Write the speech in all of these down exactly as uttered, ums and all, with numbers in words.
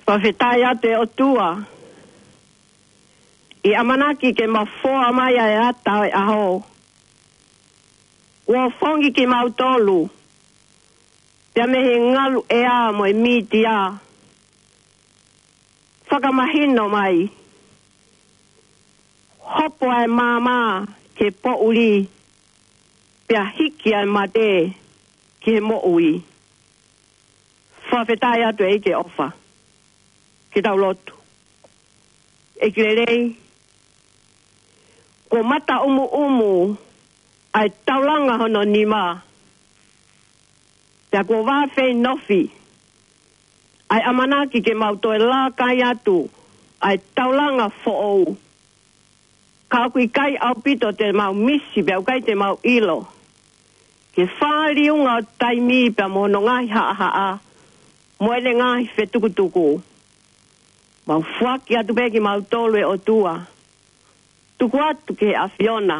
Fakafetaʻi atu ʻe ʻOtua, ʻi he ʻamanaki ke mafoa mai ʻa e ata ʻo e ʻaho. Kuo fongi kimautolu, pea mei he ngalu ʻea mo e mītia. Fakamahino mai. Hopo ʻa e maama ki he poʻuli, pea hiki ʻa e mate ki he moʻui. Fakafetaʻi atu ʻEiki ʻofa. Ke tau lotu. ʻEiki lelei, kuo mata ʻumuʻumu ʻa e taulanga hono nima. Pea kuo vafeinofi ʻa e ʻamanaki ke mau toe lākai atu ʻa e taulanga foʻou. Ka ʻoku ʻikai ʻaupito te mau misi pea ʻoku ʻikai te mau ʻilo. Ke fāliunga ʻo taimi pea mo hono ngaahi haʻahaʻa, mo ʻene ngaahi fetukutuku. Mau foaki atu pē kimautolu ʻe ʻOtua. Tuku atu ki he ʻAfiona.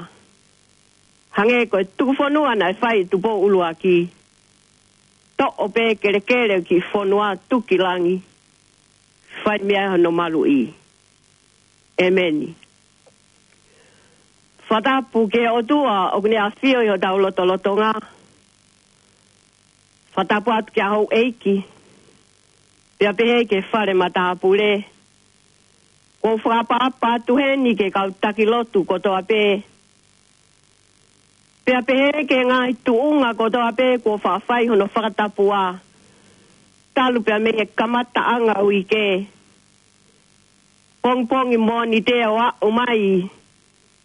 Hangē ko e tuku fonua naʻe fai ʻe Tupou ʻUluaki. Toʻo pē kelekele ki fonua tuki langi. Fai mei ai hono maluʻi. ʻEmeni. Fakatapu ki he ʻOtua ʻoku ne ʻafio ʻi hotau lotolotonga. Fakatapu atu ki he houʻeiki. Pea pehē ki he fale matāpule. Kuo u fakaʻapaʻapa atu heni ki he kau taki lotu kotoa pē. Pea pehē ki he ngaahi tuʻunga kotoa pē kuo faʻa fai hono fakatapua. Talu pea mei he kamataʻanga uike. Pongipongi Mōnite ʻo aʻu mai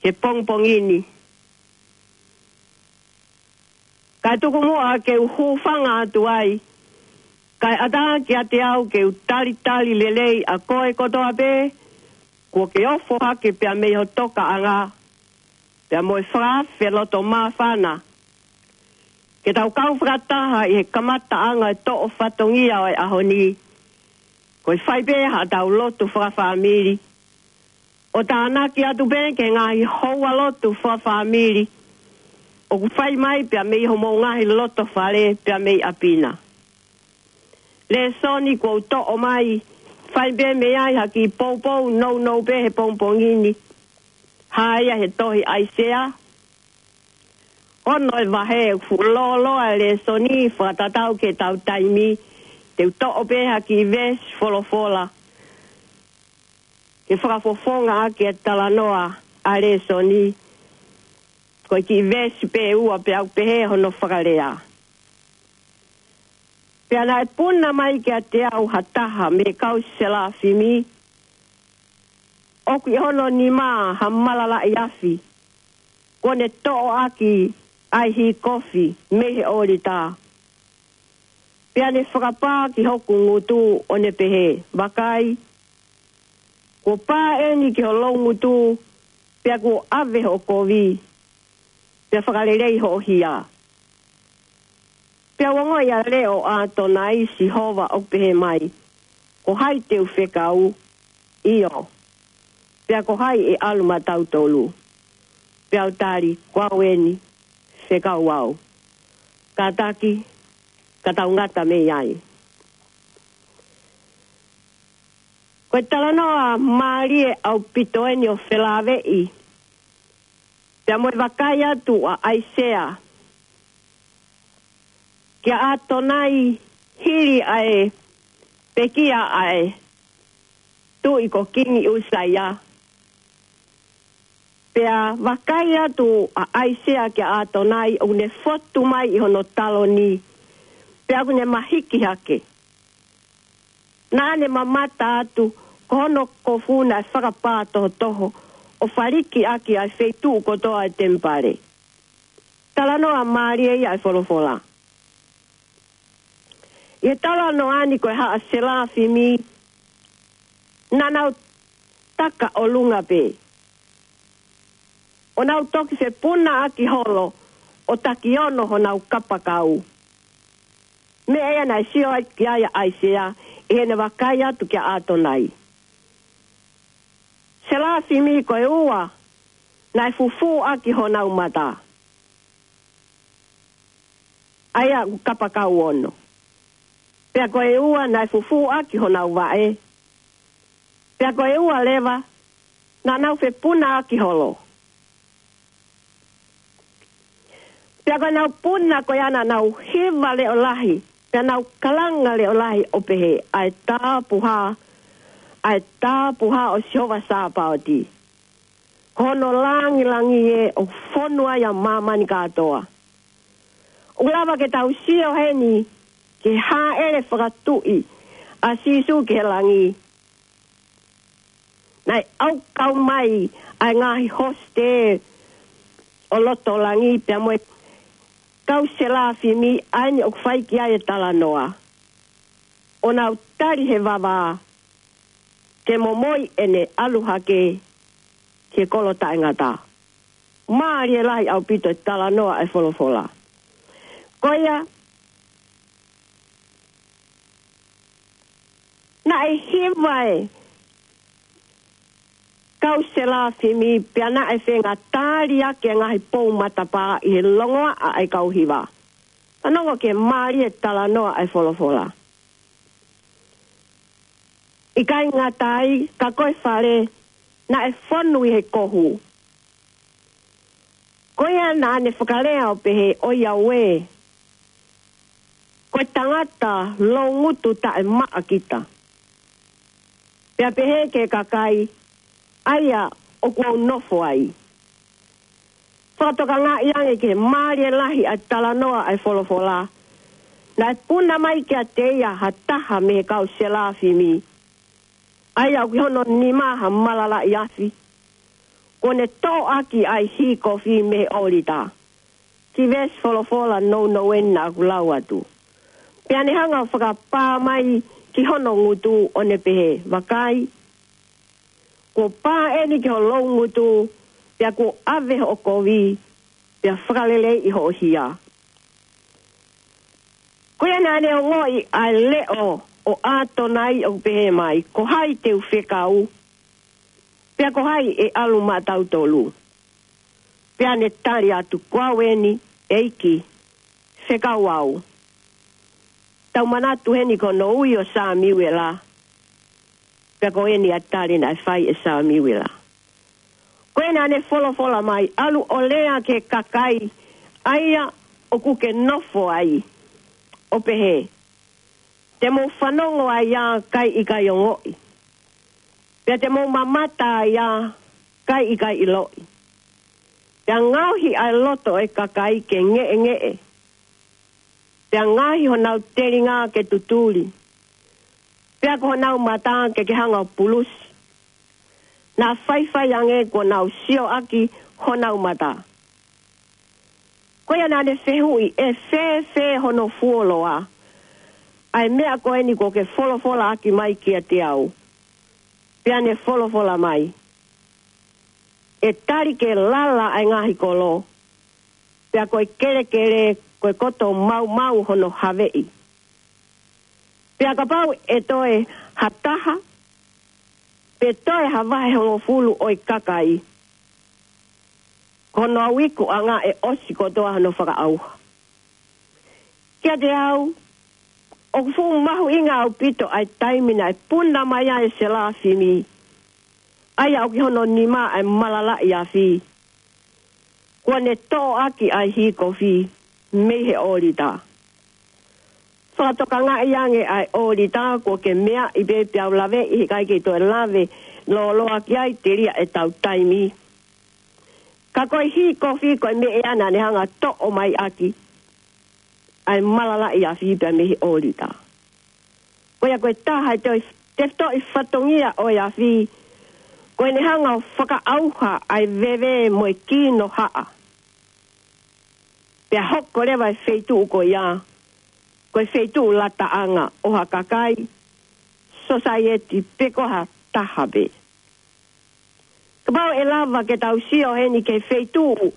ki he pongipongi ni. Kae tuku muʻa ke u hūfanga atu ai. Kae ʻatā kiate au ke u talitali lelei ʻa koe kotoa pē, kuo ke ofo hake pea mei ho tokaʻanga, pea mo e fakaafe loto māfana. Ke tau kau fakataha ʻi he kamataʻanga ʻo e toʻo fatongia ʻo e ʻaho ni. Ko e fai pē haʻatau lotu fakafāmili. ʻO tānaki atu pē ki he ngaahi houa lotu fakafāmili. ʻOku fai mai pea mei homou ngaahi loto fale pea mei ʻapi na. Lēsoni kuo u toʻo mai, fai pē mei ai ha kiʻi poupou nounou pē he pongipongi ni. Hā ia he tohi ʻAisea. Ono e vahe, fuʻu lōloa e lēsoni, fakatatau ki heʻetau taimi, te u toʻo pē ha kiʻi veesi folofola. Ke fakafofonga ʻaki e talanoa ʻa e lēsoni, ko e kiʻi veesi pē ʻe ua pea ʻoku pehē hono fakalea. Pea naʻe puna mai kiate au ha taha mei he kau selafimi, ʻoku ʻi hono nima ha malalaʻi afi, kuo ne toʻo ʻaki ʻa e hikofi mei he ʻōlita. Pea ne fakapā ki hoku ngutu ʻo ne pehē, Vakai, kuo pā eni ki ho loungutu, pea kuo ʻave hoʻo kovi, pea fakalelei hoʻo hia. Pea u ongoʻi ʻa e leʻo ʻa ʻAtonai Sihova ʻoku pehē mai, Ko hai te u fekau? ʻIo, pea ko hai ʻe ʻalu maʻatautolu? Pea u tali, Ko au eni, fekau au. Kātaki, ka tau ngata mei ai. Ko e talanoa mālie ʻaupito eni ʻo felāveʻi pea mo e vakai atu ʻa ʻAisea kia ʻAtonai hili ʻa e pekia ʻa e tuʻi ko Kingi ʻUsaia. Pea vakai atu ʻa ʻAisea kia ʻAtonai ʻoku ne fotu mai ʻi hono taloni. Pea ʻoku ne mahiki hake. Naʻa ne mamata atu, ko hono kofu naʻe fakapā tohotoho, ʻo faliki ʻaki ʻa e feituʻu kotoa e temipale. Talanoa mālie ia e folofola. ʻI he talanoa ni ko e haʻa selafimi, naʻa nau taka ʻolunga pē. ʻO nau toki fepuna ʻaki holo, ʻo takiono honau kapakau. Meʻa ia naʻe sio ai ki ai ʻa ʻAisea, ʻi heʻene vakai atu kia ʻAtonai. Selafimi ko e ua, naʻe fufū ʻaki honau mata. ʻA ia ʻoku kapakau ono. Pea ko e ua naʻe fufū ʻaki honau vaʻe. Pea ko e ua leva, naʻa nau fepuna ʻaki holo. Pea ko ʻenau puna ko ia naʻa nau hiva leʻo lahi, pea nau kalanga leʻo lahi ʻo pehē, ʻa e tāpuhā, ʻa e tāpuhā ʻo Sihova Sāpaoti. Ko hono langilangi ē ʻoku fonu ai ʻa māmani kātoa. ʻOku lava ke tau sio heni ki he hāʻele fakatuʻi ʻa Sīsū ki he langi. Naʻe ʻaukau mai ʻa e ngaahi hosite ʻo loto langi pea mo e kau selafimi ʻa eni ʻoku fai ki ai e talanoa. ʻO nau tali he vavā ke momoi ʻene ʻalu hake ki he kolo taʻengata. Mālie lahi ʻaupito e talanoa ʻa e folofola. Ko ia, naʻe hiva e kau selafimi pea naʻe fengatali ʻaki e ngaahi pou matapā ʻi he longoaʻa ʻa e kau hiva. Fanongo ki he mālie e talanoa ʻa e folofola. ʻIkai ngata ai, ka ko e fale naʻe fonu ʻi he kohu. Ko ia naʻa ne fakalea ʻo pehē, ʻOiauē, ko e tangata loungutu taʻemaʻa kita. Pea pehē ki he kakai, ʻa ia ʻoku ou nofo ai. Fakatokangaʻi ange ki he mālie lahi ʻa e talanoa ʻa e folofola. Naʻe puna mai kiate ia ha taha mei he kau selafimi. ʻA ia ʻoku ʻi hono nima ha malalaʻi afi. Kuo ne toʻo ʻaki ʻa e hī kofi mei he ʻōlita. Ki he veesi folofola nounou eni naʻa ku lau atu. Pea ne hanga ʻo fakapā mai ki hono ngutu ʻo ne pehē, Vakai, kuo pā eni ki ho loungutu, pea kuo ʻave hoʻo kovi, pea fakaleleiʻi hoʻo hia. Ko ia naʻa ne ongoʻi ʻa e leʻo ʻo ʻAtonai ʻoku pehē mai, Ko hai te u fekau, pea ko hai ʻe ʻalu maʻatautolu? Pea ne tali atu, Ko au eni, ʻEiki, fekau au. Tau manatu heni ko hono ui ʻo Samiuela. Pea ko eni ʻa e tali naʻe fai ʻe Samiuela. Ko ia naʻa ne folofola mai, ʻAlu ʻo lea ki he kakai ʻa ia ʻoku ke nofo ai, ʻo pehē, Te mou fanongo ai ā kae ʻikai ongoʻi. Pea te mou mamata ai ā kae ʻikai ʻiloʻi. Pea ngaohi ʻa e loto ʻo e kakai ke ngeʻengeʻe. Pea ngaohi honau telinga ke tutuli. Pea ko honau mata ke ke hanga ʻo pulusi. Naʻa faifai ange kuo nau sio ʻaki honau mata. Ko ia naʻa ne fehuʻi, ʻE fēfē hono fuoloa ʻa e meʻa ko eni kuo ke folofola ʻaki mai kiate au? Pea ne folofola mai, ʻE tali ke lala ʻa e ngaahi kolo, pea ko e kelekele ko e koto maumau hono haveʻi. Pea kapau ʻe toe ha taha, pe toe ha vahe hongofulu ʻo e kakai, ko hono au ikuʻanga ʻe ʻosi kotoa hono fakaʻauha. Kiate au, ʻoku fuʻu mahuʻinga ʻaupito ʻa e taimi naʻe puna mai ai e selafimi, ʻa ia ʻoku ʻi hono nima ʻa e malalaʻi afi, kuo ne toʻo ʻaki ʻa e hī kofi mei he ʻōlita. Fakatokangaʻi ange ʻa e ʻōlita kuo ke meaʻi pē, pea u laveʻi, he ʻikai ke toe lave lōloa ki ai telia ʻetau taimi. Ka ko e hī kofi ko e meʻa ia naʻa ne hanga ʻo toʻo mai ʻaki ʻa e malalaʻi afi pea mei he ʻōlita. Ko ia ko e taha e toe tefitoʻi fatongia ʻo e afi, ko ʻene hanga ʻo fakaʻauha ʻa e veve mo e kino haʻa. Pea hoko leva e feituʻu ko ia ko e feituʻu lataʻanga ʻo ha kakai, sōsaieti pe ko ha taha pē. Kapau ʻe lava ke tau sio heni ki he feituʻu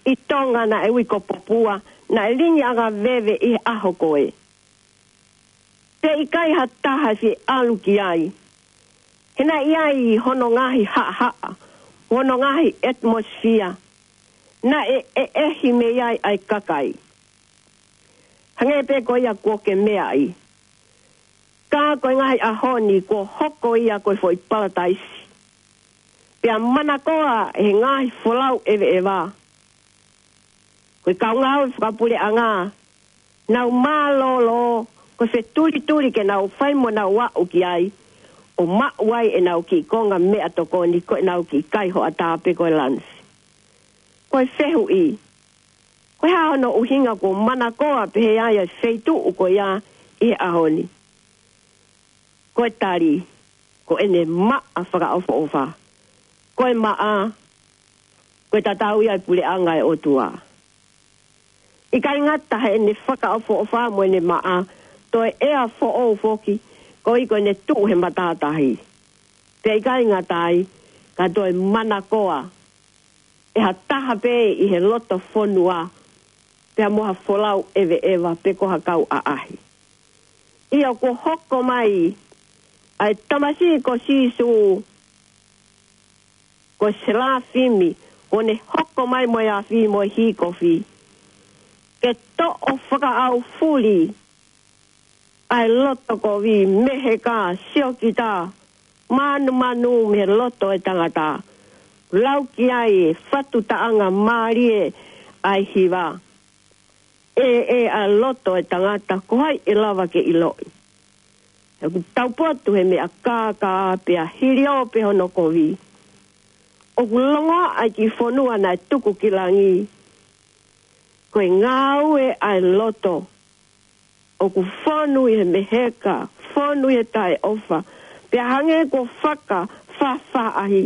ʻi Tonga naʻe ui ko Popua, naʻe lingiʻanga veve ʻi he ʻaho ko ē. Pea ʻikai ha taha ʻe fie ʻalu ki ai. He naʻe ʻi ai hono ngaahi haʻahaʻa, hono ngaahi atmosphere, naʻe ʻeʻehi mei ai ʻa e kakai. Hangē pē ko ia kuo ke meaʻi. Ka ko e ngaahi ʻaho ni kuo hoko ia ko e foʻi palataisi. Pea manakoa ʻe he ngaahi folau ʻeveʻeva. Ko e kau ngāue fakapuleʻanga, nau mālōlō, ko e fetulituli ke nau fai mo nau aʻu ki ai, ʻo maʻu ai ʻenau kiʻi konga meʻatokoni, ko ʻenau kiʻi kai hoʻatā pe ko e lanisi. Ko e fehuʻi, ko e hā hono ʻuhinga kuo manakoa pehē ai ʻa e feituʻu ko ia ʻi he ʻaho ni? Ko e tali, ko ʻene maʻa fakaʻofoʻofa. Ko e maʻa, ko e tatau ia ʻa e puleʻanga ʻo e ʻOtua. ʻIkai ngata heʻene fakaʻofoʻofa mo ʻene maʻa, toe ʻea foʻou foki, koeʻuhi ko ʻene tuʻu he matātahi. Pea ʻikai ngata ai, ka toe manakoa ʻe ha taha pē ʻi he loto fonua, pea mo ha folau ʻeveʻeva pe ko ha kau ʻaʻahi. ʻIo, kuo hoko mai ʻa e tamasiʻi ko Sīsū, ko e selafimi, kuo ne hoko mai mo e afi mo e hikofi, ke toʻo fakaʻaufuli ʻa e loto kovi, meheka, siokita, manumanu mei he loto ʻo e tangata. Lau ki ai e fatu taʻanga mālie ʻa e hiva. ʻE, ʻe ʻa e loto ʻo e tangata, ko hai ʻe lava ke ʻiloʻi? He ʻoku taupotu he meʻa kākā pea hiliō pē hono kovi. ʻOku longoaʻa ʻa e kiʻi fonua naʻe tuku ki langi. Ko e ngāue ʻa e loto. ʻOku fonu ʻi he meheka, fonu ʻi he taʻeʻofa, pea hangē kuo fakafaʻafaʻahi.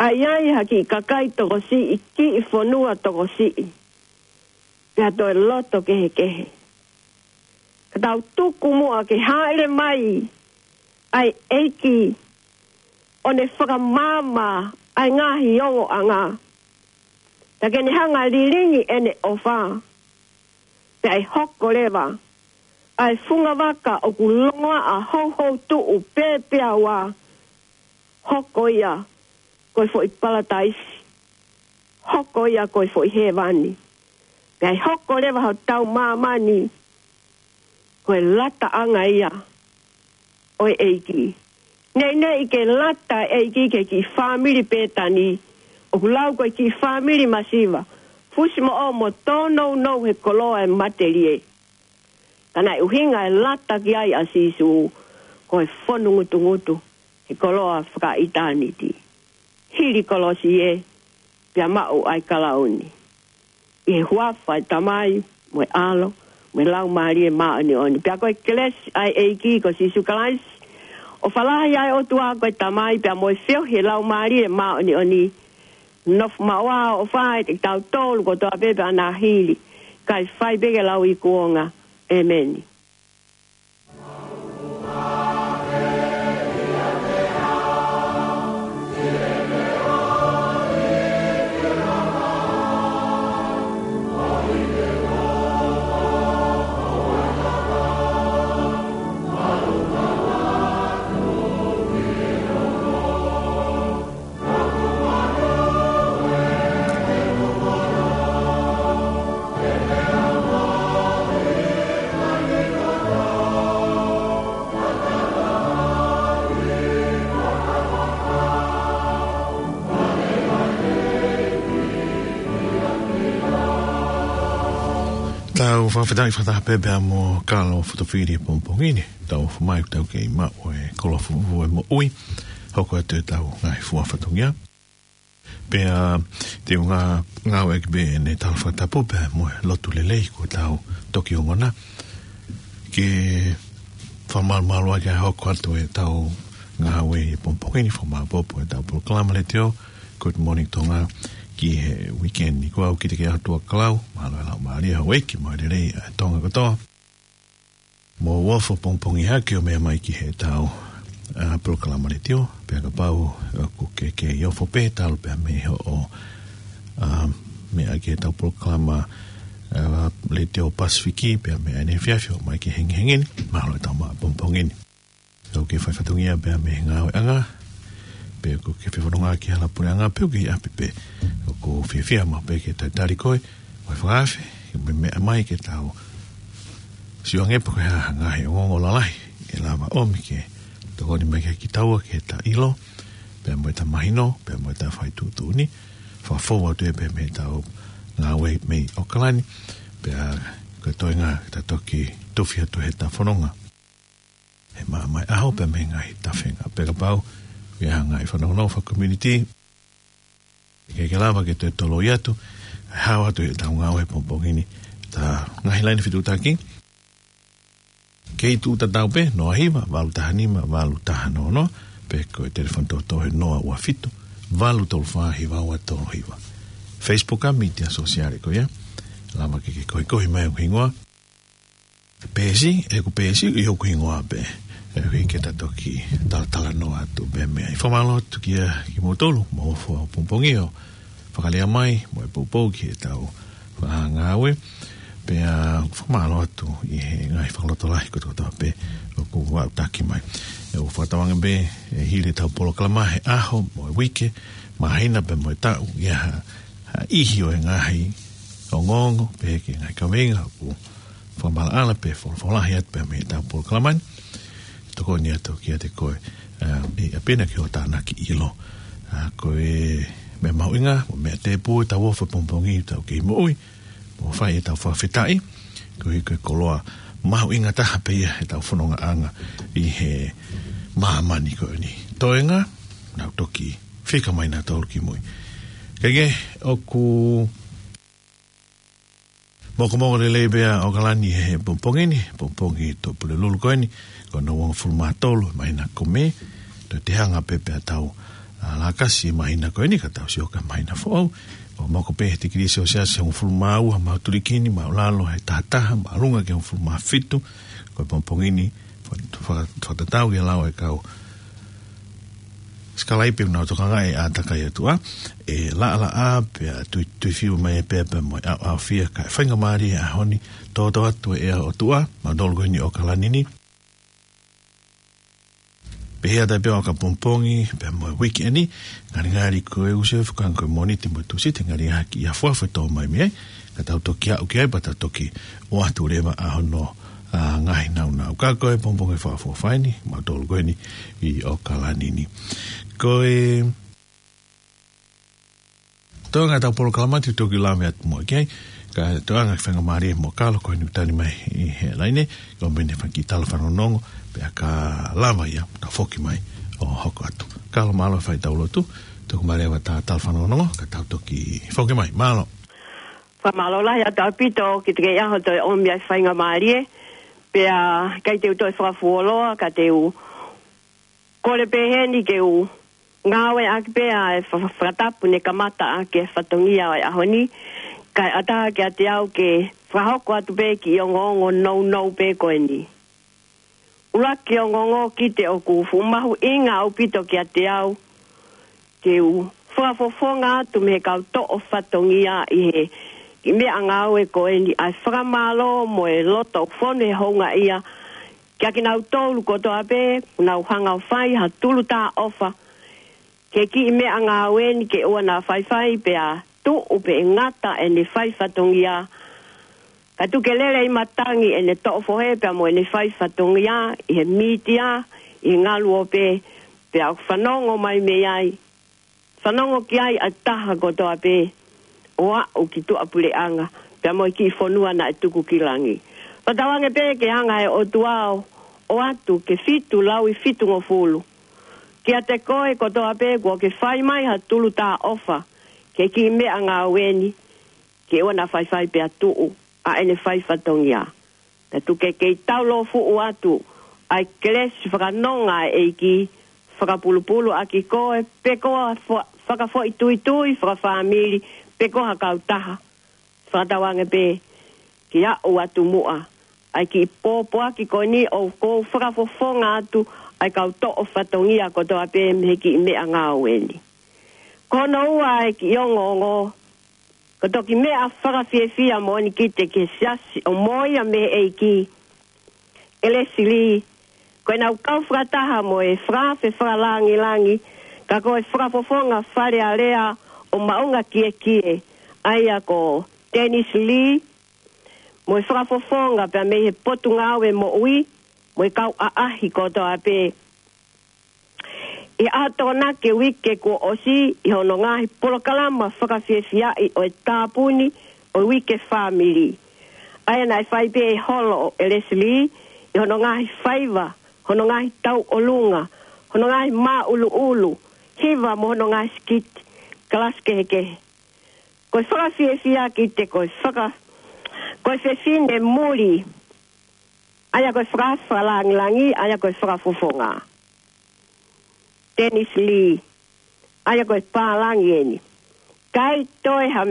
ʻA ia ʻi ha kiʻi kakai tokosiʻi, kiʻi fonua tokosiʻi, pea toe loto kehekehe. Ka tau tuku muʻa ke hāʻele mai ʻa e ʻEiki, ʻo ne fakamaama ʻa e ngaahi ongoʻanga. Pea ke ne hanga lilingi ʻene ʻofa. Pea ʻe hoko leva ʻa e fungavaka ʻoku longoaʻa houhou tuʻu pē pea ua. Hoko ia ko e foʻi palataisi. Hoko ia ko e foʻi hēvani. Pea ʻe hoko leva hotau māmani ko e lataʻanga ia ʻo e ʻEiki. Neʻineʻi ke lata e ʻEiki ki he kiʻi fāmili pētani, ʻoku lau ko e kiʻi fāmili masiva, fusimoʻo mo tōnounou he koloa ʻo e matelie. Ka naʻe ʻuhinga e lata ki ai ʻa Sīsū, ko e fonu ngutungutu he koloa fakaʻitāniti. Hili kolosi ē, pea maʻu ʻa e kalauni. ʻI he huafa ʻo e Tamai, mo e ʻAlo, mo e Laumālie Māʻoniʻoni. Pea ko e kelesi ʻa e ʻEiki ko Sīsū Kalaisi, ʻofa lahi ʻa e ʻOtua ko e Tamai, pea mo e feohi ʻa e Laumālie Māʻoniʻoni, nofo maʻu ʻo ʻofa ʻiate kitautolu kotoa pē pea ʻo hili, kae fai pē ke lauikuonga. ʻEmeni. Tau fakafetaʻi fakataha pē pea mo Kalo Fotofili he pongipongi ni. Tau ō mai, tau kei maʻu e koloa fufū e moʻui. Hoko atu ʻetau ngaahi fua fatongia. Pea te u ngā-, ngāueʻaki pē ʻene tala fakatapu pea mo e lotu lelei kuo tau toki ongona. Ke fakamalumalu ʻaki ʻa e hoko atu ʻetau ngāue he pongipongi ni, fakamāopoopo ʻetau polokalama letiō, Good Morning Tonga, ki he weekend ni. Ko au Kitiki ʻAhotuakalau, mālō e laumālie, houʻeiki, mo e lelei ʻa e Tonga kotoa. Mou ofo pongipongi hake ʻo meʻa mai ki heʻetau, ā, polokalama letiō, pea kapau ʻoku ke kei ofo pē talu pea mei hoʻo, ā, meʻa ki heʻetau polokalama, ā, letiō Pasifiki, pea mei ʻaneefiafi ʻo mai ki he hengihengi ni, mālō e tau maʻu pongipongi ni. ʻOku ke fai fatongia pea mei he ngāueʻanga, pe ʻoku ke fefononga ki he hala puleʻanga, pe ʻoku ke ʻi ʻapi pē, ʻoku ou fiefia maʻu pē ke talitali koe, mo e fakaafe, ke mou meʻa mai ke tau Sio ange pe ko e hā ha ngaahi ongoongo lalahi ʻe lava ʻomi ke tokoni mai kia kitaua ke ta ʻilo, pea mo ta mahino, pea mo ta fai tuʻutuʻuni. Fakafou atu ia pea mei heʻetau ngāue mei ʻOkalani, pea ko e toenga ke ta toki tufi atu heʻeta fononga he maama ʻo e ʻaho pea mei he ngaahi tafenga. Pea kapau ʻoku ʻi ai ha ngaahi fanongonongo faka-community, ke ke lava ke toe toloi atu, hao atu heʻetau ngāue he pongipongi ni, ta ngaahi laine fetuʻutaki. Kei tuʻu tatau pē, noa hiva, valu taha nima, valu taha noa noa, pe ko e telefoni tōtō he noa ua fitu, valu tolu fā, hiva ua tolu hiva. Facebook ʻa e mītia sōsiale ko ia, lava ke ke kohikohi mai hoku hingoa. Peesi, ʻeku peesi, ʻi hoku hingoa pē. ʻE ui ke ta toki talatalanoa atu pē mei ai. Fakamālō atu kia kimoutolu, mou fua pongipongi ʻo fakalea mai, mo e poupou ki heʻetau ngāue. Pea fakamālō atu ʻi he ngaahi fakalotolahi kotoa pē ʻoku aʻutaki mai. ʻOku fakatauange pē ʻe hili ʻetau polokalama he ʻaho, mo e uike, māhina pea mo e taʻu, ʻi ai ha, ha ʻihi ʻo e ngaahi ongoongo, pehē ki he ngaahi kaveinga ʻoku fakamaʻalaʻala pe folofolahi atu pē mei heʻetau polokalama ni. Tokoni atu kiate koe, ā, ʻi ʻapi na ke ʻo tānaki ʻilo. Ā, ko e meʻa mahuʻinga, mo e meʻa tēpū ʻetau ʻofa pongipongi ʻetau kei moʻui, mo fai ʻetau fakafetaʻi, koeʻuhi ko e koloa mahuʻinga taha pē ia ʻetau fonongaʻanga ʻi he māmani ko eni. Toenga, nau toki fika mai nautolu ki mui. Kae kehe, ʻoku mokomoko lelei pē ʻa ʻOkalani he pongipongi ni, pongipongi Tuʻapulelulu ko eni, ko hono uongofulu mā tolu, māhina ko Mē, toe te hanga pē pea tau, ā, lakasi māhina ko eni, ka tau sio ki he māhina foʻou, ʻoku moko pē he tikilī Selsiasi hongofulu mā ua, mātulikini, māʻulalo he taha taha, māʻolunga ki he hongofulu mā fitu, ko e pongipongi ni, faka-, faka-, fakatatau ki he lau ʻa e kau sikalaipe ʻoku nau tokangaʻi e ʻātakai ʻo e ʻOtua, ʻe laʻalaʻā pea tui, tuifiu mai e pea pea mo e ʻaoʻaofia, kae faingamālie he ʻaho ni, toto atu e ʻea ʻo e ʻOtua, mautolu ko eni ʻi ʻOkalani ni. Pehē atu pē ʻo ka pongipongi, pea mo e uike ni, ngalingali ko e ʻusi ʻo e fekau ko e Mōnite mo e Tūsite, ngalingali ʻi he afuafu ʻe tō mai mei ai, ka tau toki aʻu ki ai, pea tau toki ʻoatu leva ʻa hono, ā, ngaahi nāunau. Ka ko e pongipongi Fakaʻofoʻofa eni, mautolu ko eni ʻi ʻOkalani ni. Ko e toenga ʻetau polokalama te u toki lave atu muʻa ki ai, ka toenga faingamālie mo Kalo ko eni ʻoku tali mai ʻi he laine, ko ʻene fai e kiʻi tala fanongonongo, pea ka lava ia, ta foki mai ʻo hoko atu. Kalo mālō e fai ʻetau lotu, toki mālō e tala fanongonongo, ka tau toki foki mai. Mālō. Fakamālō lahi atu ʻaupito ki he ʻaho toe ʻomi ai faingamālie, pea ʻikai te u toe fakafuoloa, ka te u kole pē heni ke u ngāueʻaki pē ʻa e fa-, fa-, fakatapu ne kamata ʻaki e fatongia ʻo e ʻaho ni, kae ʻatā kiate au ke fakahoko atu pē kiʻi ongoongo nounou pē ko eni. ʻUluaki ongoongo, kiate au ʻoku fuʻu mahuʻinga ʻaupito kiate au ke u fakafofonga atu mei he kau toʻo fatongia ʻi he kiʻi meʻangāue ko eni ʻa e fakamālō mo e loto fonu he houngaʻia kia kinautolu kotoa pē, nau hanga ʻo fai ha tulu tā ʻofa ki he kiʻi meʻangāue ni ke ʻoua naʻa faifai pea tuʻu pe ʻe ngata ʻene fai fatongia. Ka tuku ke lele ʻi matangi ʻene toʻo fohe pea mo ʻene fai fatongia ʻi he mītia, ʻi he ngaluope, pea ʻoku fanongo mai mei ai. Fanongo ki ai ʻa e taha kotoa pē ʻo aʻu ki tuʻapuleʻanga, pea mo e kiʻi fonua naʻe tuku ki langi. Fakatauange pē ke hanga he ʻOtua ʻo ʻoatu ke fitu lauifitungofulu kiate koe kotoa pē kuo ke fai mai ha tulu tā ʻofa ki he kiʻi meʻangāue ni, ke ʻoua naʻa faifai pea tuʻu ʻa ʻene fai fatongia. Pea tuku ke kei taulōfuʻu atu ʻa e kelesi fakanonga ʻa e ʻEiki, fakapulupulu ʻaki koe, pe ko ha fo-, fakafoʻituitui, fakafāmili, pe ko ha kautaha. Fakatauange pē ke aʻu atu muʻa ʻa e kiʻi pōpoaki ko eni ʻoku ou fakafofonga atu ʻa e kau toʻo fatongia kotoa pē mei he kiʻi meʻangāue ni. Ko hono ua ʻa e kiʻi ongoongo, ko e toki meʻa fakafiefia moʻoni kiate au ki he siasi ʻo moʻui mei he ʻEiki, ʻElesi Lī, ko ʻenau kau fakataha mo e fakaafe fakalāngilangi, ka ko e fakafofonga Fale Alea ʻo Maʻunga Kiekie, ʻa ia ko Dennis Lī, mo e fakafofonga pea mei he Potungāue Moʻui mo e kau ʻaʻahi kotoa pē. ʻI he ʻaho Tokonaki e uike kuo ʻosi, ʻi hono ngaahi polokalama fakafiefiaʻi ʻo e tāpuni ʻo e Uike Fāmili, ʻa ia naʻe fai pē ʻe Holo ʻo Leslie ʻi hono ngaahi faiva, hono ngaahi tauʻolunga, hono ngaahi māʻuluʻulu, hiva mo hono ngaahi sikiti, kalasi kehekehe. Ko e fakafiefia ki te ko e faka-, ko e fefine muli, ʻa ia ko e fakafakalāngilangi, ʻa ia ko e fakafofonga, Dennis Lee, ʻa ia ko e pālangi eni. ʻIkai toe ha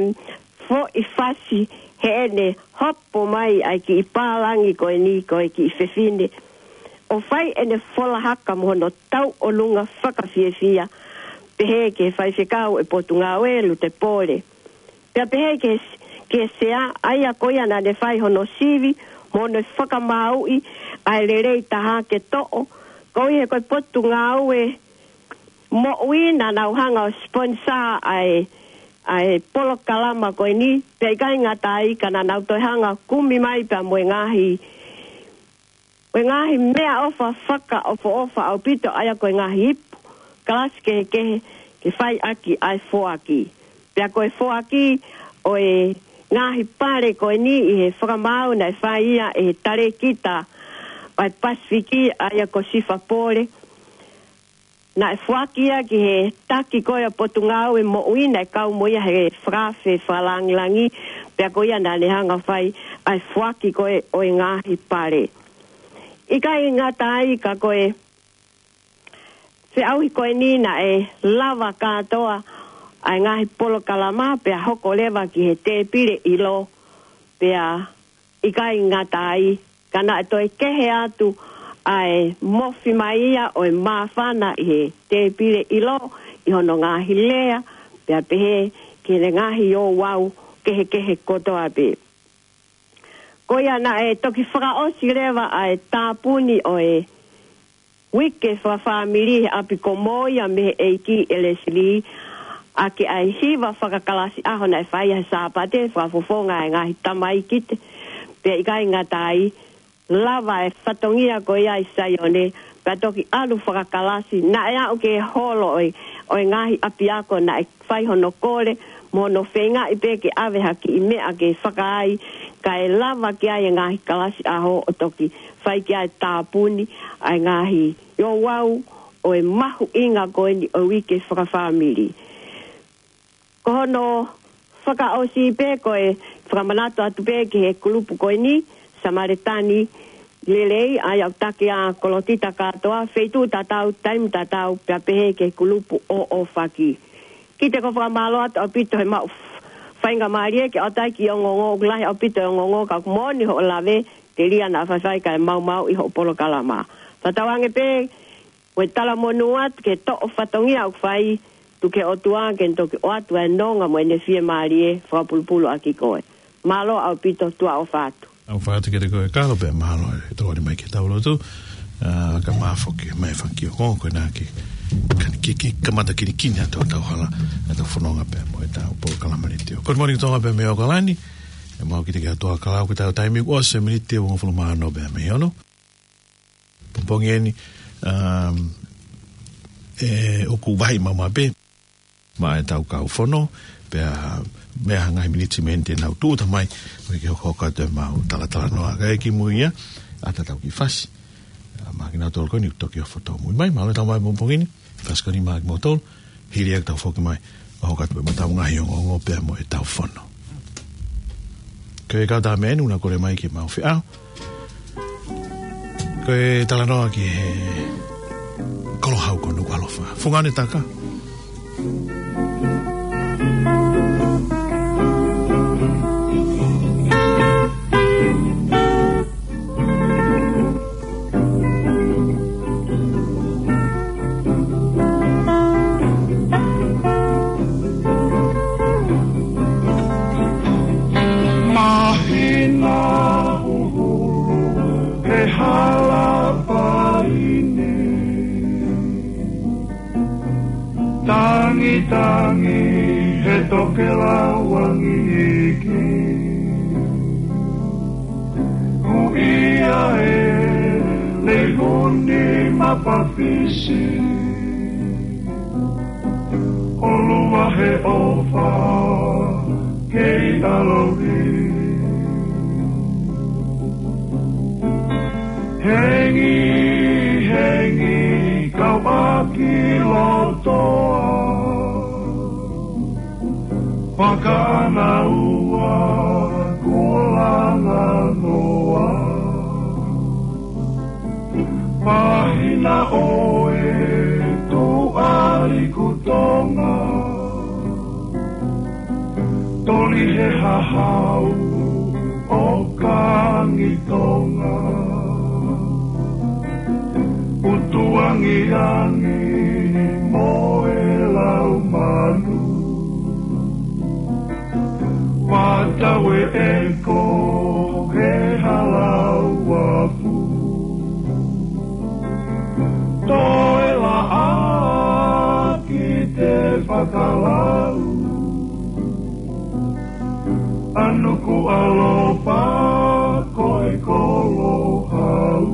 foʻi fasi heʻene hopo mai ʻa e kiʻi pālangi ko eni, ko e kiʻi fefine, ʻo fai ʻene fola haka mo hono tauʻolunga fakafiefia, pehē ki he faifekau ʻo e Potungāue, Lute Pole. Pea pehē ki he, ki he sea, ʻa ia ko ia naʻa ne fai hono sivi mo hono fakamāuʻi ʻa e lelei taha ke toʻo, koeʻuhi he ko e Potungāue Moʻui naʻa nau hanga ʻo sponsor ʻa e, ʻa e polokalama ko eni, pea ʻikai ngata ai ka naʻa nau toe hanga ʻo kumi mai pea mo e ngaahi, mo e ngaahi meʻaʻofa fakaʻofoʻofa ʻaupito, ʻa ia ko e ngaahi ipu, kalasi kehekehe, ke fai ʻaki ʻa e foaki. Pea ko e foaki ʻo e ngaahi pale ko eni ʻi he fakamaau naʻe fai ia ʻe he talēkita ʻo e Pasifiki, ʻa ia ko Sifa Pole. Naʻe foaki ia ki he taki ko ia ʻo e Potungāue Moʻui, naʻe kau mo ia he fakaafe fakalāngilangi, pea ko ia naʻa ne hanga ʻo fai ʻa e foaki ko ē ʻo e ngaahi pale. ʻIkai ngata ai ka ko e feʻauhi ko eni naʻe lava kātoa ʻa e ngaahi polokalama pea hoko leva ki he tēpile ʻilo, pea ʻikai ngata ai, ka naʻe toe kehe atu ʻa e mofi mai ia ʻo e māfana ʻi he tēpile ʻilo ʻi hono ngaahi lea, pea pehē ki he ngaahi ouau kehekehe kotoa pē. Ko ia naʻe toki fakaʻosi leva ʻa e tāpuni ʻo e uike fakafāmili he ʻapi ko Moia mei he ʻEiki ʻe Leslie, ʻaki ʻa e hiva fakakalasi ʻaho naʻe fai he Sāpate, fakafofonga e ngaahi tamaiki te, pea ʻikai ngata ai, lava e fatongia ko ia ʻi Saione, pea toki ʻalu fakakalasi, naʻe aʻu ki he holo ʻo e, ʻo e ngaahi ʻapiako naʻe fai hono kole, mo hono feingaʻi pē ke ʻave ha kiʻi meʻa ke fakaai, kae lava ki ai e ngaahi kalasi ʻaho ʻo toki fai ki ai e tāpuni ʻa e ngaahi ouau ʻo e mahuʻinga ko eni ʻo e uike fakafāmili. Ko hono fakaʻosi pē ko e fakamanatu atu pē ki he kulupu ko eni, Samalitani Lelei, ʻa ia ʻoku taki ʻa Kolotita kātoa, feituʻu tatau, taimi tatau, pea pehē ki he kulupu ʻo ʻOfaki. Kiate koe fakamālō atu ʻaupito he maʻu faingamālie ke ʻoatu ai e kiʻi ongoongo, ʻoku lahi ʻaupito e ongoongo ka ʻoku moʻoni hoʻo lave, telia naʻa faifai kae maumauʻi hoʻo polokalama. Fakatauange pē, ko e talamonū atu ki he toʻo fatongia ʻoku fai, tuku ki he ʻOtua ke ne toki ʻoatu ʻa e nonga mo ʻene fiemālie fakapulupulu ʻaki koe. Mālō ʻaupito, tuʻa ʻofa atu. ʻOfa atu kiate koe Kalo pea mālō e tokoni mai ki heʻetau lotu. ʻA, ka mafao ke mai faki o ko koe na ke, ka ni kiki, kamata kinikini ʻa e tau hala, ʻa e tau fononga pea mo ʻetau polokalama ni tio. Good morning Tonga pea mei ʻAokalani. ʻE mau kiate ki he ʻOtua Kalo, ko ʻetau taimi kuo ʻosi e miniti ʻe uongofulu mā ono pea mei he ono. Pongipongi eni, um, ʻe ʻoku vahi maumau pē maʻa ʻetau kau fono, pea mei he ngaahi miniti mei heni te nau tūʻuta mai, ʻo ke hokohoko atu e mau talatalanoa. Kae kimuʻa ia, ʻatā ʻetau kiʻi fasi. ʻA, mahalo kinautolu ko eni ʻoku toki ʻofa tōmui mai, mālō e tau mai pongipongi ni, fasi ko eni maʻa kimoutolu, hili ia ke tau foki mai, ʻo hoko atu pē mo ʻetau ngaahi ongoongo pea mo ʻetau fono. Ko e kau tā menu na kole mai ke mau feʻao. Ko e talanoa ki he Kolohau ko Nukuʻalofa. Fungani Taka. Māhina huhulu he hala paine. Tangitangi he tokelau angi iiki. Ia e leihuni mapafisi, ʻolunga he ʻofa kei ʻaloʻi. Hengihengi kau ʻaki lotoa, fakaʻānaua kuo langa noa. Pāhina ʻo e tuʻa liku Tonga, toli he hahau ʻo Kangi Tonga. ʻUtuangiangi mo e lau manu, ʻoatu e ʻeko he hala uafu. Toe laʻā ki te fakalau, ʻa Nukuʻalofa ko e kolo hau.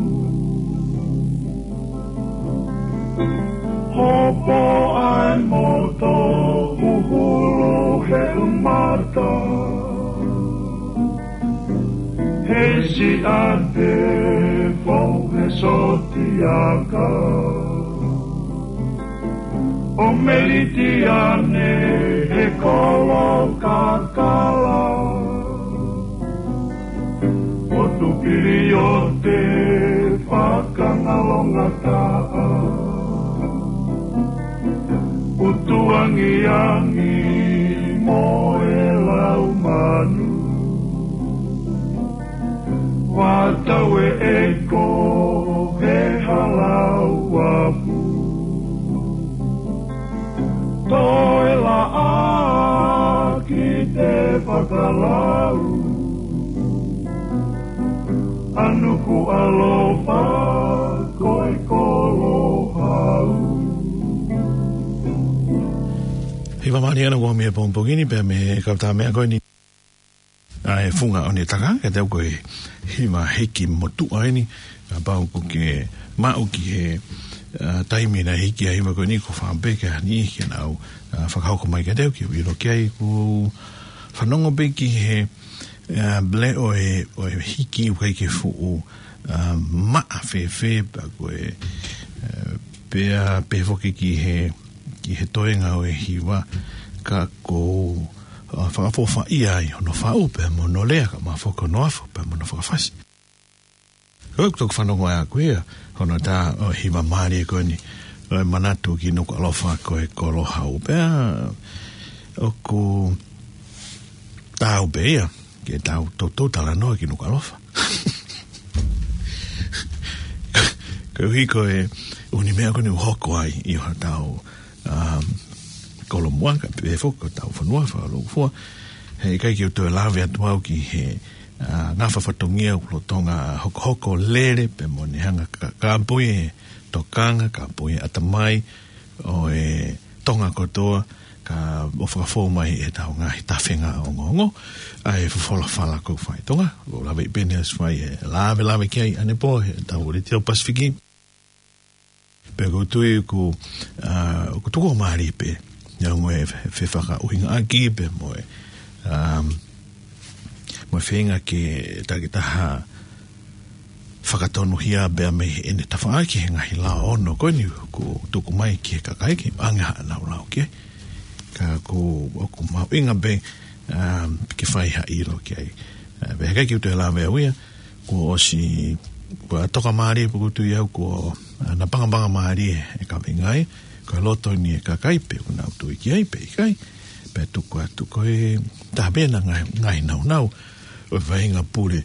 Hopo ai moto huhulu he umata, he siʻate fou he sotiaka. ʻO Melitiane he kolo kakala, ʻo Tupiliote fakangalongataʻa. ʻUtuangiangi mo e lau manu, ʻoatu e ʻeko he hala uafu. Toe laʻā ki te fakalau, ʻa Nukuʻalofa ko e kolo hau. Hiva mālie ʻaupito ʻa e pongipongi ni pea mo e kau tā meʻa ko eni. ʻA e funga ʻo ne taka, ka tau ko e hiva hiki motuʻa eni, kapau ʻoku ke maʻu ki he, ʻa, taimi naʻe hiki ai e hiva ko eni, ko e fakaʻamu pē ke ʻai ke nau, ʻa, fakahoko mai ka tau ke u ʻilo ki ai. Ko e fanongo pē ki he, ʻa, pule ʻo e, ʻo e hiki ʻoku ʻikai ke fuʻu, ʻa, maʻa fēfē, pea ko e, ʻa, pea pehē foki ki he, ki he toenga ʻo e hiva, ka ko ʻa, fakaʻofoʻofaʻia ai hono faʻu pea mo hono lea, kae ʻumaʻā foki hono afo pea mo hono fakafasi. Ko ʻeku toki fanongo ʻaʻaku ia, hono tā ʻo e hiva mālie ko eni, ʻo e manatu ki Nukuʻalofa ko e kolo hau, pea ʻoku taau pē ia ke tau toutou talanoa ki Nukuʻalofa. Koeʻuhi ko e ʻū meʻa ko eni ʻoku hoko ai ʻi hotau, um, kolomuʻa, kae pehē foki ko hotau fonua fakalūkufua. He ʻikai ke u toe lave atu au ki he, ʻa, ngafa fatongia ʻoku lolotonga hokohoko lele pea mo ne hanga ʻo ka-, kāpui e tokanga, kāpui e ʻatamai ʻo e Tonga kotoa, kae ʻoua fakafou mai ʻetau ngaahi tafenga ongoongo, ʻa e folofola fala ko e fai Tonga. ʻOku ou lave pē ʻi he ʻaho ni ʻo fai e lavelave ki ai ʻanepō heʻetau Letiō Pasifiki. Pea ʻoku ou tui ʻoku, ʻa, ʻoku tuku mālie pē, ʻa e ongo e fe-, fefakaʻuhingaʻaki pea mo e, um, mo e feinga ke takitaha fakatonuhia pea mei heʻene tafaʻaki he ngaahi lao ono ko eni ʻoku tuku mai ki he kakai ke ʻoange haʻanau lao ki ai. Ka ʻoku, ʻoku mahuʻinga pē, um, ke fai ha ʻilo ki ai. ʻA, pea heʻikai ke u toe lave au ia, kuo ʻosi, kuo toka mālie pea ʻoku ou tui au kuo, ʻa, napangapanga mālie e kaveinga ia, ko e loto eni e kakai pe ʻoku nau tui ki ai pe ʻikai, pea tuku atu ko e taha pē ʻena ngaahi, ngaahi nāunau, ʻo e faʻahinga pule,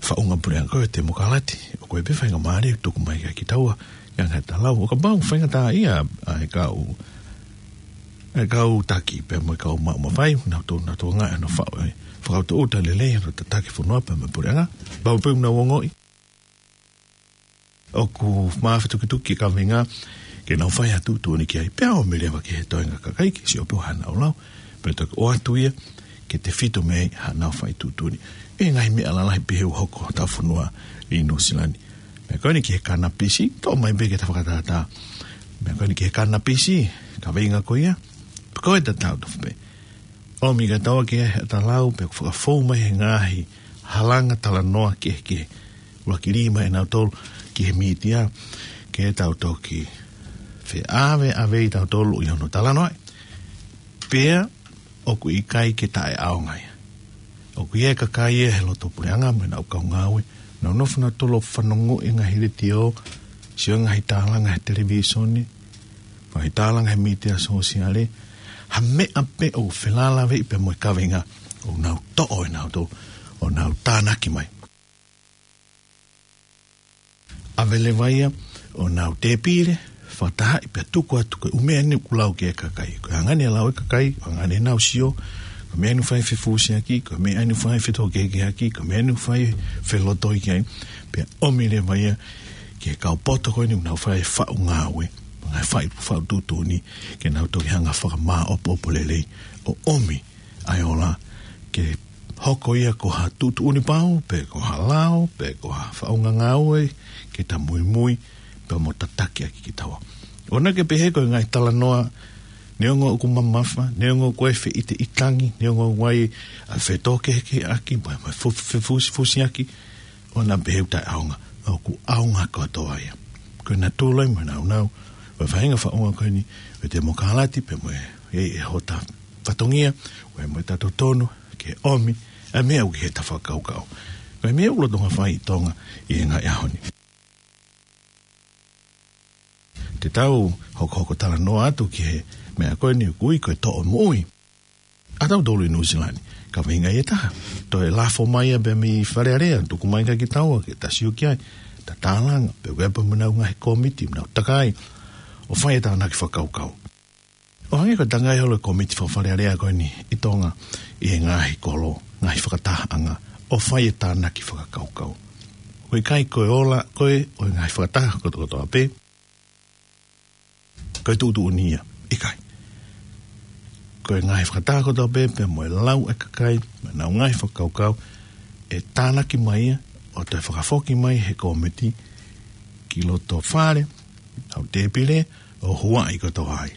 faʻunga puleʻanga ko e temokalati, ʻoku ʻi ai pē faʻahinga mālie tuku mai kia kitaua, ʻi he ngaahi talau, ʻo kapau faingataʻaʻia ʻa e kau, ʻa e kau taki, pea mo e kau maʻu mafai, nau tō, nau tō ngā ʻa hono faʻu, ʻe, fakautuutu lelei, hono tataki fonua, pea mo e puleʻanga, pau pē ʻoku nau ongoʻi ʻoku mafatukituki e kaveinga, ke nau fai ha tuʻutuʻuni ki ai, pea ō mai leva ki he toenga kakai ke sio pē ʻo haʻanau lao, pea toki ʻoatu ia, ke tefito mei ai haʻanau fai tuʻutuʻuni. ʻI he ngaahi meʻa lalahi pehē ʻoku hoko ʻi hotau fonua ʻi Nuʻusila ni. Meʻa ko eni ki he kanapisi, toʻo mai pē ke ta fakatātā. Meʻa ko eni ki he kanapisi, kaveinga ko ia. Ko e tatau tofu pē. ʻOmi ka tau ke he ta lau, pea fakafou mai he ngaahi halanga talanoa kehekehe. ʻUluaki lima ʻe nautolu ki he mītia, ke tau toki feʻaveʻave ʻi tautolu ʻi hono talanoa. Pea ʻoku ʻikai ke taʻeʻaonga ia. ʻOku ʻi ai e kakai ia he loto puleʻanga mo ʻenau kau ngāue, nau nofo nautolu ʻo fanongo ʻi he ngaahi letiō, sio he ngaahi tālanga he televīsone, ngaahi tālanga he mītia sōsiale, ha meʻa pē ʻoku felālāveʻi pea mo e kaveinga, ʻoku nau toʻo ʻe nautolu, ʻo nau tānaki mai. ʻAve leva ia ʻo nau tēpile, fakatahaʻi pea tuku atu ko e ʻū meʻa eni ʻoku lau ki ai e kakai. Ko e anga eni e lau ʻa e kakai, ko e anga eni ʻenau sio, ko e meʻa eni ʻoku fai fefusiaki, ko e meʻa eni ʻoku fai fetōkehekeheʻaki, ko e meʻa eni ʻoku fai felotoʻi ki ai. Pea ʻomi leva ia ki he kau poto ko eni ʻoku nau fai e faʻu ngāue, ngaahi faʻu, faʻu tuʻutuʻuni, ke nau toki hanga fakamāʻopoʻopo lelei, ʻo ʻomi ʻa e ola ke hoko ia ko ha tuʻutuʻuni pau, pe ko ha lao, pe ko ha faʻunga ngāue, ke ta muimui, pea mo tataki ʻaki kitaua. ʻOua naʻa ke pehē ko e ngaahi talanoa, neongo ʻoku mamafa, neongo ʻoku ʻi ai e feʻiteʻitangi, neongo ʻoku ʻi ai ʻa e fetōkehekeheʻaki, mo e, mo e fu-, fefusifusiaki, ʻoua naʻa pehē ʻoku taʻeʻaonga, ʻoku ʻaonga kotoa ia. Ko e natula ia mo e nāunau ʻo e faʻahinga faʻunga ko eni ʻo e temokalati pea mo e, e, e hota fatongia, ʻo e mo e ta totonu ke ʻomi ʻa e meʻa ʻoku ʻi he ta fakakaukau. Ko e meʻa ʻoku lolotonga fai ʻi Tonga ʻi he ngaahi ʻaho ni. Te tau hokohoko talanoa atu ki he meʻa ko eni ʻoku ui ko e toʻo moʻui ʻa tautolu ʻi Nuʻusila ni. Kaveinga ia ʻe taha. Toe lafo mai ia pea mei Fale Alea, tuku mai kia kitaua ke ta sio ki ai, ta tālanga, pea ʻoku ʻi ai pē mo ʻenau ngaahi kōmiti, mo ʻenau takai, ʻo fai e tānaki fakakaukau. ʻO hangē ko e tangai holo e kōmiti faka-Fale Alea ko eni ʻi Tonga ʻi he ngaahi kolo, ngaahi fakatahaʻanga, ʻo fai e tānaki fakakaukau. ʻOku ʻikai ko e ola ko ē ʻo e ngaahi fakataha kotokotoa pē ko e tuʻutuʻuni ia, ʻikai. Ko e ngaahi fakataha kotoa pē, pea mo e lau ʻa e kakai, mo ʻenau ngaahi fakakaukau, ʻe tānaki mai ia, ʻo toe fakafoki mai he kōmiti ki loto fale, ʻenau tēpile, ʻo huaʻi kotoa ai.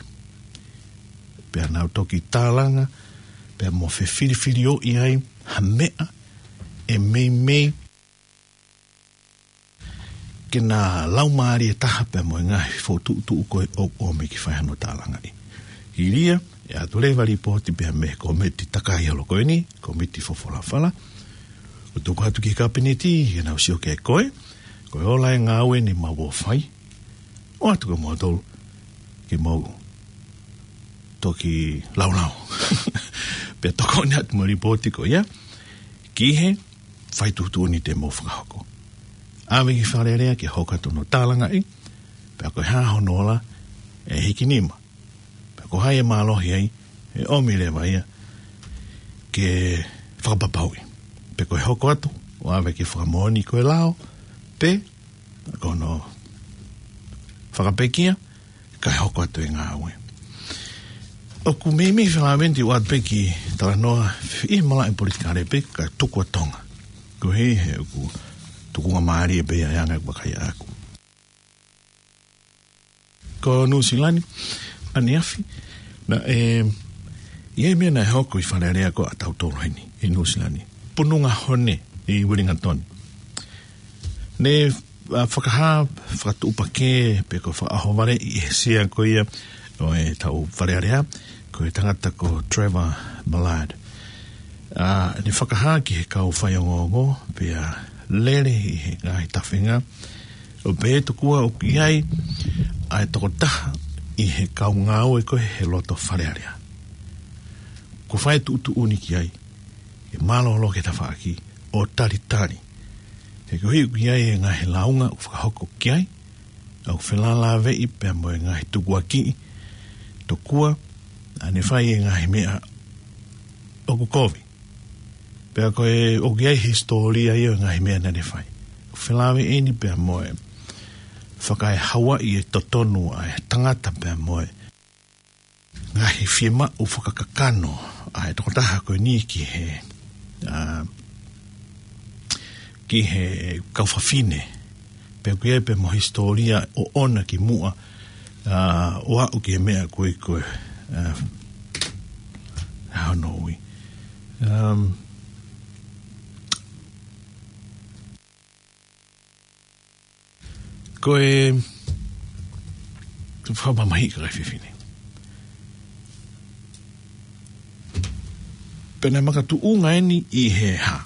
Pea nau toki tālanga, pea mo fefilifilioʻi ai, ha meʻa, ʻe meimei, ke na laumālie taha pea mo e ngaahi fokotuʻutuʻu ko ē ʻoku ʻomi ki fai hano tālangaʻi. Hili ia, ʻe ʻatu leva lipooti pea mei he kōmiti takai holo ko eni, kōmiti fofola fala. ʻO tuku atu ki he kapineti, ke nau sio ki ai ko e, ko e ola e ngāue ni mau ō fai. ʻOatu kia moutolu, ke mau toki laulau. Pea tokoni atu mo e lipooti ko ia, ki he fai tuʻutuʻuni te mau fakahoko. ʻAve ki Fale Alea ke hoko atu hono tālangaʻi, pea ko e hā hono ola ʻe hiki nima. Pea ko hai ʻe mālohi ai, ʻe ʻomi leva ia ke fakapapauʻi. Pe ko e hoko atu, ʻo ʻave ke fakamoʻoni ko e lao, pe ko hono fakapekia, kae hoko atu e ngāue. ʻOku meimei felāveʻi ʻoatu pē ki he talanoa ʻi he malaʻe politikale pē ka tuku ʻa Tonga. Ko e hā he ʻoku tukunga mālie pē ia ʻa e anga ʻoku vakai ʻaʻaku. Ko Nuʻusila ni, ʻaneafi, naʻe, ʻi ai e meʻa naʻe hoko ʻi Fale Alea ko ē ʻa tautolu heni, ʻi Nuʻusila ni. Pununga Hone, ʻi Uelingatoni. Ne, ʻa, fakahā, fakatuʻupakē, pe ko e fakaʻohovaleʻi ʻe he sea ko ia ʻo ʻetau Fale Alea, ko e tangata ko Trevor Millard. ʻA, ne fakahā ki he kau faiongoongo, pea lele ʻi he ngaahi tafenga, ʻo pehē tokua ʻoku ʻi ai ʻa e tokotaha ʻi he kau ngāue ko ē he loto Fale Alea. Kuo fai e tuʻutuʻuni ki ai, ke mālōlō ki he tafaʻaki, ʻo talitali. He koeʻuhi ʻoku ʻi ai e ngaahi lāunga ʻoku fakahoko ki ai, ʻoku felālāveʻi pea mo e ngaahi tukuakiʻi, tokua, naʻa ne fai e ngaahi meʻa ʻoku kovi. Pea ko e, ʻoku ʻi ai e hisitōlia ia ʻo e ngaahi meʻa naʻa ne fai. ʻOku felāveʻi eni pea mo e fakaehauaʻi e totonu ʻa e tangata pea mo e ngaahi fiemaʻu fakakakano ʻa e tokotaha ko eni ki he, ʻa, ki he kau fafine. Pea ʻoku ʻi ai pē mo e hisitōlia ʻoʻona ki muʻa, ʻa, ʻo aʻu ki he meʻa ko ē ko ē, ʻa, ʻa hono ui. Um, ko e, ko e fakamamahiʻi kakai fefine. Pea naʻe makatuʻunga eni ʻi he hā?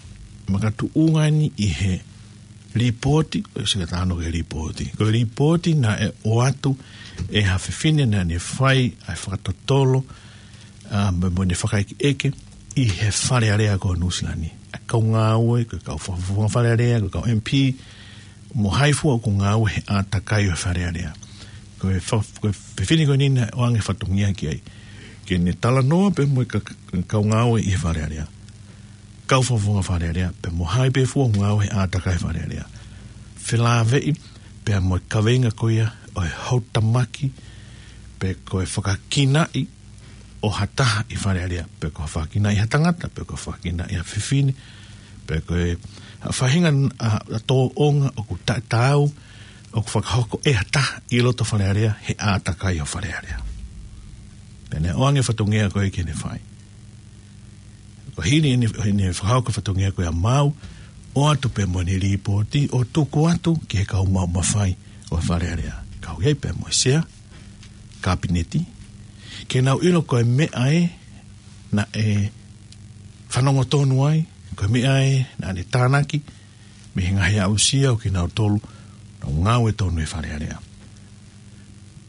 Makatuʻunga eni ʻi he lipooti, ʻosi ka tano ke lipooti. Ko e lipooti naʻe ʻoatu ʻe ha fefine naʻa ne fai ʻa e fakatotolo, ʻa, mo, mo ʻene fakaʻekeʻeke ʻi he Fale Alea ko Nuʻusila ni. ʻA e kau ngāue, ko e kau fakafofonga Fale Alea, ko e kau M P, mo hai fua ʻoku ngāue he ʻātakai ʻo e Fale Alea. Ko e fa-, ko e fefine ko eni naʻe ʻoange fatongia ki ai ke ne talanoa pē mo e ka-, kau ngāue ʻi he Fale Alea, kau fakafofonga Fale Alea, pea mo hai pē fua ʻoku ngāue he ʻātakai Fale Alea. Felāveʻi pea mo e kaveinga ko ia ʻo e houtamaki, pe ko e fakakinaʻi ʻo ha taha ʻi Fale Alea, pe ko e fakakinaʻi ha tangata, pe ko e fakakinaʻi ha fefine, pe ko e, ʻa, faʻahinga, ʻa, ʻa tōʻonga ʻoku taʻetaau, ʻoku fakahoko ʻe ha taha ʻi loto Fale Alea he ʻātakai ʻo Fale Alea. Pea naʻe ʻoange fatongia ko ē ke ne fai. Ko e hili ʻene, ʻene fakahoko fatongia ko ia maau, ʻoatu pē mo ʻene lipooti, ʻo tuku atu ki he kau maʻu mafai ʻo e Fale Alea. Kau ai pē mo e Sea Kapineti, ke nau ʻilo ko e meʻa ē naʻe fanongo tonu ai, ko e meʻa ē naʻa ne tānaki mei he ngaahi aʻusia ʻo kinautolu naʻa nau ngāue tonu he Fale Alea.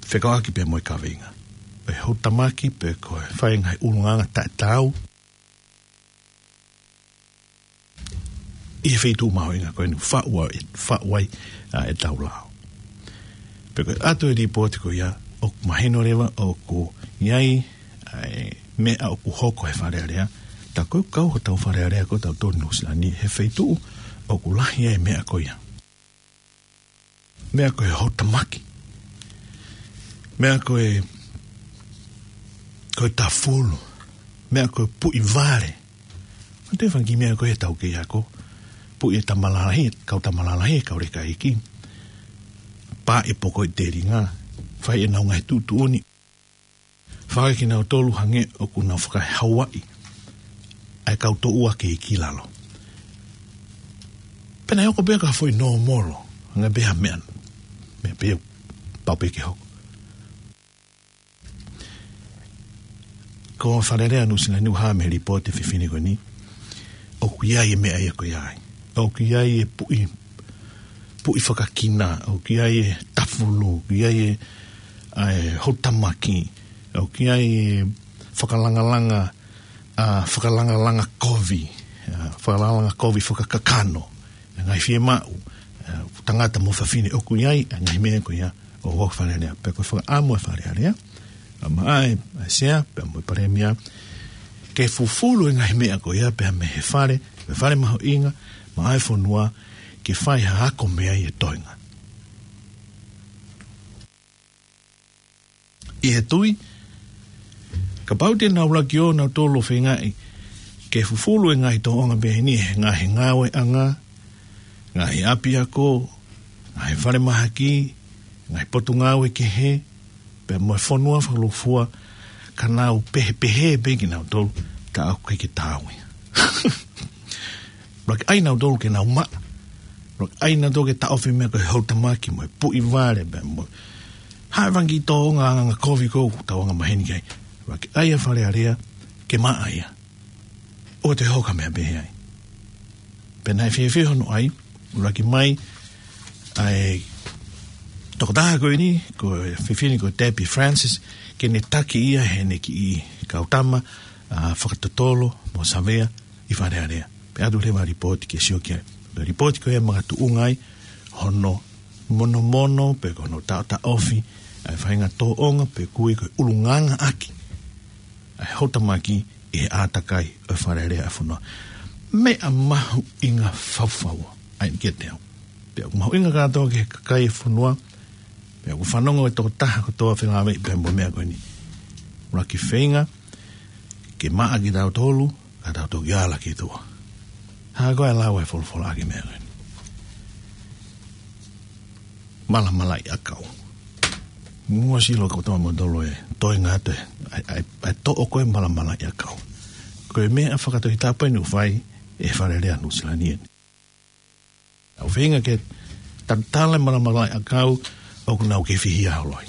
Fekauʻaki pē mo e kaveinga ʻo e houtamaki pe ko e fai ngaahi ʻulungaanga taʻetaau ʻi he feituʻu mahuʻinga ko eni ʻoku faʻu ai, faʻu ai, ʻa, ʻetau lao. Pea ko e ʻoatu e lipooti ko ia, ʻoku mahino leva ʻoku ʻi ai ʻa e meʻa ʻoku hoko he Fale Alea, tā ko e kau hotau Fale Alea ko ē ʻoku tau tonu ʻi Nuʻusila ni he feituʻu ʻoku lahi ai e meʻa ko ia. Meʻa ko e houtamaki. Meʻa ko e, ko e tafulu. Meʻa ko e puʻi vale. Ko e fanga kiʻi meʻa ko ē ʻoku tau kei ako. Puʻi e tama lalahi, kau tama lalahi, kau leka iiki. Pā e poko ʻi he telinga. Fai ʻenau ngaahi tuʻutuʻuni. Fai kinautolu hangē ʻoku nau faka-Hawaiʻi. ʻA e kau toʻua kei ʻi lalo. Pea naʻe hoko pē ko ha foʻi nōmolo. Hangē pē ha meʻa. Meʻa pē pau pē ke hoko. Ko Fale Alea Nuʻusila ni ʻoku hā mei he lipooti ʻa e fefine ko eni, ʻoku ʻi ai e meʻa ia ko ia ai. ʻOku ʻi ai e puʻi, puʻi fakakina, ʻoku ʻi ai e tafulu, ʻoku ʻi ai e, ʻa e houtamaki, ʻoku ʻi ai e fakalangalanga, ʻa, fakalangalanga kovi, ʻa, fakalangalanga kovi fakakakano, ngaahi fiemaʻu, ʻa, tangata mo fafine, ʻoku ʻi ai ʻa e ngaahi meʻa ko ia ʻo e Fale Alea. Pea ko e fakaʻamu ʻa e Fale Alea, ʻa, maʻa e, ʻa e Sea, pea mo e Palēmia, ke fufulu e ngaahi meʻa ko ia pea mei he fale, mei he fale mahuʻinga, maʻa e fonua, ke fai ha ako mei ai e toenga. ʻI he tui, kapau te nau laki ʻo nautolu ʻo feingaʻi ke fufulu e ngaahi tōʻonga pehē ni he ngaahi ngāueʻanga, ngaahi ʻapiako, ngaahi falemahaki, ngaahi potungāue kehe, pea mo e fonua fakalūkufua, ka nau pehē, pehē pē kinautolu, ka ʻoku ʻikai ke taau ia. Laki ai nautolu ke nau maʻa. Laki ai nautolu ke taʻofi e meʻa ko e houtamaki mo e puʻi vale pea mo e hā e fanga kiʻi tōʻonga anga kovi ko ē ʻoku tau anga maheni ki ai. Laki ai ʻa e Fale Alea ke maʻa ia. ʻOua te hoko ha meʻa pehē ai. Pea naʻe fiefia hono ʻai, laki mai ʻa e tokotaha ko eni, ko e fefine ko Debbie Francis, ke ne taki ia heʻene kiʻi kau tama, ʻa, fakatotolo mo savea ʻi Fale Alea. Pea ʻoatu leva e lipooti ke sio ki ai. Ko e lipooti ko ia ʻe makatuʻunga ai hono monomono pe ko hono taʻotaʻofi ʻa e faʻahinga tōʻonga pe ʻoku ui ko e ʻulungaanga ʻaki ʻa e houtamaki ʻi he ʻātakai ʻo e Fale Alea ʻa e fonua. Meʻa mahuʻinga faufaua ʻa eni kiate au. Pea ʻoku mahuʻinga kātoa ki he kakai ʻo e fonua, pea ʻoku fanongo e tokotaha kotoa felāveʻi pea mo e meʻa ko eni. Laki feinga ke maʻa kitautolu, ka tau toki ala ki tuʻa. Hā koā e lau ʻa e folofola ʻaki e meʻa ko eni? malamalaʻi ʻakau. Muʻa sio kotoa mo tolo e toe ngata e, ʻa e, ʻa e, ʻa e toʻo ko e malamalaʻi ʻakau. Ko e meʻa fakatohitapu eni ʻoku fai ʻe he Fale Alea Nuʻusila ni eni. ʻOku feinga ke tatala e malamalaʻi ʻakau ʻoku nau kei fihia holo ai.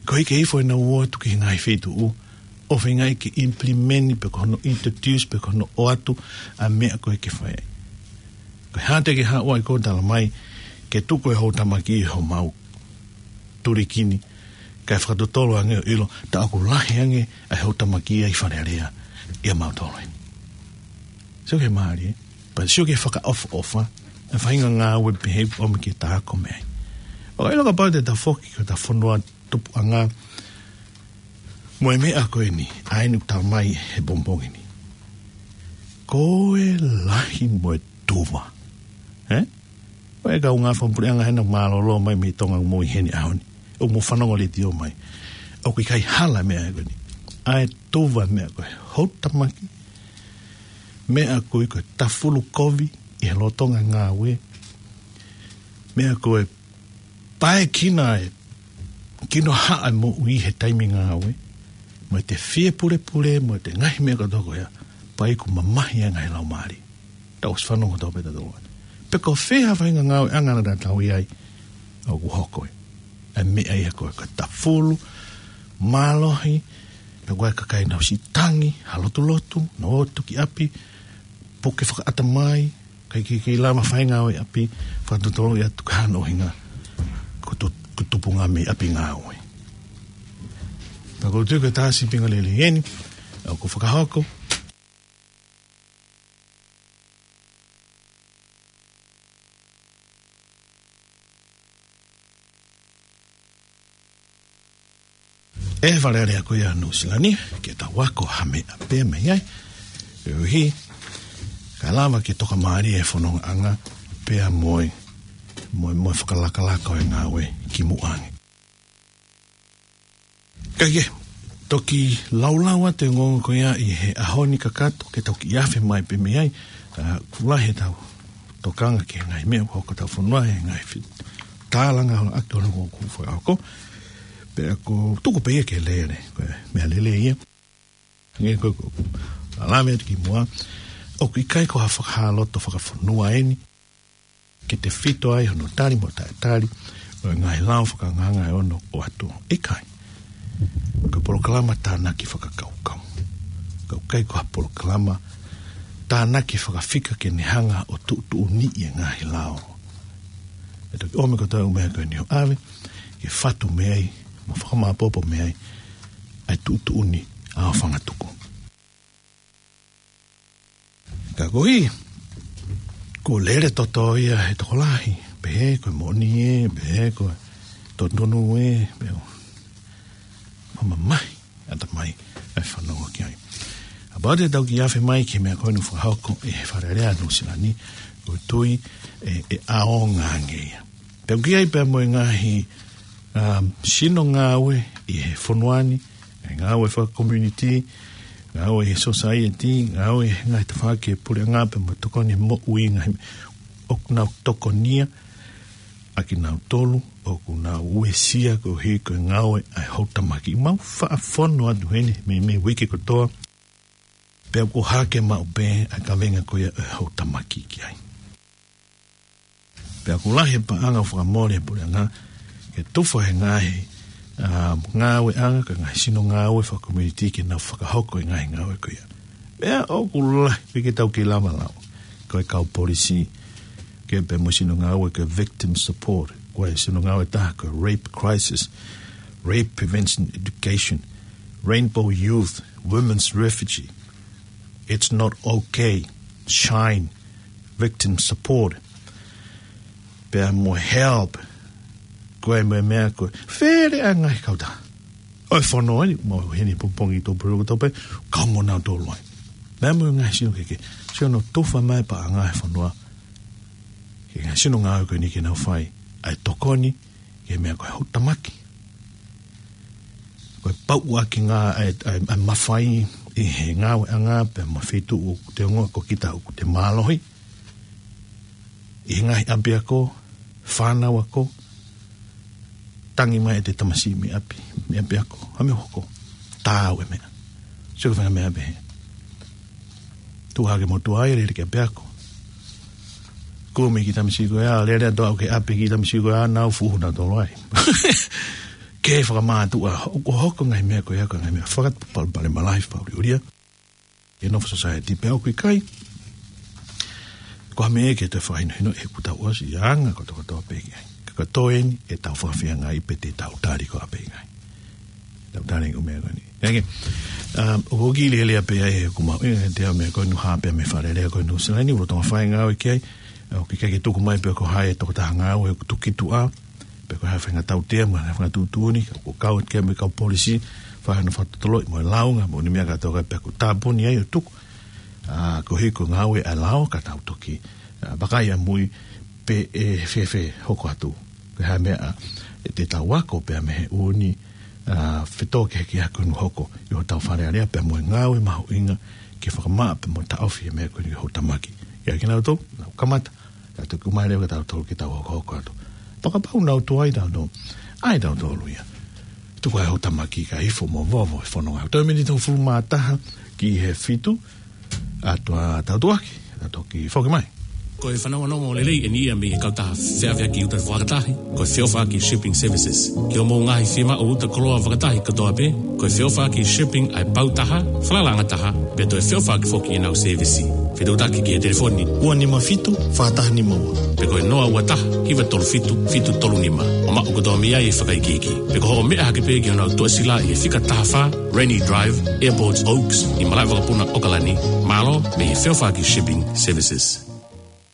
Ko e hiki hifo ʻenau ō atu ki he ngaahi feituʻu, ʻo feinga ke implement pe ko hono introduce pe ko hono ʻoatu ʻa e meʻa ko ē ke fai. Ko e hā te ke haʻu ai ko e tala mai ke tuku e houtamaki ʻi homau tulikini, kae fakatotolo ange ʻo ʻilo, tā ʻoku lahi ange ʻa e houtamaki ʻi Fale Alea ʻia mautolu eni. Sio ki he mālie, pea sio ki he fakaʻofoʻofa e faʻahinga ngāue pehē ʻoku ʻomi ke ta ako mei ai. ʻOku ʻilo kapau te ta foki ki hota fonua tupuʻanga mo e meʻa ko eni, ʻa eni ʻoku tala mai he pongipongi ni. Ko e lahi mo e tuva. Ē? Ko e kau ngāue fakapuleʻanga hena mālōlō mai mei Tonga mo ʻi heni ʻaho ni. ʻOku mou fanongo letiō mai. ʻOku ʻikai hala meʻa ko eni. ʻA e tuva meʻa ko e houtamaki. Meʻa ko e, ko e tafulu kovi ʻi he lolotonga ngāue. Meʻa ko e pae kina e, kino haʻa e moʻui he taimi ngāue. Mo e te fie pulepule, mo e te ngaahi meʻa kotoa ko ia. Pea ʻoku mamahi ange he laumālie. Tau ʻosi fanongo tau pē tautolu. Pe ko fē ha faʻahinga ngāueʻanga naʻa tau ʻi ai, ʻoku hoko ē. ʻA e meʻa ia ko e, ko e tafulu, mālohi, pe ko e kakai nau siʻi tangi, ha lotulotu, nau ō atu ki ʻapi, puke fakaʻatamai, kae kei, kei lava fai ngāue ʻapi, fakatotolo ia tuku hano hinga, ko tu-, ko e tupunga mei ʻapi ngāue. Pea ʻoku ou tui ko e taha sīpinga lelei eni ʻoku fakahoko ʻe he Fale Alea ko ia Nuʻusila ni, ke tau ako ha meʻa pē mei ai. Koeʻuhi, kae lava ke tokamālie e fonongaʻanga pea mo e, mo e, mo e fakalakalaka ʻo e ngāue kimuʻa ange. Kae kehe, toki laulau atu e ongoongo ko ia ʻi he ʻaho ni kakato ke tau kiʻi afe mai pē mei ai, ʻa, ʻoku lahi ʻetau tokanga ki he ngaahi meʻa ʻoku hoko ʻi hotau fonua, he ngaahi fi-, tālanga holo atu holo ʻoku fakahoko. Pea ʻoku tuku pē ia ke lele, ko e meʻa lelei ia. Hangē ko e, ko e, ʻa e lave atu kimuʻa, ʻoku ʻikai ko ha fakahā loto fakafonua eni, ke tefito ai hono tali mo taʻetali ʻo e ngaahi lao fakanganga ʻe ono ʻoatu. ʻIkai. Ko e polokalama tānaki fakakaukau. Ka ʻoku ʻikai ko ha polokalama tānaki fakafika ke ne hanga ʻo tuʻutuʻuni e ngaahi lao. ʻE toki ʻomi kotoa e ʻū meʻa ko eni ʻo ʻave, ke fatu mei ai, mo fakamāpopo mei ai, ʻa e tuʻutuʻuni ʻa e fanga tuku. Ka koeʻuhi, ʻoku lele toto ia he tokolahi, pehē ko e moʻoni ē, pehē ko e totonu ē, pea ʻoku mamahi ʻatamai ʻa e fanongo ki ai. Kapau te tau kiʻi afe mai ki he meʻa ko eni ʻoku fakahoko ʻe he Fale Alea Nuʻusila ni, ʻoku ou tui ʻe, ʻe ʻaonga ange ia. Pea ʻoku ʻi ai pea mo e ngaahi, um, sino ngāue ʻi he fonua ni, ngaahi ngāue fakakomiunitī, ngāue he society, ngāue he ngaahi tafaʻaki e puleʻanga pea mo e tokoni moʻui ngaahi ʻoku nau tokonia, ʻa kinautolu ʻoku nau uesia koeʻuhi ko e ngāue ʻa e houtamaki. Mau faʻa fonu atu heni mei, mei he uike kotoa, pea ʻoku hake maʻu pē ʻa e kavenga ko ia ʻo e houtamaki ki ai. Pea ʻoku lahi e paʻanga ʻoku fakamole he puleʻanga, ke tufa he ngaahi, um, ngāueʻanga, ka ngaahi sino ngāue fakakomiunitī ke nau fakahoko e ngaahi ngāue ko ia. Pea ʻoku lahi pē ke tau kei lava lau. Ko e kau polisi, ke pea mo e sino ngāue ko e victim support. Ko e sino ngāue ʻe taha ko e rape crisis, rape prevention education, rainbow youth, women's refugee. It's not okay. Shine. Victim support. Pea mo e help. Ko e meʻa, meʻa ko e fele ʻa e ngaahi kautaha ʻo e fonua ni, mo heni pongipongi tō puru tō pē, kau mo nautolu ai. Pea mo e ngaahi sino kehekehe. Sio hono tufa mai paʻanga he fonua. Ke ngaahi sino ngāue ko eni ke nau fai ʻa e tokoni, ke meʻa ko e houtamaki. Ko e pauʻuaki ngā ʻa e, ʻa e, ʻa e mafai ʻi he ngāueʻanga pea mo e feituʻu ʻoku te ongoʻi ko kita ʻoku te mālohi. ʻI he ngaahi ʻapiako, fānau ako, Tangi mai ʻete tamasiʻi mei ʻapi, mei ʻapiako, ha meʻa ʻoku hoko. Taau e meʻa. Sio ki he faʻahinga meʻa pehē. Tuʻu hake mo tuʻu ai, lele ki ʻapiako. Kumi e kiʻi tamasiʻi ko ia, lele atu ʻo aʻu ki ʻapi e kiʻi tamasiʻi ko ia, nau fuhu nautolu ai. Ke fakamātuʻa, ʻoku hoko e ngaahi meʻa ko ia, ko e ngaahi meʻa fakapalopalema lahi fakaʻuliʻulia. ʻE nofo society pea ʻoku ʻikai. Ko ha meʻa ke toe fakahinohino ʻe he kuta uasi anga kotokotoa pē ki ai. Ka ko e toe eni ʻetau fakafeangai pē te tau tali ko ā pē ki ai. Tau tali ko e meʻa ko eni. Eke, um, ʻoku kiʻi lelei pē ai ʻeku maʻu, ʻe te au meʻa ko eni ha pē mei Fale Alea ko eni Nuʻu Sila ni, ʻoku lolotonga fai e ngāue ki ai, ʻoku ʻikai ke tuku mai pe ko hai e tokotaha ngāue ʻoku tuku ki tuʻa, pe ko e hā e faʻahinga tautea, mo e hā e faʻahinga tuʻutuʻuni, ka ʻoku kau atu ki ai mo e kau polisi, fai hono fakatotoloʻi mo e lāunga, mo e ʻū meʻa kātoa pē ʻoku tāpuni ai ʻo tuku. ʻA, koeʻuhi ko e ngāue ʻa e lao ka tau toki, ʻa, vakai ʻamui pe ʻe fēfē hoko atu. Ko e hā e meʻa, ʻa, ʻe te tau ako pea mei he ʻū, ʻa, fetōkehekehe ko eni ʻoku hoko ʻi hotau Fale Alea pea mo e ngāue mahuʻinga ke fakamaʻa pea mo taʻofi e meʻa ko eni ʻi hotau tamaki. ʻIa kinautolu, nau kamata, ka tuku mai leva kia tautolu ke tau hokohoko atu. Fakapapau naʻa tau tuʻu ai tautolu. ʻAi tautolu ia. Tuku ai hotau tamaki kae ifo mo vovo e fononga. Toe miniti hongofulu mā taha ki he fitu. ʻA tau tuʻu hake, ʻa toki foki mai. Ko e fanongonongo lelei eni ia mei he kautaha feʻaveaki uta fakatahi, ko e Feʻofaʻaki Shipping Services. Ki hoʻomou ngaahi fiemaʻu uta koloa fakatahi kātoa pē, ko e Feʻofaʻaki Shipping ʻa e pau taha, falalaʻanga taha, pea toe feʻofaʻaki foki ʻenau sēvisi. Fetuʻutaki ki he telefoni ua nima fitu, fā taha nima ua. Pe ko e noa ua taha, hiva tolu fitu, fitu tolu nima. ʻO maʻu kotoa mei ai e fakaikiiki. Pe ko hoʻo meʻa hake pē ki honau tuʻasila ʻi he fika taha fā, Rennie Drive, Airports Oaks, ʻi Malaʻevakapuna, ʻAokalani. Mālō mei he Feʻofaʻaki Shipping Services.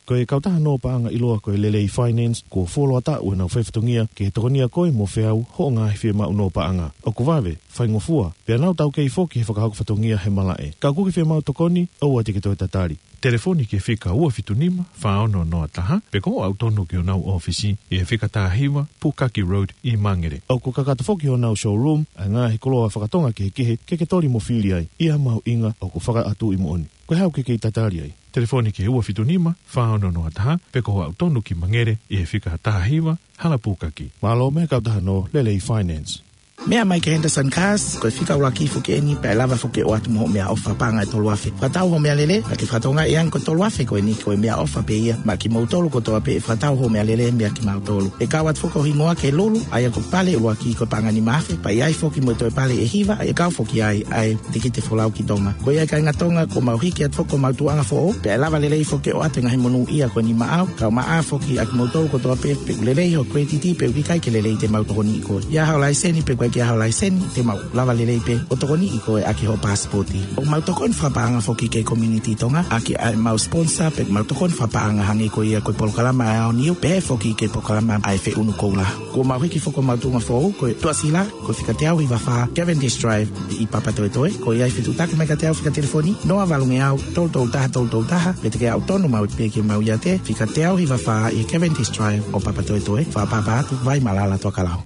Ko e kautaha nō paʻanga ʻiloa ko e Lelei Finance, kuo fuoloa taʻu ʻenau faifatongia ke tokonia koe mo feau hoʻo ngaahi fiemaʻu nō paʻanga. ʻOku vave, faingofua, pea nau taukei foki he fakahoko fatongia he malaʻe. Ka ʻoku ke fiemaʻu tokoni, ʻoua te ke toe tatali. Telefoni ki he fika ua fitu nima, fā ono noa taha, pe ko hoʻo aʻu tonu ki honau ʻōfisi ʻi he fika taha hiva, Pukaki Road ʻi Mangere. ʻOku kakato foki honau showroom ʻa e ngaahi koloa fakatonga kehekehe ke ke toli mo fili ai, ʻi ha mahuʻinga ʻoku fakaʻatuʻi moʻoni. Ko e hā ʻoku ke kei tatali ai? Telefoni ki he ua fitu nima, fā ono noa taha, pe ko hoʻo aʻu tonu ki Mangere ʻi he fika taha hiva, Hala Pukaki. Mālō mei he kautaha nō Lelei Finance. Meʻa mai ki he Henderson Cars, ko e fika ʻuluaki foki eni, pea ʻe lava foki ʻo ʻoatu mo hoʻo meʻaʻofa paʻanga ʻe tolu afe. Fakatau hoʻo meʻalele, ka ke fakatokangaʻi ange ko e tolu afe ko eni ko e meʻaʻofa pē ia maʻa kimoutolu kotoa pē ʻe fakatau hoʻo meʻalele meia kimautolu. ʻE kau atu foki ho hingoa ki he lulu, ʻa ia ko e pale ʻuluaki ko e paʻanga nima afe, pea ʻi ai foki mo e toe pale ʻe hiva, ʻe kau foki ai ʻa e tikite folau ki Tonga. Ko ia kāinga Tonga, kuo mau hiki atu foki homau tuʻuʻanga foʻou, pea ʻe lava lelei foki ʻo ʻoatu e ngaahi monūʻia ko eni maʻau, kae ʻumaʻā foki ʻa kimoutolu kotoa pē, pe ʻoku lelei hoʻo credit pe ʻoku ʻikai ke lelei te mau tokoniʻi koe. ʻI ai haʻo laiseni pe ʻoku ʻikai ke ʻi ai haʻo laiseni, te mau lava lelei pē ʻo tokoniʻi koe ʻaki hoʻo pasipoti. ʻOku mau tokoni fakapaʻanga foki ki he community Tonga, ʻaki ʻemau sponsor pe ʻemau tokoni fakapaʻanga hangē ko ia ko e polokalama ʻa e Aoniu, pehē foki ki he polokalama ʻa e Feʻunu Koula. Kuo mau hiki foki homau tuʻuʻanga foʻou, ko e tuʻasila, ko e fika teau hiva fā Cavendish Drive ʻi Papatoetoe. Ko ia fetuʻutaki mai kiate au fika telefoni noa valungeau tolu tolu taha tolu tolu taha, pe te ke aʻu tonu maʻu pē ki homau iate, fika teau hiva fā ʻi Cavendish Drive ʻo Papatoetoe, fakaʻapaʻapa atu, Vaimalala, Tokelau.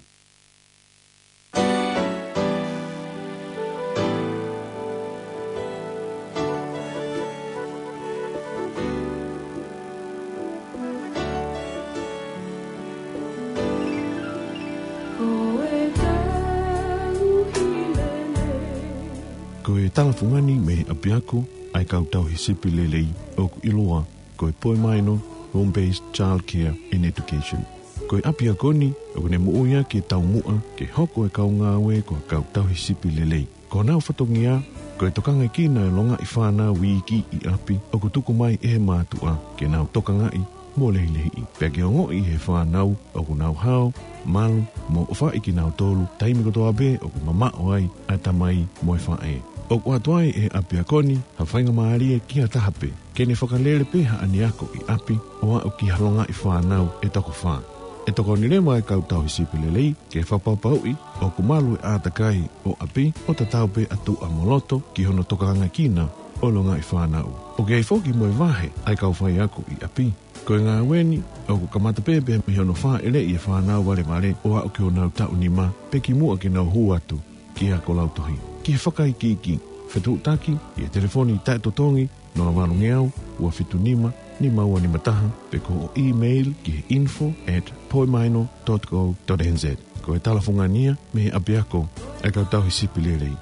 Ko e talafungani mei he ʻapiako ʻa e kau tauhi sipi lelei ʻoku ʻiloa ko e Poimaino Home Based Child Care and Education. Ko e ʻapiako ni ʻoku ne moʻui ʻaki e taumuʻa ke hoko e kau ngāue ko e kau tauhi sipi lelei. Ko honau fatongia, ko e tokangaekina e longaʻi fānau iiki ʻi ʻapi ʻoku tuku mai ʻe he mātuʻa ke nau tokangaʻi mo lehilehiʻi. Pea ke ongoʻi ʻe he fānau ʻoku nau hao, malu, mo ʻofaʻi kinautolu taimi kotoa pē ʻoku mamaʻo ai ʻa e tamai mo e faʻē. ʻOku ʻoatu ai ʻe he ʻapiako ni ha faingamālie ki ha taha pē ke ne fakalele pē haʻane ako ʻi ʻapi ʻo aʻu ki ha longaʻi fānau ʻe toko fā. ʻE tokoni leva e kau tauhi sipi lelei ke fakapapauʻi ʻoku malu e ʻātakai ʻo ʻapi ʻo tatau pē ʻa tuʻa mo loto ki hono tokangaekina ʻo e longaʻi fānau. ʻOku ʻi ai foki mo e vahe ʻa e kau faiako ʻi ʻapi. Ko e ngāue ni ʻoku kamata pē pea mei hono fāʻeleʻi e fānau valevale ʻo aʻu ki honau taʻu nima pe kimuʻa ke nau hū atu ki he ako lautohi. Ki he fakaikiiki, fetuʻutaki ʻi he telefoni taʻetotongi noa valungeau ua fitu nima nima ua nima taha, pe ko hoʻo email ki he info at poimaino dot co dot N Z. Ko e talafungani ia mei he ʻapiako ʻa e kau tauhi sipi lelei.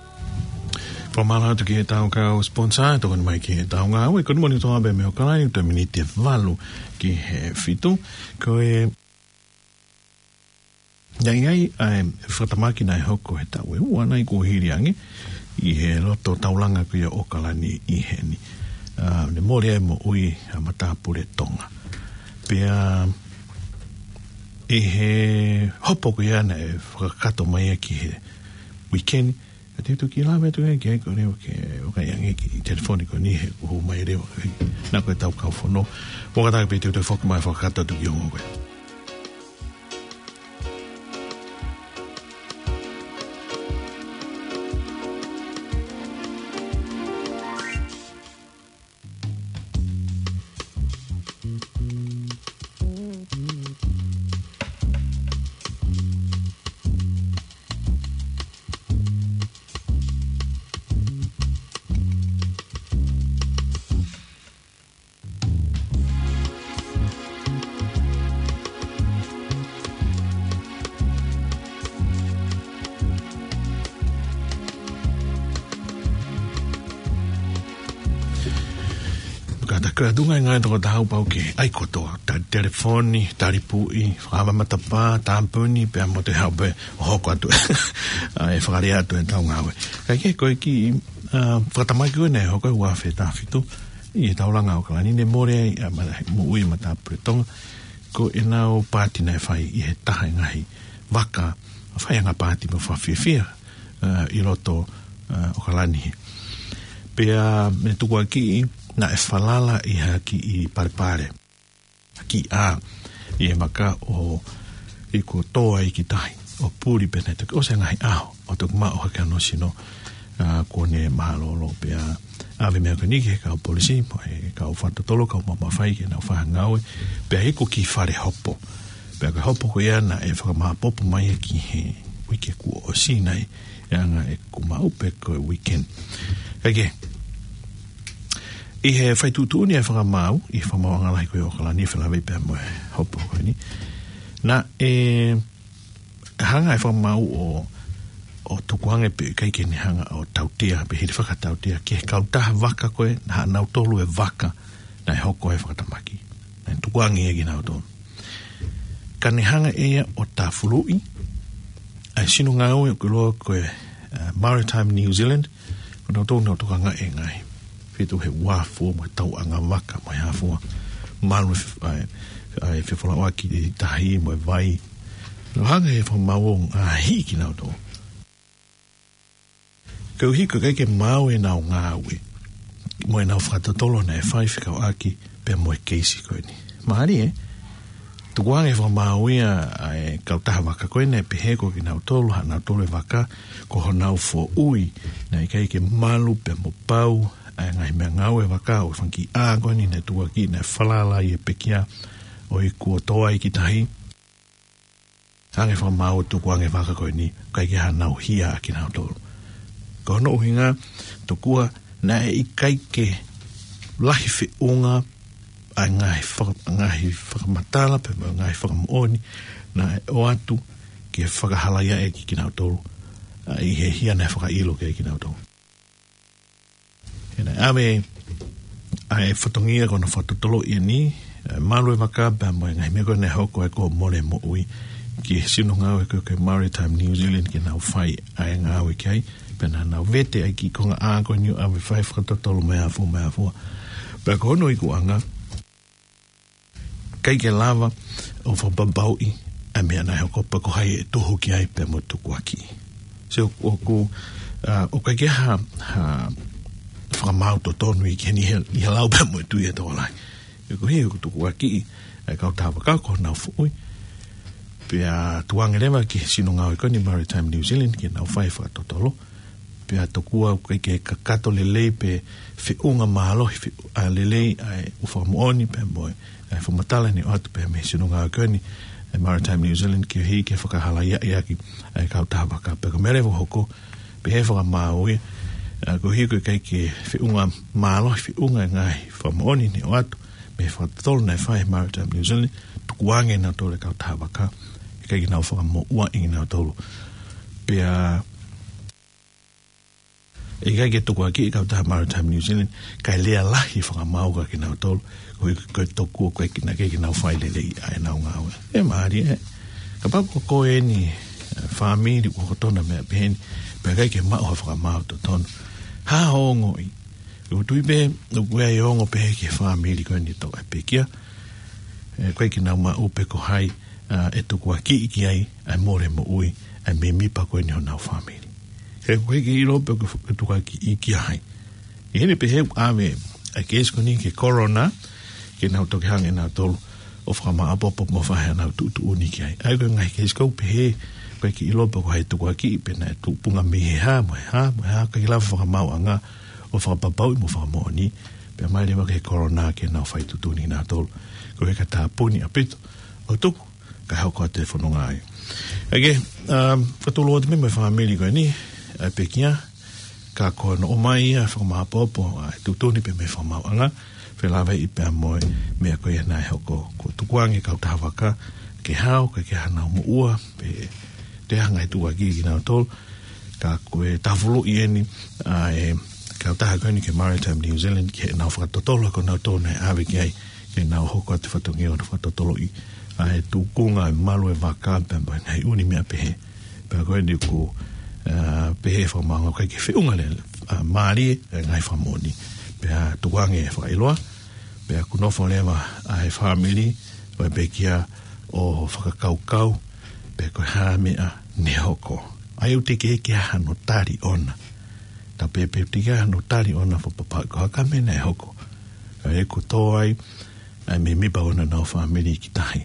Fakamālō atu ki heʻetau kau sponsor, tokoni mai ki heʻetau ngāue, ko e Nima Ni Toa Abe mei ʻAokalani, toe miniti ʻe valu ki he fitu. Ko e, ʻi ai ʻa e fakatamaki naʻe hoko he taʻu ʻe ua nai kuo hili ange, ʻi he loto taulanga ko ia ʻo ʻAokalani ʻi heni. ʻA, ne mole ai e moʻui ʻa e matāpule Tonga. Pea, ʻi he hopo ko ia naʻe fakakakato mai ia ki he weekend, ka te u toki lave atu ki ai, ko e leva ke ʻoka ia ange ki he telefoni ko eni he kuo hū mai leva. Naʻa ko ʻetau kau fono. Mo ka taha pē te u toe foki mai fakakakato atu ki he ongo ko ē. Ka ta kua tunga e ngaahi toko taha pau ke ʻai kotoa, tali telefoni, tali puʻi, fakamaʻa matapā, tāpuni, pea mo te hau pē ʻo hoko atu. ʻA, ʻe fakalea atu ʻetau ngāue. Ka ke ko e kiʻi, ʻa, fakatamaki ko ē naʻe hoko he ua afe taha fitu, ʻi he taulanga ʻo ʻAokalani ne mole ai, ʻa, ma-, moʻui ʻa e matāpule Tonga, ko ʻenau paati naʻe fai ʻi he taha e ngaahi vaka, faiʻanga paati mo fakafiefia, ʻa, ʻi loto, ʻa, ʻAokalani. Pea mo e tukuakiʻi naʻe falala ʻi ha kiʻi palepale. Kiʻi ʻā ʻi he vaka ʻo iku ʻo tō ai ki tahi, ʻo puli pea naʻe toki ʻosi e ngaahi ʻaho ʻo toki maʻu hake hono sino, ʻa, kuo ne mālōlō. Pea ʻave e meʻa ko eni ki he kau polisi, mo e kau fakatotolo, kau mamafa, ke nau fai ha ngāue, pea iku ki fale hopo. Pea ko e hopo ko ia naʻe fakamāpopo mai ia ki he uike kuo ʻosi nai, ʻa e anga ʻeku maʻu pē ko e weekend. Ka ke, ʻi he fai tuʻutuʻuni ʻa e fakamaau, ʻi he fakamaauʻanga lahi ko ia ʻo ʻAokalani, felāveʻi pea mo e hopo ko eni. Naʻe hanga ʻe he fakamaau ʻo, ʻo tukuange pē ʻikai ke ne hanga ʻo tautea, pe hili fakatautea, ki he kautaha vaka ko ē, naʻa nautolu e vaka naʻe hoko ai e fakatamaki. Naʻe tukuange ia kinautolu. Ka ne hanga ʻe ia ʻo tāfuluʻi ʻa e sino ngāue ʻoku ʻiloa ko e, ʻa, Maritime New Zealand, ko nautolu naʻa nau tokangaʻi e ngaahi feituʻu he uafu mo e tauʻanga vaka mo e hā fua, malu e fe-, ʻa e, ʻa e fefolauʻaki ʻi tahi mo e vai. Naʻe hanga ʻe he fakamaau ʻo ngaohi kinautolu. Koeʻuhi ko e ʻikai ke maau ʻenau ngāue mo ʻenau fakatotolo naʻe fai fekauʻaki pea mo e keisi ko eni. Mālie, ē? Tukuange ʻe he fakamaau ia ʻa e kautaha vaka ko ē naʻe pehē ko kinautolu, haʻanautolu e vaka, ko honau foʻui naʻe ʻikai ke malu pea mo pau ʻa e ngaahi meʻangāue vaka ʻo e fanga kiʻi ʻā ko eni naʻe tukuakiʻi naʻe falala ai e pekia ʻo iku ʻo tō ai ki tahi. Hanga ʻe he fakamaau ʻo tukuange e vaka ko eni, ʻikai ke haʻanau hia ʻa kinautolu. Ko hono ʻuhinga, tokua naʻe ʻikai ke lahi feʻunga ʻa e ngaahi faka-, ngaahi fakamatala pea mo e ngaahi fakamoʻoni naʻe ʻoatu ke fakahalaiaʻi ʻaki kinautolu, ʻa, ʻi he hia naʻe fakaʻilo ki ai kinautolu. He naʻe ʻave ʻa e fatongia ko hono fakatotoloʻi eni, ʻa e malu e vaka pea mo e ngaahi meʻa ko ē naʻe hoko ai kuo mole e moʻui, ki he sino ngāue ko ē ko e Maritime New Zealand ke nau fai ʻa e ngāue ki ai, pea naʻa nau vete ʻa e kiʻi konga ʻā ko eni ʻo ʻave fai fakatotolo mo e hā fua mo e hā fua. Pea ko hono ikuʻanga, ʻikai ke lava ʻo fakapapauʻi ʻa e meʻa naʻe hoko pe ko hai ʻe tuhu ki ai pea mo tukuakiʻi. So, ʻoku, ʻa, ʻoku ʻikai ke ha, ha fakamaau totonu ʻi heni he, ʻi he lau pea mo e tui ʻa e tokolahi. He ko e hā ʻoku tukuakiʻi ʻa e kautaha vaka ko honau foʻui. Pea tukuange leva ki he sino ngāue ko eni Maritime New Zealand ke nau fai fakatotolo. Pea tokua ʻoku ʻikai ke kakato lelei pe feʻunga mālohi, fe-, ʻa, lelei ʻa e ʻū fakamoʻoni pea mo e, ʻa e fakamatala naʻe ʻoatu pea mei he sino ngāue ko eni, ʻa e Maritime New Zealand, koeʻuhi ke fakahalaiaʻi ʻaki ʻa e kautaha vaka. Pea ko e meʻa leva ʻoku hoko, pehē ʻe he fakamaau ia, ʻa, koeʻuhi ko e ʻikai ke feʻunga mālohi, feʻunga e ngaahi fakamoʻoni naʻe ʻoatu mei he fakatotolo naʻe fai ʻe he Maritime New Zealand, tukuange ʻe nautolu e kautaha vaka, ʻikai ke nau fakamoʻua ʻe kinautolu. Pea ʻikai ke tukuakiʻi e kautaha Maritime New Zealand, kae lea lahi fakamaau kiate kinautolu, koeʻuhi ko e tokua ko e ʻikai ke nau fai lelei ʻa ʻenau ngāue. ʻE mālie ē. Kapau ko koe eni, ʻa e fāmili ʻoku hoko tonu e meʻa pehē ni, pea ʻikai ke maʻu ha fakamaau totonu. Hā hoʻo ongoʻi? ʻOku ou tui pē, ʻoku ʻi ai e ongo pehē ki he fāmili ko eni ʻoku tau ʻai pekia. ʻE, ʻikai ke nau maʻu pe ko hai, ʻa, ʻe tukuakiʻi ki ai ʻa e mole moʻui ʻa e mēmipa ko eni honau fāmili. He ʻoku ʻikai ke ʻilo pe ko e tukuakiʻi kia hai. ʻI heʻene pehē ʻoku ʻave ʻa e keisi ko eni ki he coroner, ke nau toki hanga ʻe nautolu ʻo fakamāʻopoʻopo mo fai haʻanau tuʻutuʻuni ki ai. ʻA ia ko e ngaahi keisi ʻoku pehē, ʻoku ʻikai ke ʻilo pe ko hai tukuakiʻi pe naʻe tupunga mei he hā, mo e hā, mo e hā, ʻikai ke lava fakamaauʻanga ʻo fakapapauʻi mo fakamoʻoni, pea mai leva ki he coroner ke nau fai tuʻutuʻuni nautolu. Ko e ka tāpuni ʻaupito, ʻo tuku, kae hoko atu e fononga ai. ʻA ia, um, ka tūʻulutui atu mei he fāmili ko eni, ʻa e pekia, ka ko hono ʻomai ia fakamāʻopoʻopo, ʻa e tuʻutuʻuni pea mo e fakamaauʻanga, felāveʻi pea mo e meʻa ko ia naʻe hoko, ko e tukuange kautaha vaka, ke hao, ke ke hanau moʻua, pe te hanga e tukuakiʻi kinautolu, ka ko e tafuluʻi eni, ʻa e kautaha ko eni ki he Maritime New Zealand, ke nau fakatotolo ko nautolu naʻe ʻave ki ai, ke nau hoko atu fatongia ʻo fakatotoloʻi ʻa e tukunga e malu e vaka pea mo e ngaahi ʻū meʻa pehē. Pea ko eni ʻoku, ʻa, pehē fakamaauʻanga ʻoku ʻikai ke feʻunga lelei, ʻa, mālie e ngaahi fakamoʻoni. Pea tukuange e fakaʻiloa, pea ʻoku nofo leva ʻa e fāmili ʻo e pekia ʻo fakakaukau, pe ko e hā e meʻa ne hoko. ʻA ia ʻoku teʻeki ke ʻi ai hano tali ʻona. Tau pehē pē ʻoku teʻeki ai hano tali ʻona fakapapauʻi ko e hā e meʻa naʻe hoko. ʻA ia ʻoku tō ai ʻa e mēmipa ʻo honau fāmili ki tahi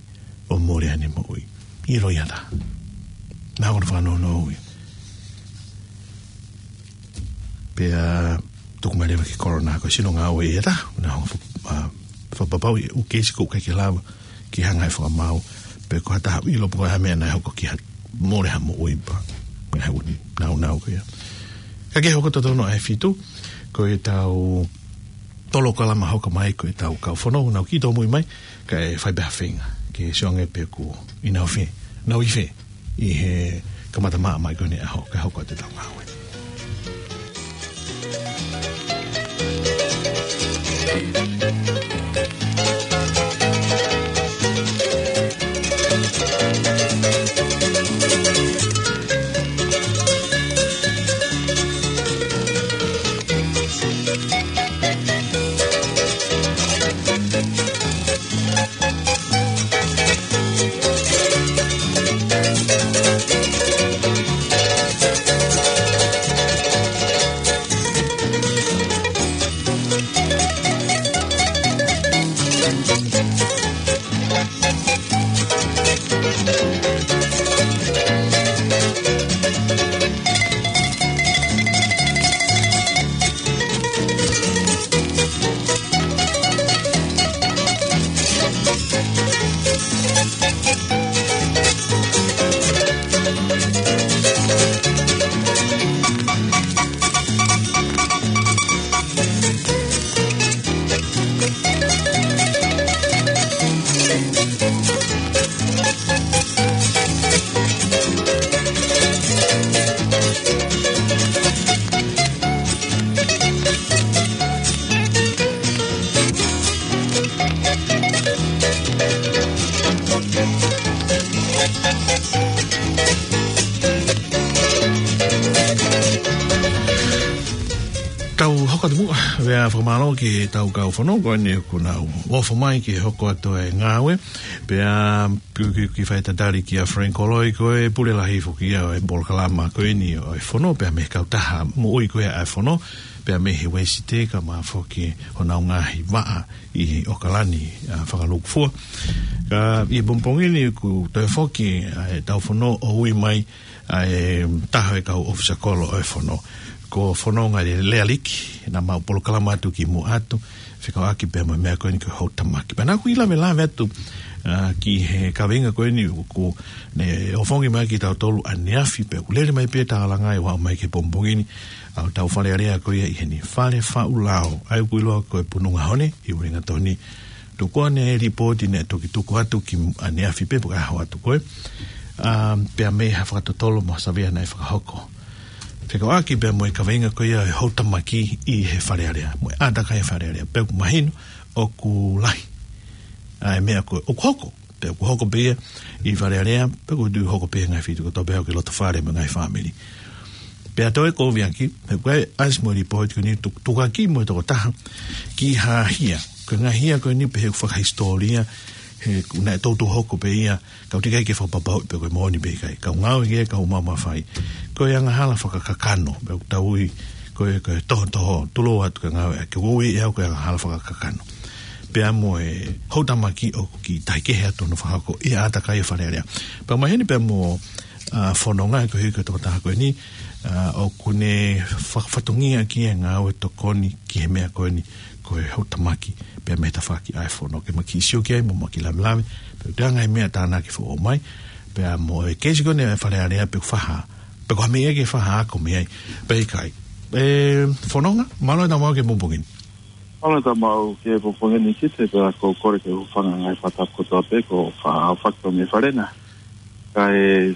ʻo mole ʻene moʻui. ʻIlo ia ʻe taha. Naʻa ko hono fakanounou ia. Pea tuku mai leva ki he coroner ko e sino ngāue ia ʻe taha. Naʻa hanga ʻo fa-, ʻa, fakapapauʻi e ʻū keisi ʻoku ʻikai ke lava ke hanga ʻe he fakamaau. Pe ko ha taha ʻoku ʻilo pe ko e hā e meʻa naʻe hoko ki ha mole ha moʻui pea mo e ʻū nāunau ko ia. Ka ke hoko totonu ʻa e fitu, ko ʻetau polokalama hoko mai ko ʻetau kau fono, nau kiʻi tōmui mai, kae fai pē ha feinga ke sio ange pe ʻoku ʻi nau fē, nau ʻi fē, ʻi he kamata maʻa mai ko eni ʻaho, kae hoko atu ʻetau ngāue. Tau hoko atu muʻa, pea fakamālō ki heʻetau kau fono, ko eni ʻoku nau ofo mai ke hoko atu e ngāue, pea kiʻi, kiʻi, kiʻi fai tatali kia Frank Koloi, ko e pule lahi foki ia ʻo e polokalama ko eni ʻo e fono, pea mei he kautaha moʻui ko ia ʻa e fono, pea mei he Uēsite kae ʻumaʻā foki honau ngaahi vaʻa ʻi ʻOkalani, ʻa, fakalūkufua. Ka ʻi he pongipongi ni ʻoku toe foki, ʻa, ʻetau fono ʻo ui mai, ʻa e taha e kau ʻōfisa kolo ʻo e fono. Ko Fononga Lea-, Lealiki, naʻa mau polokalama atu ki muʻa atu, fekauʻaki pea mo e meʻa ko eni ko e houtamaki. Pea naʻa ku ʻi he lavelave atu, ʻa, ki he kaveinga ko eni ʻoku ne ʻofongi mai kiate kitautolu ʻaneafi pea ʻoku lele mai pē tālanga ʻi he ʻaho mai ki he pongipongi ni, ʻa hotau Fale Alea ko ia ʻi heni, Fale Faʻu Lao, ʻa ia ʻoku ʻiloa ko e Pununga Hone, ʻi Uelingatoni. Tuku ʻa e lipooti naʻe toki tuku atu ki ʻaneafi pē pe ko e ʻaho atu ko ē. ʻA, pea mei ha fakatotolo mo ha savea naʻe fakahoko. Fekauʻaki pea mo e kaveinga ko ia ʻo e houtamaki ʻi he Fale Alea, mo e ʻātakai ʻa e Fale Alea. Pea ʻoku mahino ʻoku lahi ʻa e meʻa ko ē ʻoku hoko. Pea ʻoku hoko pē ia ʻi Fale Alea, pea ʻoku toe hoko pē ʻi he ngaahi feituʻu kotoa pē ʻoku ke loto fale mo e ngaahi fāmili. Pea toe ko viaki, he ko e ʻasi mo e lipooti ko eni tu-, tukuakiʻi mo e tokotaha ki ha hia. Ko e ngaahi hia ko eni pē he fakahisitōlia, he ʻoku ne toutou hoko pē ia, ka ʻoku teʻeki ai ke fakapapauʻi pe ko e moʻoni pe ʻikai. Kau ngāue ki he kau maumafai. Ko e angahala fakakakano, pea ʻoku tau ui, ko e, ko e tohotoho, tulou atu ke ngāue, ke ui ʻe au ko e angahala fakakakano. Pea mo e houtamaki ʻoku kiʻi tahi kehe atu hono fakahoko ʻi he ʻātakai ʻa e Fale Alea. Pea maheni pea mo, ʻa, fononga ko e hiki ko e tokotaha ko eni, ʻa, ʻoku ne fa-, fatongia ki he ngāue tokoni ki he meʻa ko eni, ko e houtamaki, pea mei he tafaʻaki ʻa e fono ke ma kiʻi sio ki ai mo ma kiʻi lavelave, pea ʻoku ʻi ai e ngaahi meʻa tānaki foʻou mai, pea mo e keisi ko eni ʻa e Fale Alea pe ʻoku faʻa, pe ko ha meʻa ke faʻa ako mei ai, pe ʻikai. ʻE, fononga, mālō e tau maʻu ki he pongipongi ni. Mālō e tau maʻu ki he pongipongi ni Kite, pea ʻoku ou kole ke u hūfanga he ngaahi fakatapu kotoa pē, ko fa-, fakatau mei Fale na. Kae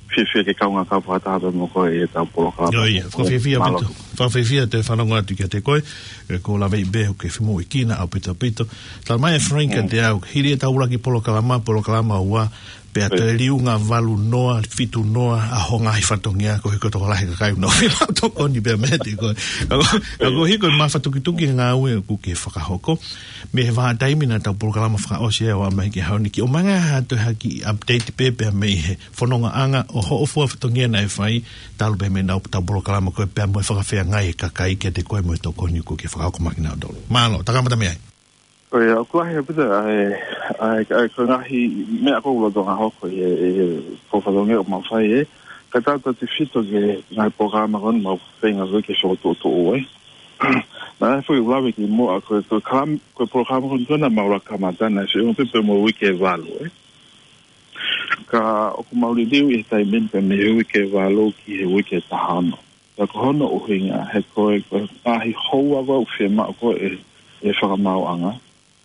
fiefia ke kaungā kau fakataha pē mo koe ʻi he tau polokalama. ʻIo, ʻio, fakafiefia ʻaupito. Mālō. Fakafiefia ʻa e fanongo atu kiate koe, ʻoku ou laveʻi pē ʻoku ke femoʻuekina ʻaupito ʻaupito. Tala mai ʻe Frank kiate au, hili e tau ʻuluaki polokalama, polokalama ua, pea toe liunga valu noa, fitu noa, ʻa hoʻo ngaahi fatongia, ko e hiko tokolahi e kakai ʻoku nau fiemaʻu tokoni pea mei he te koe. Ka ko, ka ko e hiko e mafatukituki e ngāue ʻoku ke fakahoko. Mei he vahaʻa taimi naʻa tau polokalama fakaʻosi ai ʻo aʻu mai ki he ʻaho ni, ke ʻomai ange ha toe ha kiʻi update pē pea mei he fonongaʻanga ʻo hoʻo fua fatongia naʻe fai, talu pē mei heʻenau tau polokalama ko ē pea mo e fakafeangai e kakai kiate koe mo e tokoni ʻoku ke fakahoko maʻa kinautolu. Mālō, ta kamata mei ai. ʻIo, ʻoku lahi ʻaupito ʻa e, ʻa e, ʻa e, ko e ngaahi meʻa ʻoku lolotonga hoko ʻi he, ʻi he fua fatongia ʻoku mau fai ē. Ka tau tautefito ki he ngaahi polokalama ko eni mau feinga ko ē ke fokotuʻutuʻu ē. Naʻe foʻi ʻuluaki kimuʻa ko e, ko e kalam-, ko e polokalama ko eni naʻa mau laka kamata naʻe feʻunga pē pea mo e uike ʻe valu ē. Ka ʻoku mau liliu ʻi he taimi ni pē mei he uike ʻe valu ki he uike ʻe taha ono. Pea ko hono ʻuhinga, he ko e, ko e ngaahi houa ʻoku fiemaʻu ko ē ʻe he fakamaauʻanga,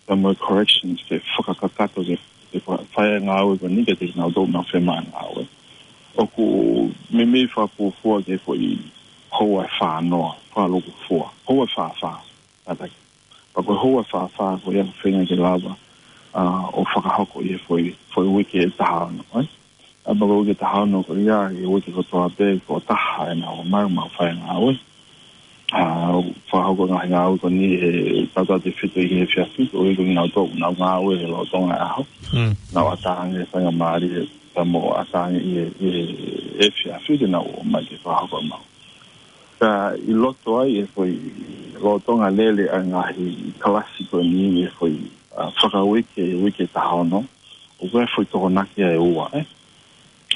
pea mo e corrections ke fakakakato ke, ke fa-, fai e ngāue ko eni kiate kinautolu ʻoku nau fiemaʻu e ngāue. ʻOku meimei fakafuofua ki he foʻi houa ʻe fā noa, fakalūkufua, houa ʻe fā fā. Kātaki. Pea ko e houa ʻe fā fā ko ia ʻoku feinga ke lava, ʻa, ʻo fakahoko ʻi he foʻi, foʻi uike ʻe taha ono, ē? ʻA, pea ko e uike ʻe taha ono ko ia, ʻi he uike kotoa pē, ko e taha ʻenau ō mai ʻo mau fai e ngāue. ʻA, fakahoko e ngaahi ngāue ko eni he tautautefito ʻi he efiafi, ʻo ʻikai ko kinautolu ʻoku nau ngāue he lolotonga e ʻaho. Mm. Nau ʻatā ange e faingamālie, pea mo ʻatā ange ʻi he, ʻi he efiafi ke nau ō mai ke fakahoko ʻemau. Ka ʻi loto ai e foʻi lolotonga lele ʻa e ngaahi kalasi ko eni ʻi he foʻi, ʻa, fakauike, uike ʻe taha ono, ʻoku ʻi ai e foʻi tokonaki ʻe ua, ē.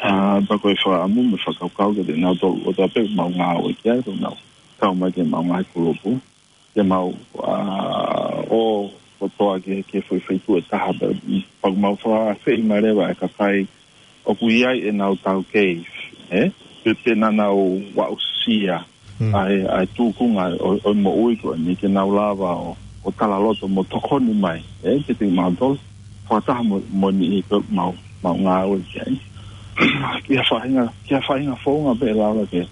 ʻA, pea ko e fakaʻamu mo e fakakaukau kiate kinautolu kotoa pē ʻoku mau ngāue ki ai, ʻoku nau kau mai ki heʻemau ngaahi kulupu, ke mau, ʻa, ō kotoa ki he, ki he foʻi feituʻu ʻe taha pē, pea ʻoku mau fakaafeʻi mai leva e kakai ʻoku ʻi ai ʻenau taukei, ē? Pe, pe naʻa nau aʻusia, mm, ʻa e, ʻa e tūkunga ʻo, ʻo e moʻui ko eni ke nau lava ʻo, ʻo talaloto mo tokoni mai, ē? Kiate kimautolu, fakataha mo, mo e niʻihi ko ē ʻoku mau, mau ngāue ki ai. Ki ha faʻahinga, ki ha faʻahinga founga pē ʻe lava ke,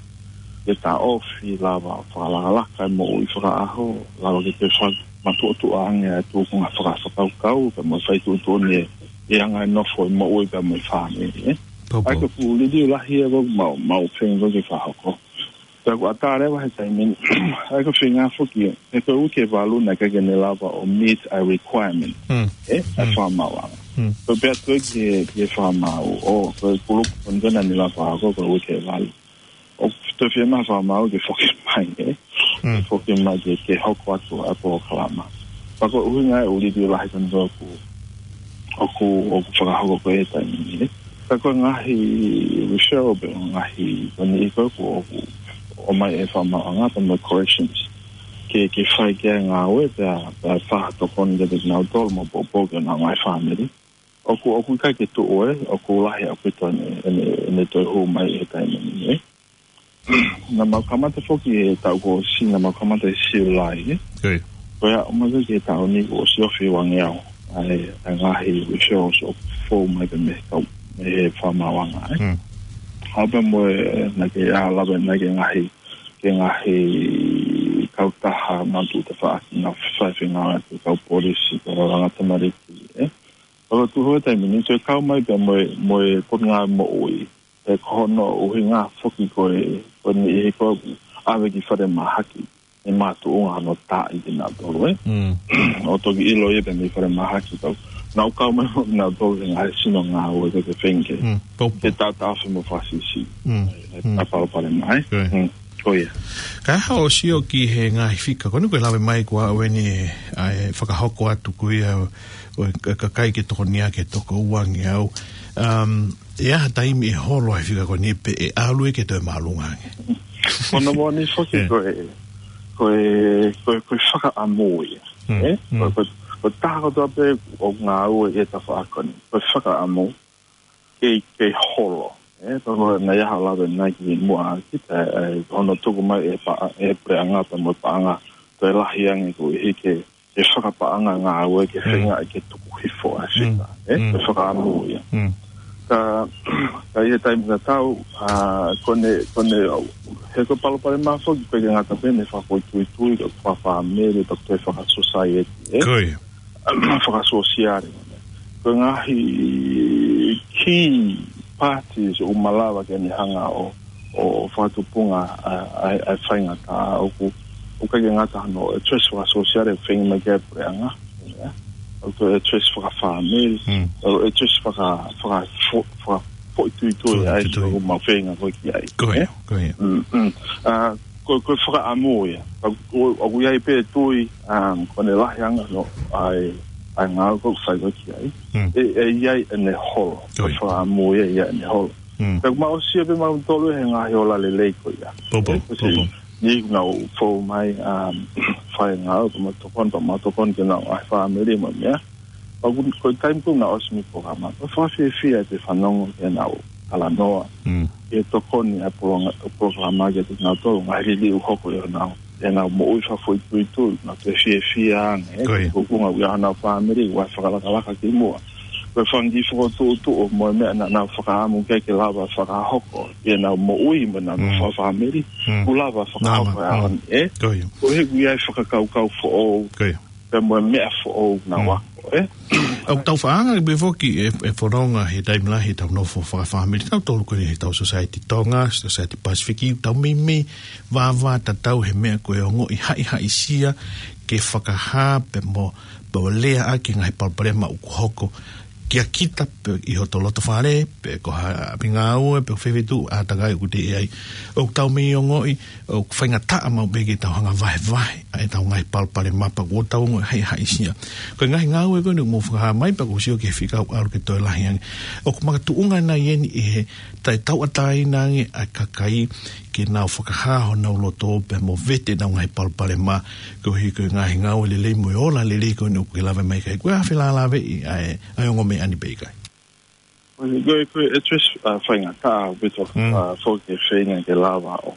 ke taʻofi, lava fakalakalaka e moʻui fakaʻaho, lava ke toe fakamatuʻotuʻa ange ʻa e tūkunga fakafakakaukau, pea mo e fai tuʻutuʻuni e, e anga e nofo e moʻui pea mo e fāmili, ē? Pau, pau. ʻA ia ko e liliu lahi ē ʻoku mau, mau feinga ke fakahoko. Pea ʻoku ʻatā leva he taimi ni, ʻa ia ko e feinga foki ē, he ko e uike ʻe valu naʻe ʻikai ke ne lava ʻo meet ʻa e requirement, mm, ē? ʻA e, mm, fakamaauʻanga. Mm. Ko e pehē atu ki he, ki he fakamaau, ʻo, ko e kulupu ko eni naʻa ne lava fakahoko, ko e uike ʻe valu. ʻOku toe fiemaʻu fakamaau ke foki mai, ē? Mm. Foki mai ke, ke hoko atu ʻa e polokalama. Pea ko e ʻuhinga ia ʻoku liliu lahi ko eni ʻoku, ʻoku, ʻoku fakahoko ko ē he taimi ni, ē? Ka ko e ngaahi referral pe ngaahi ko eni ʻoku, ʻoku ʻomai ʻe he fakamaauʻanga pea mo e corrections ke, ke fai ki ai e ngāue pea, pea fakatokoni kiate kinautolu mo poupou ki honau ngaahi fāmili. ʻOku, ʻoku ʻikai ke tuʻu ē, ʻoku lahi ʻaupito ʻene, ʻene, ʻene toe hū mai he taimi ni, ē. Naʻa mau kamata foki he taʻu kuo ʻosi, naʻa mau kamata ʻi Siulai, ē. Ko ia. Ko ia, ʻomai ki he taʻu ni kuo ʻosi ofi uangeau ʻa e, ʻa e ngaahi referrals ʻoku fou mai pē mei he kau ʻi he fakamaauʻanga, ē. Mm. Haʻu pē mo e, naʻe ʻikai ke lava naʻe ʻikai ke ngaahi, ke ngaahi kautaha naʻe tuʻu tafaʻaki naʻe fai fengāueʻaki ʻe he kau polisi, kau langa tamariki, ē. Pea ko e tuʻu he taimi ni, toe kau mai pē mo e, mo e Potungāue Moʻui, ē, ko hono ʻuhinga foki ko e, ko e niʻihi ko ē ʻave ki falemahaki, ʻe makatuʻunga hono taaʻi kinautolu, ē. Mm. ʻO toki ʻilo ia pē mei falemahaki, kau, naʻa nau kau mai mo kinautolu he ngaahi sino ngāue ko ē ke feinga ke, mm, poupou, ke taʻotaʻofi mo fakasiʻisiʻi. Mm. Ē, ē, mm, ʻa e palopalema, ē. Ko ia. Mm. Ko ia. Ka ʻi heʻeku sio ki he ngaahi fika, ko eni ʻoku lave mai ko ē ʻeni, ʻa e fakahoko atu ko ia ʻo e ka-, kakai ke tokoniʻaki ʻe toko uangeau. Um, ʻe ʻi ai ha taimi ʻe holo ai e fika ko eni pe ʻe ʻalu ia ke toe māʻolunga ange? Ko hono moʻoni foki, ē, ko e, ko e, ko e, ko e fakaʻamu ia. Mm, ē? Mm. Ko, ko, ko e taha kotoa pē ʻoku ngāue ʻi he tafaʻaki ko eni, ko e fakaʻamu ke, ke holo. Ē, toko naʻe ʻi ai haʻo lave naʻe kimuʻa kita, ē, hono tuku mai ʻe he pa-, ʻe he puleʻanga pea mo e paʻanga toe lahi ange koeʻuhi ke, ke fakapaʻanga ngāue ke, mm, feinga ke tuku hifo ʻa e, mm, fika, ē, mm, ke fakaʻamu ia. Mm. Ka, ka ʻi he taimi tatau, ʻa, ko ʻene, ko ʻene, he ko e palopalema foki ʻoku ʻikai ke ngata pē he fakafoʻituitui, ko e fakafāmili, ko e fakasosaieti, ē? Ko ia. Fakasōsiale. Ko e ngaahi key parties ʻoku malava ke ne hanga ʻo, ʻo fakatupunga ʻa, ʻa, ʻa e faingataʻa ʻoku, ʻoku ʻikai ke ngata hono address fakasōsiale ʻoku feinga mai ki ai e puleʻanga. Ia. ʻOku address fakafāmili. Mm. ʻOku address faka-, faka-, fo-, fakafoʻituitui, foʻituitui, ʻa ia ʻoku mau feinga ko ē ki ai. Ko ia, ē? Ko ia. Mm, mm. ʻA, ko, ko e fakaʻamu ia. ʻOku, ʻoku ʻi ai pē tui, um, ko ʻene lahi ange hono, ʻa e, ʻa e ngāue ʻoku fai ko ē ki ai. Mm. ʻE, ʻe ʻi ai ʻene holo. Ko ia. Ko e fakaʻamu ia, ʻe ʻi ai ʻene holo. Mm. Pea ʻoku mau ʻosi pē mautolu he ngaahi ola lelei ko ia. Poupou, ē, ko e siʻi, poupou, niʻihi naʻa nau fou mai, um, fai ngāue, pea mau tokoni, pea mau tokoni ki heʻenau ngaahi fāmili mo e meʻa. Pea ko e taimi ko ē naʻe ʻosi mei he polokalama, ʻoku fakafiefia ʻete fanongo ki heʻenau talanoa. Mm. Ke tokoni ʻa e polonga-, polokalama kiate kinautolu, ngaahi liliu ʻoku hoko ʻi heʻenau, ʻenau moʻui fakafoʻituitui, nau toe fiefia ange, ē, ko ia, ko e ʻuhinga ʻoku ʻi ai honau fāmili, ʻoku ʻi ai e fakalakalaka kimuʻa. Ko e fanga kiʻi fokotuʻutuʻu mo e meʻa naʻa nau fakaʻamu ke, ke lava fakahoko ʻi heʻenau moʻui mo ʻenau, mm, nofo fakafāmili, mm, kuo lava fakahoko, nama, ʻa e, mm, ʻaho ni, ē? Ko ia. Koeʻuhi ʻoku ʻi ai e fakakaukau foʻou. Ko ia. Pea mo e meʻa foʻou naʻa, mm, ako, ē? ʻOku tau faʻa anga pē foki e, e fononga he taimi lahi heʻetau nofo fakafāmili, tautolu ko eni heʻetau Society Tonga, Society Pasifiki, tau meimei vāvātatau he meʻa ko e ongoʻi haʻihaʻisia ke fakahā pea mo, pea mo leaʻaki e ngaahi palopalema ʻoku hoko kia kita pe ʻi hoto lotofale, pe ko ha ʻapi ngāue, pe ko fē fē tuʻu ʻātakai ʻoku te ʻi ai. ʻOku tau meimei ongoʻi ʻoku faingataʻa maʻu pē ke tau hanga ʻo vahevahe ʻa ʻetau ngaahi palopalema pea kuo tau ongoʻi haʻihaʻisia. Ko e ngaahi ngāue ko eni ʻoku mou fakahā mai pea ʻoku ou sio ki he fika ʻoku ʻalu ke toe lahi ange, ʻoku makatuʻunga nai ʻeni ʻi he taʻetauʻatāina ange ʻa e kakai ke nau fakahā honau loto pea mo vete ʻenau ngaahi palopalema, koeʻuhi ko e ngaahi ngāue lelei mo e ola lelei ko eni ʻoku ke lave mai ki ai. Ko e hā e felālāveʻi ʻa e, ʻa e ongo meʻa ni pe ʻikai? Ko e, ko e, ko e address, ʻa, faingataʻa ʻaupito, mm, ʻa, foki ke feinga ke lava ʻo,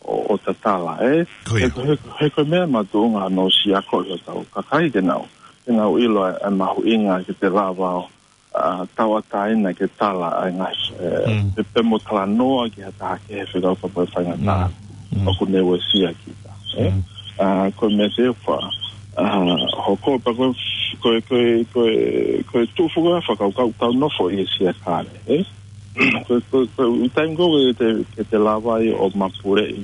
ʻo, ʻo tatala, ē? Ko ia. He ko e, he ko e, he ko e meʻa makatuʻunga hono ʻosi ako ʻi hotau kakai ke nau, ke nau ʻilo ʻa e, ʻa e mahuʻinga ke te lava ʻo, ʻa, tauʻatāina ke tala ʻa e ngaahi, ē, mm, pe, pea mo talanoa ki ha taha kehe fekauʻaki mo e faingataʻa, mm, mm, ʻoku ne uesia kita, ē? Mm. ʻA, ko e meʻa te fa, ʻa, hoko pea ko e, ko e, ko e, ko e, ko e tuʻu foki ʻa e fakakaukau tau nofo ʻi he siakale, ē? Ko e, ko e, ko e, ʻi he taimi ko ē ke te, ke te lava ai ʻo mapuleʻi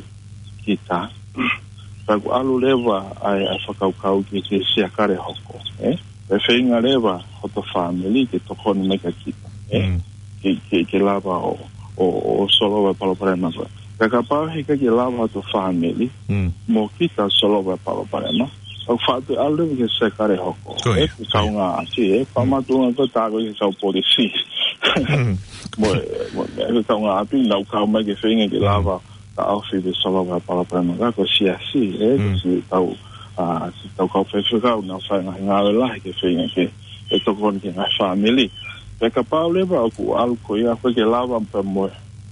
kita, pea ʻoku ʻalu leva ʻa e, ʻa e fakakaukau ki he, ki he siakale hoko, ē? Pea feinga leva hoto fāmili ke tokoni mai kia kita, ē? Mm. Ke, ke, ke lava ʻo, ʻo, ʻo solova e palopalema ko ē. Ka kapau he ʻikai ke lava hoto fāmili, mm, mo kita solova e palopalema, ʻoku faʻa toe ʻalu leva ki he siakale hoko. Ko ia, ē, ko ia. Kaungāʻapi, ē, mm, fakamatuʻunga ko e tā ko ē ki he kau polisi. Mm. Mo e, mo e, ē, kaungāʻapi, nau kau mai ke feinga ke, mm, lava taʻofi pe solova e palopalema, ka ko e siasi, ē, mm, siʻetau, ʻa, siʻetau kau faifekau, nau fai ngaahi ngāue lahi ke feinga ke, ke tokoni ki he ngaahi fāmili. Pea kapau leva ʻoku ʻalu ko ia, ʻoku ʻikai ke lava pea mo,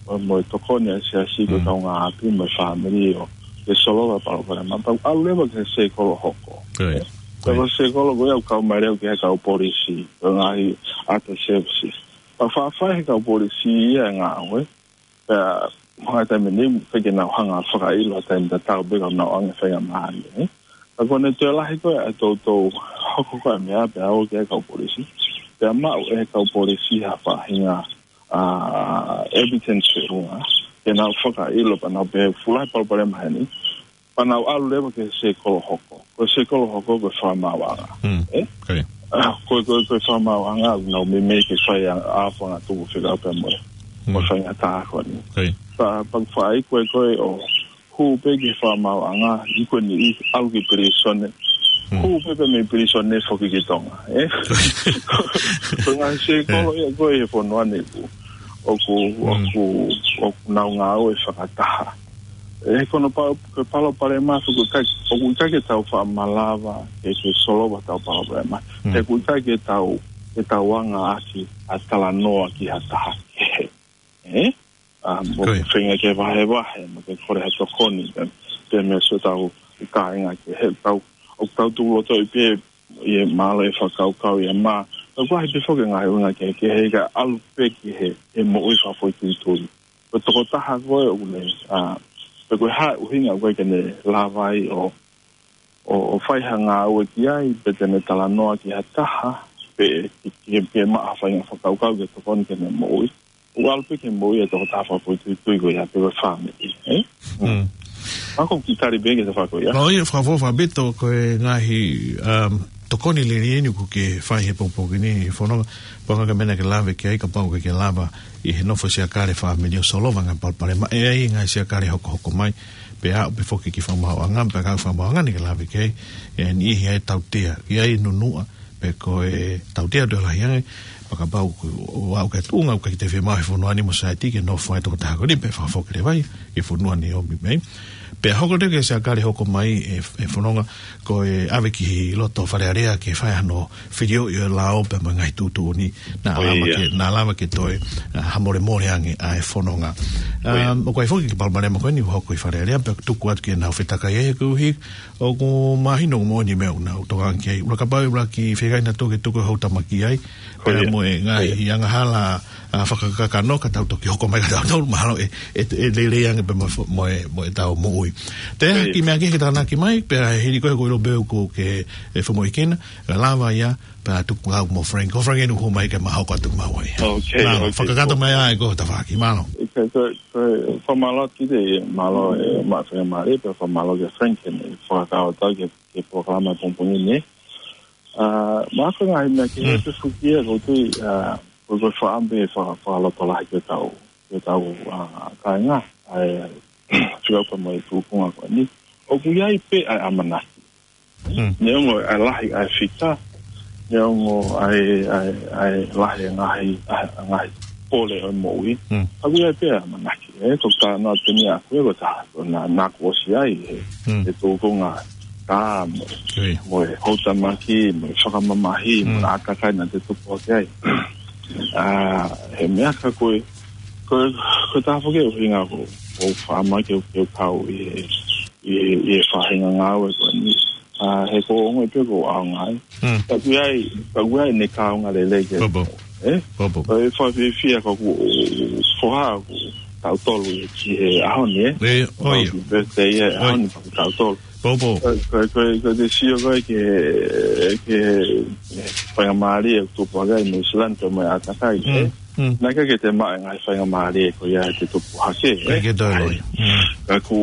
mo, mo e tokoni ʻa e siasi, ko e, mm, kaungāʻapi mo e fāmili ʻo, ke solova e palopalema, pea ʻalu leva ki he sēkolo hoko. Ko ia. Ē? Ko ia. Pea ko e sēkolo ko ia ʻoku kau mai leva ki he kau polisi, ko e ngaahi other services. Pea faʻa fai he kau polisi ia e ngāue. Pea, ko e taimi ni, ʻikai ke nau hanga fakaʻilo, taimi tatau pē ka nau ʻange faingamālie, ē? Ka ko ʻene toe lahi ko ē ʻa e toutou hoko ko ē meʻa pea ō ki he kau polisi. Pea maʻu ʻe he kau polisi ha faʻahinga, ā, evidence feʻunga. Ke nau fakaʻilo pea nau pehē fuʻu lahi e palopalema heni. Pea nau ʻalu leva ki he sēkolo hoko. Ko e sēkolo hoko ko e fakamaauʻanga. Mm. Ē? Ko ia. Ā, ko e, ko e, ko e fakamaauʻanga, nau meimei ke fai ʻa, ʻa fanga tupu fekau pea mo e. Mm. Mo e faingataʻa ko eni. Ko ia. Pea, pea fai ko ē ko ē ʻo hū pē ki he fakamaauʻanga, ʻi ko eni ʻi ʻalu ki pilīsone. Mm. Hū pē pea mei pilīsone foki ki Tonga. Ē? Ko e ngaahi sēkolo ia ko ē he fonua ni ʻoku, ʻoku, Mm. ʻoku, ʻoku nau ngāue fakataha. Ē, ko hono pa-, ko e palopalema ʻoku ʻikai, ʻoku ʻikai ke tau faʻa malava ke, ke solova ʻetau palopalema. Mm. He ʻoku ʻikai ke tau, ke tau anga ʻaki ʻa e talanoa ki ha taha kehe. Ē? Ā, mo Ko ia. ke feinga ke vahevahe, mo ke kole ha tokoni, pē, pē mei siʻotau kāinga kehe, tau, ʻoku tau tuku loto ʻi pē, ʻi he mālō e fakakaukau ia mā. Ka ʻoku ʻi ai pē foki e ngaahi ʻuhinga kehekehe ka ʻalu pē ki he, he moʻui fakafoʻituitui. Ko e tokotaha ko ē ʻoku ne, ā, pe ko e hā e ʻuhinga ʻoku ʻikai ke ne lava ai ʻo, ʻo, ʻo fai ha ngāue ki ai, pe te ne talanoa ki ha taha, pe ke, ke, ke maʻu ha faʻahinga fakakaukau ke tokoni ki heʻene moʻui. ʻOku ʻalu pē ki he moʻui e tokotaha fakafoʻituitui ko ia pe ko e fāmili, ē? Mm. Mako ki tali pē ki he tafaʻaki ko ia. Ko ia, fakafoʻou faʻa pito ko e ngaahi, um, tokoni liliu eni ʻoku ke fai he pongipongi ni, Fononga, pau ke meʻa ke lave ki ai, kapau ʻoku ke lava ʻi he nofo siakale fāmili ʻo solova ngaahi palopalema, ʻe ʻi ai ngaahi siakale hokohoko mai, pea aʻu pē foki ki he fakamaauʻanga, pea ka fakamaauʻanga ni ke lave ki ai, ʻe niʻihi ʻe tautea, ʻi ai nunuʻa, pe ko e tautea toe lahi ange, pea kapau ʻoku, ʻoku aʻu ki he tuʻunga, ʻoku ʻikai te fiemaʻu he fonua ni mo saieti ke nofo ai e tokotaha ko eni, pea fakafoki leva ia ki he fonua ni ʻomi mai. Pea hoko leva ki he siakale hoko mai ē, ē Fononga, ko e ʻave ki he loto Fale Alea ke fai hano filioʻi ʻo e lao pea mo e ngaahi tuʻutuʻuni, naʻa Ko ia. lava ke, naʻa lava ke toe, ā, hamolemole ange ʻa e fononga. Ko ia. Um, ʻoku ʻi ai foki e palopalema ko eni ʻoku hoko ʻi Fale Alea, pea tuku atu ke nau fetakai ai koeʻuhi, ʻoku mahino ʻoku moʻoni e meʻa ʻoku nau tokanga ki ai. ʻUluaki kapau, ʻuluaki feinga naʻa tau ke tuku e houtamaki ai, Ko pea ia. mo e ngaahi Ko ia. angahala, ā, fakakakano ka tau toki hoko mai ka tau tau mahalo ʻe, ʻe, ʻe lelei ange pē mo, mo e, mo ʻetau moʻui. Te Ko ia. ki meʻa kehe ke tānaki mai, pea hili ko ē ʻoku ou ʻilo pē ʻoku ke, ʻe, fakamoʻui kena, ʻe lava ia, pea tuku au mo Frank. Ko Frank eni ʻoku hū mai ke ma hoko atu maua ia. Ok, Mālō, ok. fakakakato mai ā e ko e tafaʻaki, mālō. Ok, ko, ko, fakamālō atu ki he, mālō e maʻu faingamālie, pea fakamālō kia Frank, ʻene fakakau atu ki he, ki he polokalama pongipongi ni. Ā, mā ko e ngaahi meʻa kehe Mm. pē foki ia, ʻoku ou tui, ā, ko, ko e faʻa pē faka-, fakalotolahi ki hotau, ki hotau, ā, kāinga, ʻa e, fika upa mai tuʻunga ko eni. ʻOku ʻi ai pē ʻa e ʻamanaki. Mm. Neongo ʻa e lahi ʻa e fika, neongo ʻa e, ʻa e, ʻa e lahi e ngaahi, ʻa e ngaahi pole ʻo e moʻui. Mm. ʻOku ʻi ai pē ʻa e ʻamanaki. Ē, ko e talanoa pē eni ʻaʻaku ē ko e taha, ko ena naʻa ku ʻosi ai, ē, Mm. e tuʻunga tā mo, Ko ia. mo e houtamaki, mo e fakamamahi, mo Mm. e ʻātakai naʻa te tupu hake ai. Ā, he meʻa ka ko e, ko e, ko e taha foki e ʻuhinga ʻoku, ʻoku ou faʻa mai ke, ke kau ʻi he, ʻi he, ʻi he faʻahinga ngāue ko eni. Ā, he ʻoku ou ongoʻi pē ʻoku ou ʻaonga ai. Mm. Ka ʻoku ʻi ai, ka ʻoku ʻi ai ʻene kaunga lelei ke. Pau, pau. Ē? Pau, pau. Ko e fakafiefia ko ʻeku foha ʻoku taʻu tolu ia ki he ʻaho ni, ē? Ē, ʻo ia. Happy birthday, ē, ʻAho ni ʻoku taʻu tolu. Pau, pau. Ko, ko, ko, ko e te sio ko ē ki he, ki he, ē, faingamālie ʻoku tupu hake ai New Zealand pea mo e ʻātakai, Mm. ē? Mm. Naʻe ʻikai ke te maʻu e ngaahi faingamālie ko ia ʻi heʻete tupu hake, ē? ʻIkai ke toe loi. Mm. Ka ʻoku,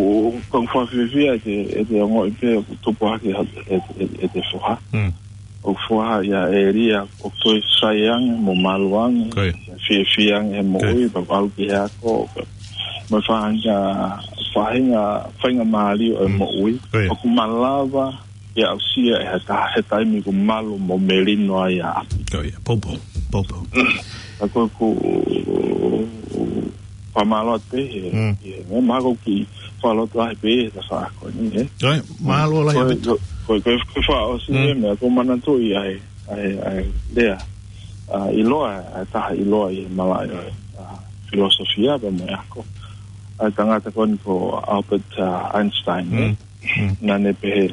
ʻoku ou fakafiefia ʻete, ʻete ongoʻi pē ʻoku tupu hake ʻe, ʻe, ʻe, ʻete foha. Mm. ʻOku foha ia ʻElia, ʻoku toe sai ange mo malu ange. Ko ia. Fiefia ange he moʻui, Ko ia. pea ʻalu ki he ako. Mo e faʻahinga, faʻahinga, faingamālie ʻo e Mm. moʻui. Ko ia. ʻOku malava ke aʻusia ʻe ha taha he taimi ʻoku malu mo melino ai ʻa ʻapi. Ko ia, pau, pau, pau, pau. Ka ko ʻeku fakamālō atu pē he, Mm. he, he, mahalo ʻoku ou kiʻi fakalotolahi pē he tafaʻaki ko eni, ē? Ko ia, mālō lahi Ko e, ʻaupito. ko e, ko e, ko e fakaʻosi Mm. e meʻa, ʻoku ou manatuʻi ʻa e, ʻa e, ʻa e lea, ā, ʻiloa, ʻa e taha ʻiloa ʻi he malaʻe ʻo e, ā, filosofia pea mo e ako. ʻA e tangata ko eni ko Albert, ā, Einstein, ē? Mm. Mm. Naʻa ne pehē,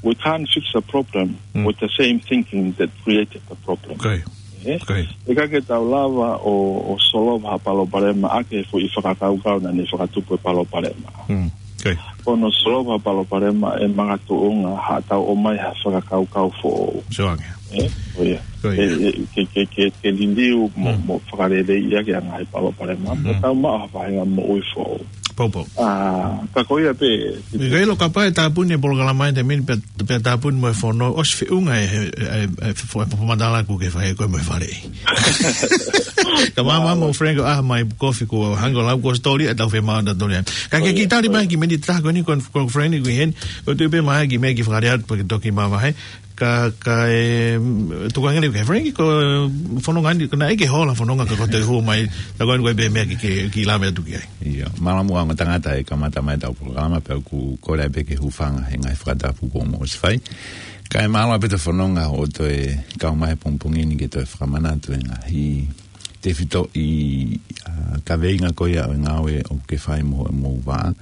"We can't fix a problem Mm. with the same thinking that created the problem." Ko ia. ʻE? Ko ia. ʻIkai ke tau lava ʻo, ʻo solova ha palopalema ʻaki e foʻi fakakaukau naʻa ne fakatupu e palopalema. Mm. Ko ia. Ko hono solova ha palopalema ʻe makatuʻunga haʻatau ʻomai ha fakakaukau foʻou. Sio ange. ʻE? Ko ia. Ko ia. ʻE, ʻe, ke, ke, ke, ke liliu mo, Mm. mo fakaleleiʻi ʻaki ʻa e ngaahi palopalema. Mm. Mo tau maʻu ha faʻahinga moʻui foʻou. Poupou. ʻA, ka ko ia pē. ʻIkai lo kapau ʻe tāpuni e polokalama ʻi he taimi ni pea, pea tāpuni mo e fono, ʻosi feʻunga e, e, e, e, fo-, e fakamatala ʻoku ke fai ko e mo e fale. Ka māmā mo Frank, ʻa, mai kofi ko hanga lau ko story ʻa tau fe mā na toli. Ka ke Oh, yeah. kitali Oh, mai yeah. ki meni taha ko eni ko, ko Frank ko heni, ko tu pē mai ki me ki fakaleʻa atu pea ke toki māmā he. Ka, ka e, mm, tuku ange leva ke Frank ko fononga ni, ko naʻe ʻikai ke hola fononga ka ko te hū mai, ta ko eni ko e pē meʻa ki, ki, ki lave atu ki ai. Ia, mālō muʻa ongo tangata e kamata mai tau polokalama pea ʻoku kole pē ke hūfanga he ngaahi fakatapu kuo mou ʻosi fai. Kae mālō pē ʻete fononga ʻo toe kau mai he pongipongi ni ke toe fakamanatu e ngaahi tefitoʻi, ʻa, kaveinga ko ia ʻo e ngāue ʻoku ke fai mo, mo vā.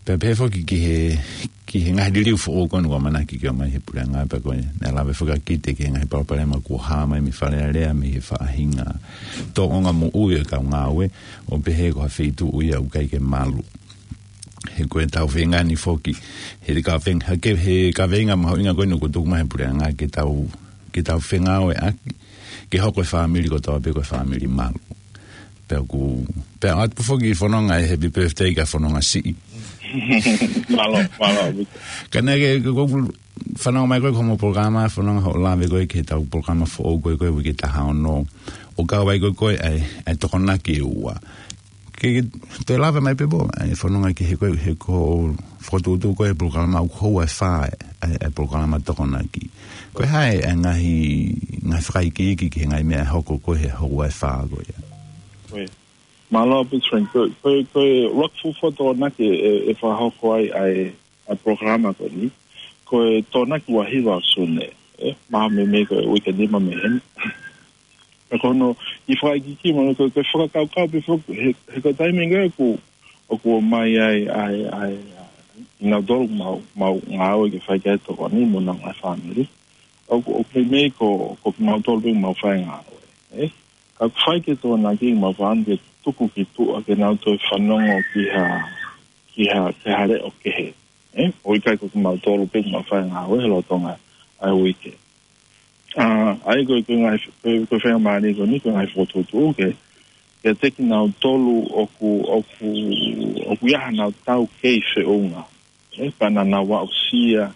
Pea pehē foki ki he, ki he ngaahi liliu foʻou ko eni ʻoku ʻamanaki ke ʻomai he puleʻanga pea ko e, naʻe lave fakakite ki he ngaahi palopalema kuo hā mai mei Fale Alea mei he faʻahinga tōʻonga moʻui ʻo e kau ngāue, ʻo pehē ko ha feituʻu ia ʻoku ʻikai ke malu. He ko e tau feinga ni foki, he te ka feng-, ha ke, he kaveinga mahuʻinga ko eni ʻoku tuku mai he puleʻanga ke tau, ke tau fengāueʻaki, ke hoko e fāmili kotoa pē ko e fāmili malu. Pea ʻoku, pea ʻoatu foki fononga e happy birthday ka fononga siʻi. Mālō, mālō, Victor. Ka naʻe ke, ko, ko, fanongo mai ko e ko homo polokalama, fononga hoʻo lave ko e ki he tau polokalama foʻou ko e ko e uike taha ono. ʻO kau ai ko e ko e ʻa e, ʻa e Tokonaki ʻe ua. Ke, ke toe lave mai pē pō, ʻa e fononga ki he ko e, he ko e fokotuʻutuʻu ko e polokalama ʻoku houa ʻe fā, ʻa e, ʻa e polokalama Tokonaki. Ko e hā e ngaahi, ngaahi fakaikiiki ki he ngaahi meʻa ʻe hoko ko e he houa ʻe fā ko ia. Ko e. Mālō pē Frank, ko, ko, ko e ʻuluaki fuofua Tokonaki ʻe, ʻe fakahoko ai, ʻa e, ʻa e polokalama ko eni. Ko e Tokonaki ua hiva ʻo Sune, ʻe, mahalo mei, mei ko e uike nima mei heni. Pea ko hono, ʻi fakaikiiki mo, ko, ko e fakakaukau pē foki, he, he ko e taimi ko ē ʻoku, ʻoku ʻomai ai, ʻa e, ʻa e, ʻa e, ʻi nautolu mau, mau ngāue ke fai ki ai tokoni mo nau ngaahi fāmili. ʻOku, ʻoku meimei ko, ko kimautolu pē mau fai ngāue, ʻe? Ka ʻoku fai ke Tokonaki mau fāmili ke tuku ki tuʻa ke nau toe fanongo ki ha, ki ha, ki ha leʻo kehe, ʻe? ʻO ʻikai ko kimautolu pē mau fai ngāue he lolotonga ʻa e uike. ʻA, ʻa ia ko e, ko e ngaahi, ko e, ko e faingamālie ko eni, ko e ngaahi fokotuʻutuʻu ke, ke teki nautolu ʻoku, ʻoku, ʻoku ʻi ai hanau tau kei feʻunga, ʻe, pea naʻa nau aʻusia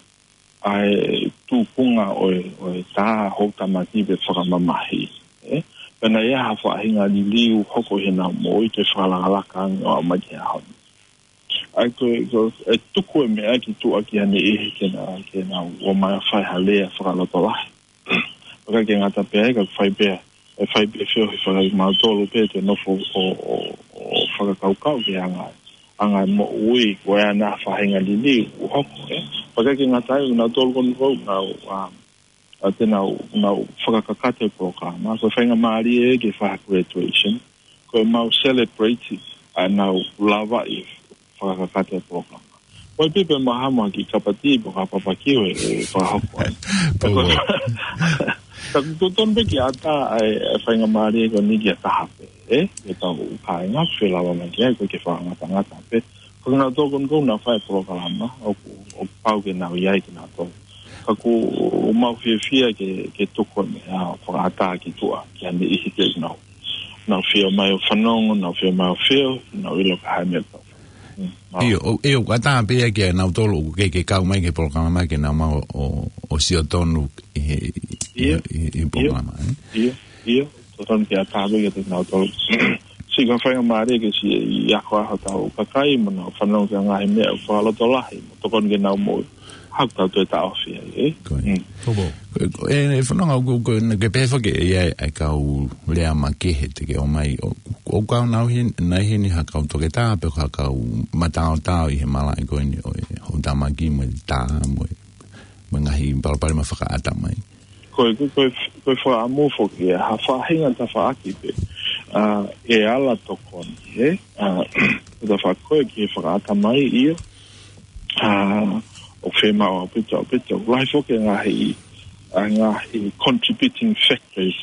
ʻa e tupunga ʻo e, ʻo e tā houtamaki pe fakamamahi, ʻe, pea naʻe ʻi ai ha faʻahinga liliu hoko ʻi heʻenau moʻui ke fakalakalaka ange ʻo aʻu mai ki he ʻaho ni. ʻA ia ko e, ko e tuku e meʻa ki tuʻa ki ha niʻihi ke nau, ke nau ō mai ʻo fai ha lea fakalotolahi. ʻIkai ke ngata pē ai ka fai pē, ʻe fai pē feohi fakakimautolu pē te nofo ʻo, ʻo, ʻo fakakaukau ki he anga, anga moʻui ko e ʻa e faʻahinga liliu ʻoku hoko, ʻe. ʻIkai ke ngata ai nautolu ko eni ʻoku nau, ʻa, ʻa te nau, nau fakakakato e polokalama. Ko e faingamālie ke fai ha graduation, ko e mau celebrate ʻa ʻenau lava ʻi fakakakato e polokalama. Ko e pipe mahama ki kapati pe ka papakiu e, e fakahoko ai. Pau. Ka ʻoku totonu pē ke ʻatā ʻa e, ʻa e faingamālie ko eni ki ha taha pē, ʻe? Ke tau kāinga, felava mai ki ai, ko e ke fakangatangata pē. Ko kinautolu ko eni ʻoku nau fai polokalama, ʻoku, ʻoku pau ke nau ʻi ai kinautolu. Ka ʻoku mau fiefia ke, ke tuku e meʻa ʻo fakaʻatā ki tuʻa, ki ha niʻihi ke nau, nau fie ō mai ʻo fanongo, nau fie ō mai ʻo fie, nau ʻilo ko e hā e meʻa ʻoku tau fai. Mm, mālō. ʻIo, ʻo, ʻio, ʻoku ʻatā pē ia kia nautolu ʻoku kei, kei kau mai ki he polokalama ke nau maʻu ʻo, ʻo sio tonu ʻi he, ʻi he, ʻIo, ʻi he, ʻi he ʻio, polokalama, ʻe? ʻIo, ʻio, totonu ke ʻatā pē kia nautolu. Siʻi ka faingamālie ke siʻi ako ʻa hotau kakai mo nau fanongo ki he ngaahi meʻa fakalotolahi, mo tokoni ke nau moʻui. Haʻu tau toe taʻofi ai, ʻe? Ko ia. Mm. Ko ia. Ko e, ko e, e fononga ʻoku, ko e, ke pehē foki ʻe ʻi ai e kau lea makehe te ke ʻomai, ʻo, ʻoku kau nau heni, nai heni ha kau toketā pe ha kau mataotao ʻi he malaʻe ko eni ʻo e houtamaki mo e tā mo e, mo e ngaahi palopalema fakaʻatamai. Ko e, ko e, ko e fakaʻamu foki ʻe ha faʻahinga tafaʻaki pē, ʻa, ʻe ala tokoni, ʻe? ʻA, ko e tafaʻaki ko e ki he fakaʻatamai, ʻio. ʻA, ʻoku fiemaʻu ʻaupito, ʻaupito. Lahi foki e ngaahi, ʻa, ngaahi contributing factors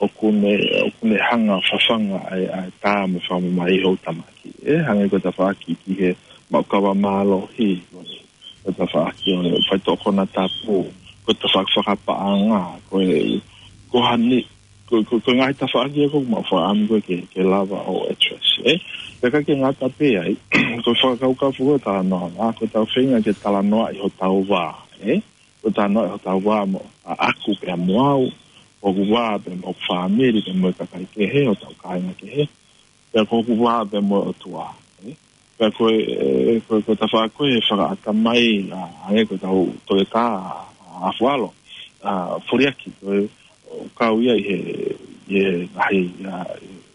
ʻoku ne, ʻoku ne hanga fafanga ʻa e, ʻa e tā mo e fakamamahi ʻo e houʻeiki tamaki. ʻE, hangē ko e tafaʻaki ki he maʻu kava mālohi, ko e, ko e tafaʻaki ʻo e faitoʻo konatapu, ko e tafaʻaki fakapaʻanga, ko e, ko e hā nai, ko e, ko e, ko e ngaahi tafaʻaki ia ʻoku mau fakaʻamu ko ē ke, ke lava ʻo address, ʻe. Pea ʻikai ke ngata pē ai, ko e fakakaukau foki ʻo e talanoa, ʻa, ko ʻetau feinga ke talanoaʻi hotau vā, ʻe. Ko e talanoaʻi hotau vā mo, ʻa, ʻaku pea mo au, ʻoku vā pea mo e fāmili pea mo e kakai kehe, hotau kāinga kehe, pea ko ʻeku vā pea mo e ʻOtua, ʻe. Pea ko e, ʻe, ko e, ko e tafaʻaki ko ē ʻe fakaʻatamai, ʻa, hangē ko ʻetau toketā, ʻa, ʻAfualo, ʻa, Foliaki, ko e, ʻoku kau ia ʻi he, ʻi he ngaahi, ʻa,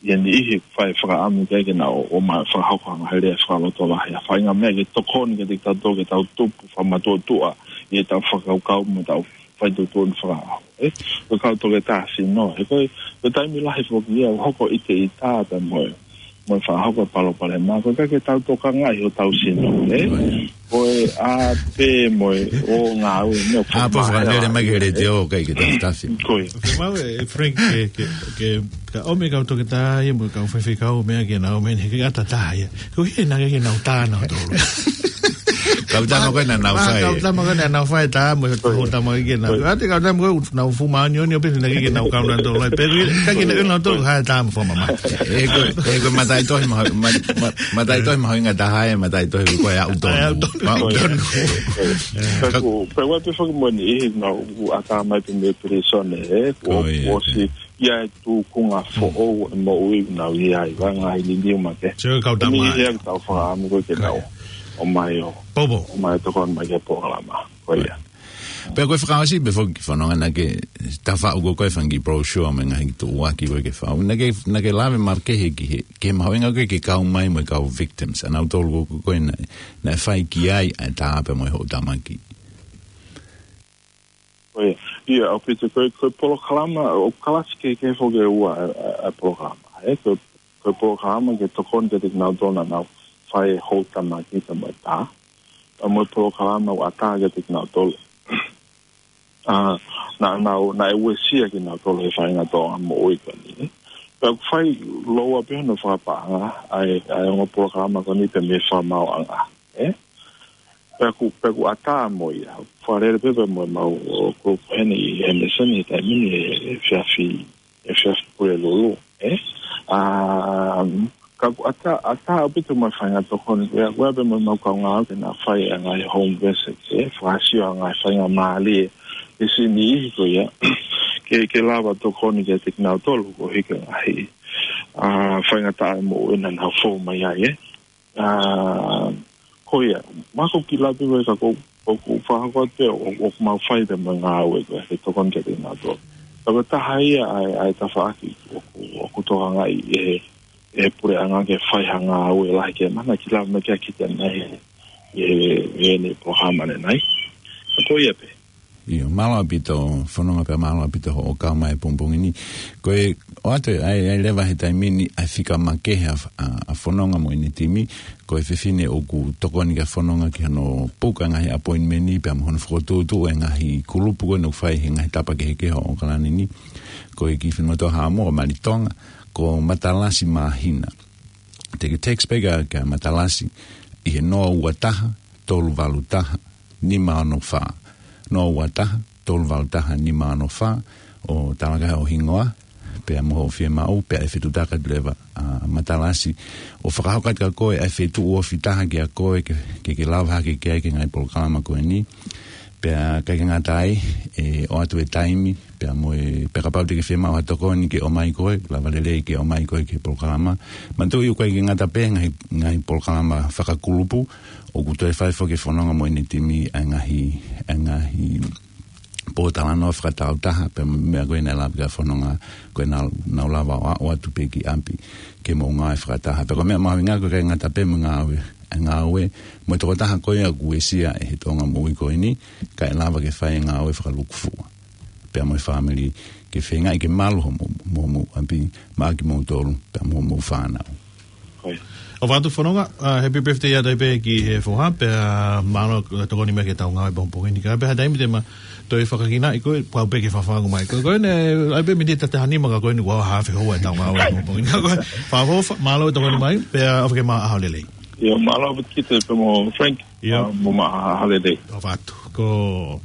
ʻi he niʻihi ʻoku fai fakaʻamu ki ai ke nau ō, ō mai fakahoko ha ngaahi lea fakalotolahi, ʻa, fai ngaahi meʻa ke tokoni kiate kitautolu ke tau tupu fakamatuʻotuʻa ʻi heʻetau fakakaukau mo ʻetau faituʻutuʻuni fakaʻaho, ʻe. Ko e kau toketā sino, ʻe, ko e, ko e taimi lahi foki ia ʻoku hoko ʻiteʻita pea mo e, mo e fakahoko e palopalema, ko e ʻikai ke tau tokangaʻi hotau sino, ʻe. Ko e ʻā pē mo e ō ngāue, meʻa ʻa, pau fakamahea fakalele mai ki he ʻe, letiō, ʻikai ke tafitafi. Ko ia. ʻOku mau ʻe, Frank, ke, ke, ke, ka ʻomi e kau toketā ia mo e kau faifekau meʻa ke nau ō mai, he ʻikai ke ʻatā taha ia. Ko e hā naʻe ʻikai ke nau tā nautolu? Kau tama ko ē naʻa nau fai. Kau tama ko ē naʻa nau fai tā mo e houʻeiki tamaki ke nau. ʻAte kau tama ko ē naʻa nau fuʻu māʻoniʻoni ʻo pehē naʻe ʻikai ke nau kau nautolu ai. Pea ʻikai ke nau nautolu ha tā mo fakamamahi. ʻE ko, ʻe ko e mataʻitohi mahu-, ma-, ma-, mataʻitohi mahuʻinga taha ʻe, mataʻitohi ko ē ʻaʻau tonu. ʻAʻau tonu. ʻAʻau tonu. Pea ʻoku, pea ʻoku ʻi ai pē foki mo e niʻihi naʻa nau ʻatā mai pē mei pilīsone, ʻe, ko ia, ʻosi ia e tūkunga foʻou e moʻui naʻa nau ʻi ai, ʻa e ngaahi liliu makehe. Sio kau tama. Niʻihi ia ʻoku tau fakaʻamu ko ē ke nau ō mai ʻo, ʻomai ʻo tokoni mai ki he polokalama. Ko ia. Pea ko e fakaʻosi pē foki, Fononga, naʻa ke tafaʻaki ko ē fanga kiʻi brochure mo e ngaahi tuʻuaki ko ē ke fai. Naʻa ke, naʻa ke lave makehe ki he, ki he mahuʻinga ko ē ke kau mai mo e kau victims. ʻA nautolu ko ē naʻe, naʻe fai ki ai ʻa e tā pea mo e houʻeiki tamaki. Ko ia, ia, ʻaupito ko e, ko e polokalama, ʻoku kalasi kehekehe foki ʻe ua ʻa e, ʻa e, ʻa e polokalama. ʻE, ko e, ko e polokalama ke tokoni kiate kinautolu naʻa nau fai e houʻeiki tamaki pea mo e tā. Pea mo e polokalama ʻoku ʻatā kiate kinautolu. ʻA, naʻa, naʻa nau, naʻe uesia kinautolu he faʻahinga tōʻonga moʻui ko eni. Pea ʻoku fai lōua pē hono fakapaʻanga ʻa e, ʻa e ongo polokalama ko eni pea mei he fakamaauʻanga, ʻe. Pea ʻoku, pea ʻoku ʻatā mo ia. Fakalele pē pea mo ʻemau, ʻo, ko, ko heni ʻi Henderson ʻi he taimi ni he, he efiafi, he efiafi Pulelulu, ʻe. ʻA, ka ʻoku ʻatā, ʻatā ʻaupito mo e faʻahinga tokoni, ʻe, ʻa ia pē mo ʻemau kaungā ke nau fai ʻa e ngaahi home visits, ʻe, fakasio ʻa e ngaahi faingamālie ʻe he niʻihi ko ia, ke, ke lava tokoni kiate kinautolu koeʻuhi ko e ngaahi, ʻa, faingataʻa moʻui naʻa nau fou mai ai, ʻe. ʻA, ko ia, ma ko ki lapi ko e ka ko, ko, ko fakahoko atu ʻo, ʻoku mau fai pē mo e ngāue ko ē, ke tokoni kiate kinautolu. Ka ko e taha ia ʻa e, ʻa e tafaʻaki ʻoku, ʻoku tokangaʻi ʻe he, ʻe he puleʻanga ke fai ha ngāue lahi ke mana ki lapi mai ke kiʻi ʻanai ʻe, ʻe, ʻe he polokalama ʻanenai. Ka ko ia pē. ʻIo, mālō ʻaupito, Fononga, pea mālō ʻaupito hoʻo kau mai he pongipongi ni. Ko e ʻoatu ʻa e, ʻa e leva he taimi ni ʻa e fika makehe ʻa, ʻa, ʻa Fononga mo ʻene timi, ko e fefine ʻoku tokoni kia Fononga ki hono puka ngaahi appointment ni, pea mo hono fokotuʻutuʻu e ngaahi kulupu ko ē ʻoku fai he ngaahi tapa kehekehe ʻo ʻAokalani ni. Ko e kiʻi finemotuʻa Haʻamoa, Malitonga, ko Matalasi Māhina. Te ke text pē kia, kia Matalasi ʻi he noa ua taha, tolu valu taha, nima ono fā. Noa ua taha, tolu valu taha, nima ono fā, ʻo talaki ho hingoa, pea mo hoʻo fiemaʻu, pea ʻe fetuʻutaki atu leva ʻa Matalasi ʻo fakahoko atu kia koe ʻa e fetuʻu ofi taha kia koe ke, ke, ke lava hake ki ai ki he ngaahi polokalama ko eni. Pea ʻikai ke ngata ai, ʻe ʻoatu e taimi, pea mo e, pea kapau te ke fiemaʻu ha tokoni ke ʻomai koe, lava lelei ke ʻomai koe ki he polokalama. Manatuʻi ʻoku ʻikai ke ngata pē ngaahi, ngaahi polokalama fakakulupu, ʻoku toe fai foki ʻe Fononga mo ʻene timi ʻa e ngaahi, ʻa e ngaahi pōtalanoa fakatāutaha, pea mo e meʻa ko ē naʻe lave ki ai ʻa Fononga, ko ʻenau, nau lava ʻo, ʻo ʻatu pē ki ʻapi ke mou ngāue fakataha. Pea ko e meʻa mahuʻinga ko e ʻikai ngata pē mo e ngāue, ʻa e ngāue mo e tokotaha ko ia ʻoku uesia ʻe he tōʻonga moʻui ko eni, kae lava ke fai e ngāue fakalūkufua pea mo e fāmili, ke feingaʻi ke malu homou, mo, mo ʻapi, maʻa kimoutolu, pea mo, mo e fānau. ʻOfa atu Fononga, ā, happy birthday atu ai pē ki he foha, pea mālō e tokoni mai ki heʻetau ngāue pongipongi ni, kae pehē ha taimi te ma toe fakakinaʻi koe, pau pē ke fakafangu mai koe. Ko eni, ʻai pē miniti ʻe taha nima ka ko eni kuo hafe houa ʻetau ngāue pongipongi ni. Ka ko e, fakaʻofoʻofa, mālō e tokoni mai, pea ʻofa ke maʻu ʻaho lelei. ʻIo, mālō ʻaupito Kite pea mo Frank. ʻIo. Ā, mo maʻu ha ʻaho lelei. ʻOfa atu. Ko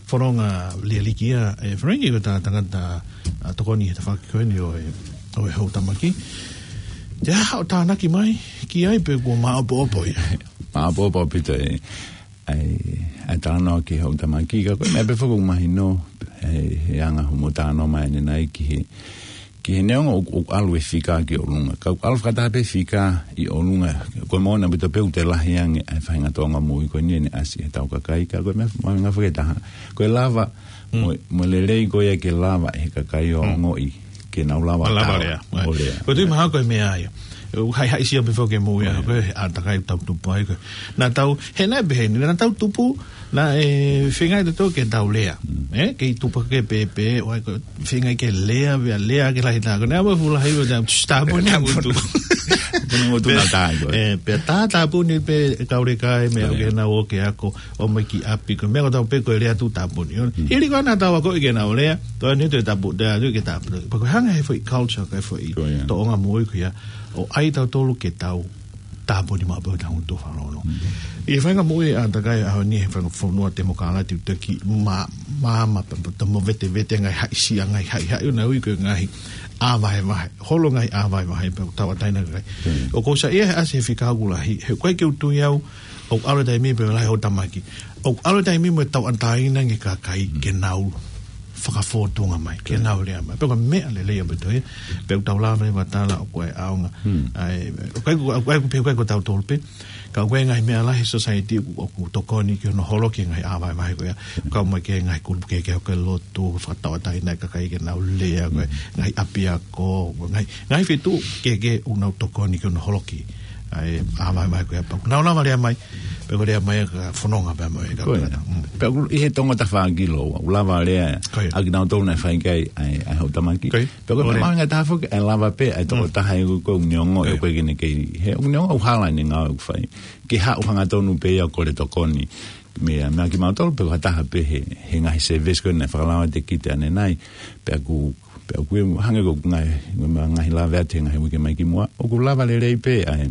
Fononga Lialiki ia, ē, Frank, ko e tangata, ā, tokoni he tafaʻaki ko eni ʻo e, ʻo e houtamaki. Te aha hoʻo tānaki mai ki ai pe kuo māʻopoʻopo ia? Māʻopoʻopo ʻaupito e, ʻai, ʻai talanoa ki he houtamaki, ka ko e meʻa pē foki ʻoku mahino, ʻe, he anga hoʻomo talanoa mai ʻanenai ki he, ki he neongo ʻoku, ʻoku ʻalu e fika ki ʻolunga. Ka ʻoku ʻalu fakataha pē fika ʻi ʻolunga. Ko e moʻoni ʻaupito pē ʻoku toe lahi ange ʻa e faʻahinga tōʻonga moʻui ko eni ʻene ʻasi ʻe heʻetau kakai. Ka ko e meʻa, meʻa mahuʻinga foki ʻe taha, ko e lava, mo, mo e lelei ko ia ke lava ʻe he kakai ʻo ongoʻi ke nau lava, lava ʻo lea. Ko e tui mahalo ko e meʻa ia. ʻOku haʻihaʻisia pē foki e moʻui ia, ko e ʻātakai ʻoku tau tupu ai ko ē. Naʻa tau, he naʻe pehē ni, naʻa tau tupu, naʻe feinga ʻe tautolu ke tau lea. Ē, kei tupu ke pēpē, ʻo ʻai ko e feinga ke lea, pea lea ke lahi tā. Ko e naʻa mo e fuʻu lahi, pea tā tāpuni, tā tāpuni. Pea, ē, pea tā tāpuni pē e kau leka ē, meʻa ke nau ō ke ako, ō mai ki ʻapi, ko e meʻa ko ē tau pē ko e lea tuʻu tāpuni. Hili ko ē naʻa tau akoʻi ke nau lea, tau ʻai atu e tāpuni, tau ʻai atu ke tāpuni. Pea ko e hanga he foʻi culture, ko e foʻi tōʻonga moʻui ko ia, ʻo ʻai tautolu ke tau tāpuni maʻu pē ʻetau ngaahi tuʻu fakalongolongo. ʻI he faʻahinga moʻui ʻa e ʻātakai ʻaho ni he faʻahinga fonua temokalati ʻoku tau kei mā, mā, mā, pea, pea, tau mo vetevete ngaahi haʻisia, ngaahi haʻihaʻi ʻo nau ui ko e ngaahi ʻā vahevahe. Holo ngaahi ʻā vahevahe pea tauʻatāina kakai. ʻOku ou saiʻia he ʻasi he fika ʻoku lahi, he ʻoku ʻikai ke u tui au, ʻoku ʻalu e taimi pea lahi e houtamaki. ʻOku ʻalu e taimi mo e tauʻatāina e kakai ke nau fakafōtunga mai, ke nau lea mai. Pea ko e meʻa lelei ʻaupito ia, pea ʻoku tau lava leva ʻo tala ʻoku ʻi ai e ʻaonga. ʻAi, ʻoku ʻikai, ʻoku ʻikai, ʻoku ʻikai ko tautolu pē. Ka ʻoku ʻi ai e ngaahi meʻa lahi he society ʻoku, ʻoku tokoni ke nau holoki e ngaahi ʻā vahevahe ko ia. Kau mai ki he ngaahi kulupu kehekehe ʻo e lotu, fakatauʻatāina e kakai ke nau lea, ko e ngaahi ʻapiako, ko e ngaahi, ngaahi feituʻu kehekehe ʻoku nau tokoni ke nau holoki ʻa e ʻā vahevahe ko ia pea ʻoku nau lava lea mai, pea ko e lea mai ka Fononga pea mo e kau tangata. Pea ʻoku ʻi he Tonga tafaʻaki lōua, ʻoku lava lea ʻa kinautolu naʻe fai ki ai ʻa e, ʻa e houtamaki. Pea ko e meʻa mahuʻinga taha foki, ʻe lava pē ʻa e tokotaha ʻoku, ʻoku ne ongoʻi ʻoku ʻikai ke ne kei, he ʻoku ne ongoʻi ʻoku hala ʻene ngāue ʻoku fai, ke haʻu hangatonu pē ia ʻo kole tokoni. Meʻa, meʻa kimautolu pē ko ha taha pē he, he ngaahi service ko ē naʻe fakalao ʻe Kite ʻanenai. Pea ʻoku, pea ʻoku hangē ko e ngaahi, ngaahi lave atu he ngaahi uike mai ki muʻa, ʻoku lava lelei pē ʻa e,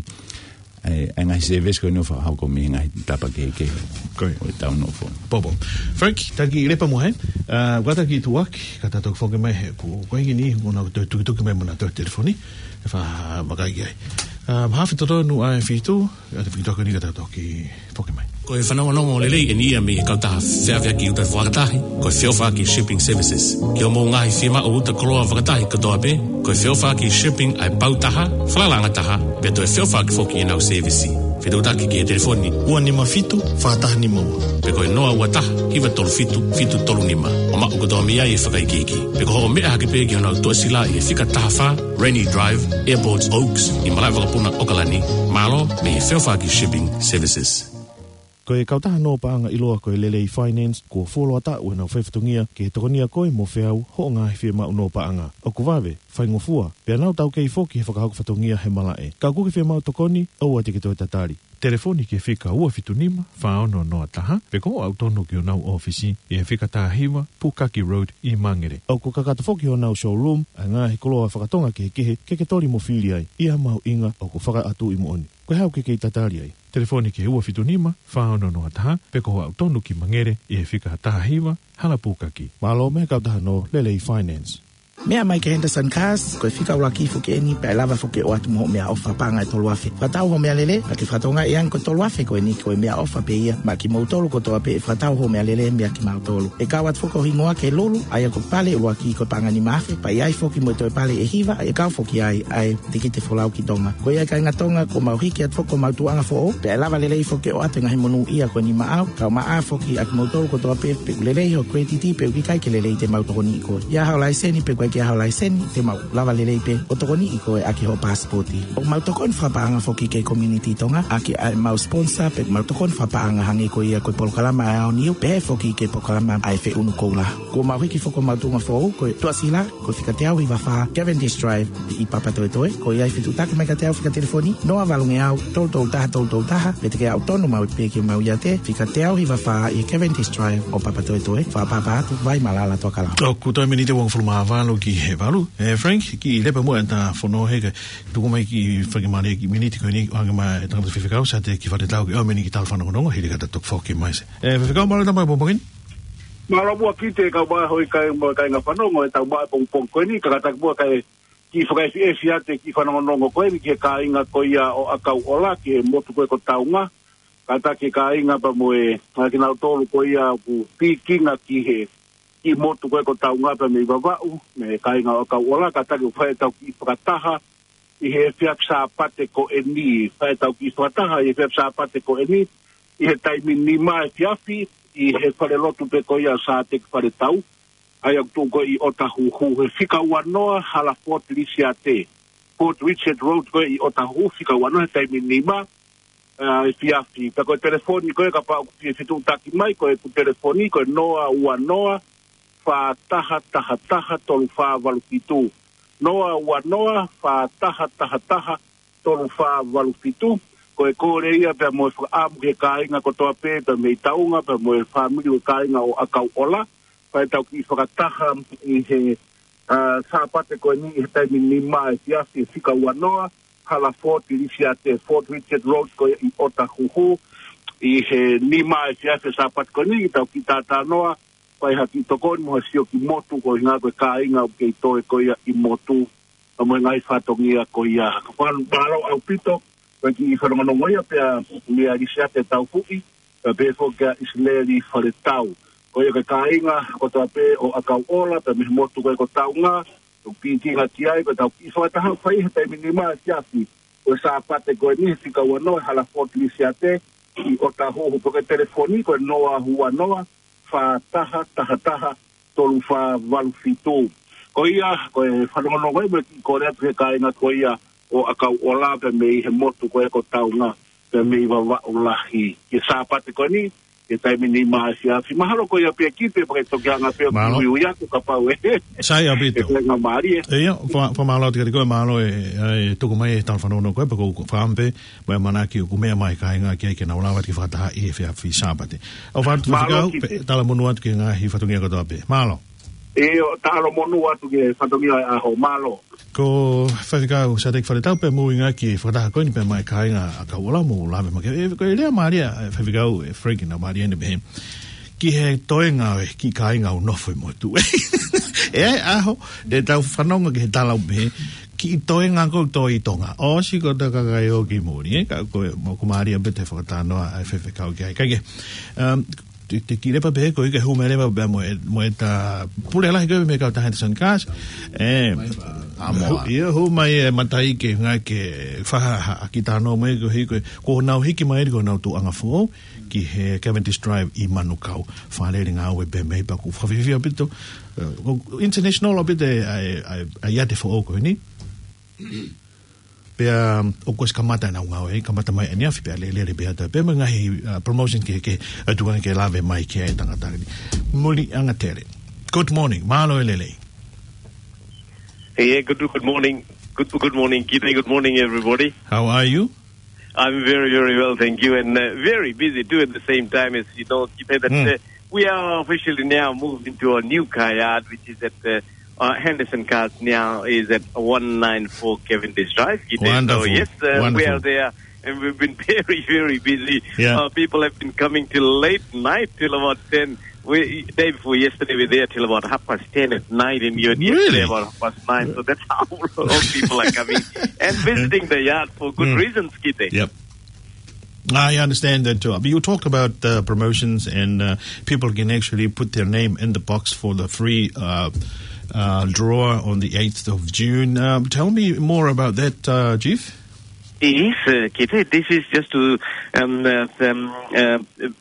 ʻa e, ʻa e ngaahi service ko eni ʻo fakahoko mei he ngaahi tapa kehekehe ʻo ʻetau nofo. Pōpō. Frank, taki lepa mo he, ā, ʻoku ʻatā ke tuʻuaki, ka tau toki foki mai he, ko, ko e hiki ni, mo na toe tukituki mai mo na toe telefoni, ʻe fakavakai ki ai. Ā, mahafi totonu ʻa e fitu, ʻa e fitu ko eni ka tau toki foki mai. Ko e fanongonongo lelei eni ia mei he kautaha feʻaveʻaki ʻuta fakatahi, ko e Feʻofaʻaki Shipping Services. Ki hoʻomou ngaahi fiemaʻu ʻuta koloa fakatahi kotoa pē, ko e Feʻofaʻaki Shipping ʻa e pau taha, falalaʻanga taha, pea toe feʻofaʻaki foki ʻenau sēvisi. Fetuʻutaki ki he telefoni ua nima fitu, fā taha nima ua. Pe ko e noa ua taha, hiva tolu fitu, fitu tolu nima. ʻO maʻu kotoa mei ai e fakaikiiki. Pe ko hoʻo meʻa hake pē ki honau tuʻasila ʻi he fika taha fā, Rennie Drive, Airports Oaks, ʻi Malaʻe Vakapuna, ʻAokalani, mālō mei he Feʻofaʻaki Shipping Services. Ko e kautaha nō paʻanga ʻiloa ko e Lelei Finance, kuo fuoloa taʻu ʻenau faifatongia ke tokonia koe mo feau hoʻo ngaahi fiemaʻu nō paʻanga. ʻOku vave, faingofua, pea nau taukei foki he fakahoko fatongia he malaʻe. Ka ʻoku ke fiemaʻu tokoni, ʻoua te ke toe tatali. Telefoni ki he fika ua fitu nima, fā ono noa taha, pe ko hoʻo aʻu tonu ki honau ʻōfisi, ʻi he fika taha hiva, Pukaki Road ʻi Mangere. ʻOku kakato foki honau showroom ʻa e ngaahi koloa fakatonga kehekehe ke ke toli mo fili ai. ʻI ha mahuʻinga ʻoku fakaʻatuʻi moʻoni. Ko e hā ʻoku ke kei tatali ai? Telefoni ki he ua fitu nima, fā ono noa taha, pe ko hoʻo aʻu tonu ki Mangere, ʻi he fika taha hiva, Hala Pukaki. Mālō mei he kautaha nō Lelei Finance. Meʻa mai ki he Henderson Cars, ko e fika ʻuluaki foki eni, pea ʻe lava foki ʻo ʻoatu mo hoʻo meʻaʻofa paʻanga ʻe tolu afe. Fakatau hoʻo meʻalele, ʻa e fakatokangaʻi ange ko e tolu afe ko eni ko e meʻaʻofa pē ia maʻa kimoutolu kotoa pē ʻe fakatau hoʻo meʻalele meia kimautolu. ʻE kau atu foki hoʻo hingoa ki he Lulu, ʻa ia ko e pale ʻuluaki ko e paʻanga nima afe, pea ʻi ai foki mo e toe pale ʻe hiva, ʻe kau foki ai ʻa e tikite folau ki Tonga. Ko ia kāinga Tonga, kuo mau hiki atu foki homau tuʻuʻanga foʻou, pea ʻe lava lelei foki ʻo ʻoatu e ngaahi monūʻia ko eni maʻau, kae ʻumaʻā foki ʻa kimoutolu kotoa pē, pe ʻoku lelei hoʻo credit, pe ʻoku ʻikai ke lelei te mau tokoniʻi koe. ʻI ai haʻo laiseni pe ko e Ke ʻi ai ho laiseni, te mau lava lelei pē ʻo tokoniʻi koe ʻaki hoʻo pasipoti. ʻOku mau tokoni fakapaʻanga foki ki he community Tonga, ʻaki ʻa ʻemau sponsor, pea mau tokoni fakapaʻanga hangē ko ia ko e polokalama ʻa e Aoniu, pehē foki ki he polokalama ʻa e Feʻunu Koula. Kuo mau hiki foki homau tuʻunga foʻou, ko e tuʻasila, ko e fika teau hiva fā Cavendish Drive ʻi Papatoetoe. Ko ia ʻe fetuʻutaki mai kiate au fika telefoni, noa valu ngeau, tolu tolu taha, tolu tolu taha, pe te ke aʻu tonu maʻu pē ki homau iate, fika teau hiva fā ʻi Cavendish Drive ʻo Papatoetoe, Fakapapātoa, Vaimalala, Toakalaua. ʻOku toe miniti ʻe uofulu mā valu ki he valu. ʻE Frank, kiʻi lepe muʻa ʻeta fono he ke tuku mai kiʻi fakemālie kiʻi miniti ko eni, ʻoange mai ʻe he tangataʻi faifekau, Sāteki Faletau, ke ʻomai eni ki he tala fanongonongo, hili ka ta toki foki mai. ʻE faifekau, mālō e tau maʻu e pongipongi ni. Mālō muʻa Kite, kau mai hoʻo kai mo e kāinga fanongo ʻetau maʻu e pongipongi ko eni, kātaki muʻa kae kiʻi fakaʻefiʻefi atu e kiʻi fanongonongo ko eni ki he kāinga ko ia ʻo ʻAkauʻola, ki he motu ko ē ko Taunga. Kātaki e kāinga pea mo e, ʻa kinautolu ko ia ʻoku pikinga ki he, ki he motu ko ē ko Taunga pea mei Vavaʻu, mei he kāinga ʻo ʻAkauʻola, kātaki ʻo fai ʻetau kiʻi fakataha ʻi he efiafi Sāpate ko eni, fai ʻetau kiʻi fakataha ʻi he efiafi Sāpate ko eni, ʻi he taimi nima efiafi, ʻi he falelotu pē ko ia ʻo Sāteki Faletau, ʻa ia ʻoku tuʻu ko ē ʻi ʻOtahuhu, he fika uanoa Halaford Lisiate, Fort Richard Road ko ē ʻi ʻOtahuhu, fika uanoa he taimi nima, ʻa, efiafi. Pea ko e telefoni ko ē kapau ʻoku fie fetuʻutaki mai, ko ʻeku telefoni ko e noa ua noa, fā taha taha taha, tolu fā valu fitu. Noa ua noa, fā taha taha taha, tolu fā valu fitu. Ko e kole ia pea mo e fakaʻamu ki he kāinga kotoa pē, pea mei Taunga, pea mo e fāmili ʻo e kāinga ʻo ʻAkauʻola, fai ʻetau kiʻi fakataha ʻi he, ʻa, Sāpate ko eni ʻi he taimi nima efiafi, fika uanoa, Halaford Lisiate, Fort Richard Road ko ē ʻi ʻOtahuhu, ʻi he nima efiafi Sāpate ko eni, ʻetau kiʻi talanoa, fai ha kiʻi tokoni mo ha sio ki motu, koeʻuhinga ko e kāinga ʻoku kei toe ko ia ʻi motu, ʻa, mo e ngaahi fatongia ko ia. Ka fā-, mālō ʻaupito, ko e kiʻi fanongonongo ia pea mei a Lisiate Taufuʻi, pea pehē foki kia ʻIsileli Faletau. Ko ia ko e kāinga kotoa pē ʻo ʻAkauʻola, pea mei he motu ko ē ko Taunga, ʻoku pikinga ki ai, ko ʻetau kiʻi fakataha fai he taimi nima efiafi, ko e Sāpate ko eni he fika uanoa, Halaford Lisiate, ʻi ʻOtahuhu. Pea ko e telefoni ko e noa ua noa, fā taha taha taha, tolu fā valu fitu. Ko ia, ko e fanongonongo ia mo e kiʻi kole atu ki he kāinga ko ia ʻo ʻAkauʻola pea mei he motu ko ē ko Taunga, pea mei Vavaʻu Lahi. Ki he Sāpate ko eni, ki he taimi nima efiafi. Mahalo ko ia pē Kite, pea ke toki hanga pē ʻo kiʻi uiui atu kapau ʻe, sai ʻaupito, ʻe kāinga mālie. ʻIo, fa-, fakamālō atu kiate koe, mālō e, e tuku mai e tala fanongonongo ko ē, pea ko e fakaʻamu pē mo e ʻamanaki ʻoku meʻa mai e kāinga ki ai ke nau lava atu ke fakataha ʻi he efiafi Sāpate. ʻOfa atu, mālō faifekau, Kite, pea talamonū atu ki he ngaahi fatongia kotoa pē. Mālō. ʻIo, talamonū atu ki he fatongia ʻo e ʻaho, mālō. Ko Faifekau Sāteki Faletau pea mou ʻuhinga ki he fakataha ko eni pea mo e kāinga ʻAkauʻola, mou lave mai ki ai. ʻE, ko e lea mālie ʻa e faifekau, ʻe Frank, naʻe mālie ʻene pehē ki he toenga ʻo e kiʻi kāinga ʻoku nofo ʻi motu. ʻE, ʻaho, te tau fanongo ki he tala ʻoku pehē, kiʻi toenga ko ē ʻoku toe ʻi Tonga. ʻOsi ko e kakai ʻoku ʻi muli, ē, ka ko e, mo ko mālie pē ʻete fakatalanoa ʻa e faifekau ki ai. Kae kehe, um, te, te kiʻi lepa pē ko ē ke hū mai leva pea mo e, mo ʻeta pule lahi ko ē mei he kautaha Henderson Cars. ʻE, ʻamoa. Hū, ʻio, hū mai e mataʻi ke ngāue ke fai ha, ha kiʻi talanoa mai ko ē, ko ē, ko ʻenau hiki mai ko ʻenau tuʻuʻanga foʻou ki he Cavendish Drive ʻi Manukau. Fakalele ngāue pē mei, pea ʻoku fakafiefia ʻaupito, ē, ʻoku international ʻaupito e, ʻa e, ʻa e, ʻa e iate foʻou ko eni. Pea, um, ʻoku ʻosi kamata ʻenau ngāue, kamata mai ʻaneafi pea lele, lele pē atu, pea mo e ngaahi, uh, promotion kehekehe, ʻa e tuʻunga ke lave mai ki ai e tangata ni. Muli Angatele. Good morning, mālō e lelei. Hey, yeah, good, good morning. Good, good morning, Kite. Good morning, everybody. How are you? I'm very, very well, thank you, and, uh, very busy too at the same time, as you know, Kite, that, mm, uh, we are officially now moved into our new car yard, which is at, uh, uh, Henderson Cars now is at one nine four Cavendish Drive, Kite. So, wonderful. Yes, uh, we, wonderful, are there, and we've been very, very busy. Yeah. Uh, people have been coming till late night, till about ten. We, day before yesterday, we were there till about half past ten at night, and you're, really, yesterday about half past nine. So that's how a lot of people are coming and visiting the yard for good, mm, reasons, Kite. Yep. I understand that too. But you talked about, uh, promotions and, uh, people can actually put their name in the box for the free, uh, uh, draw on the eighth of June. Um, tell me more about that, uh, Chief. Yes, uh, Kite, this is just to, um, uh, um, uh,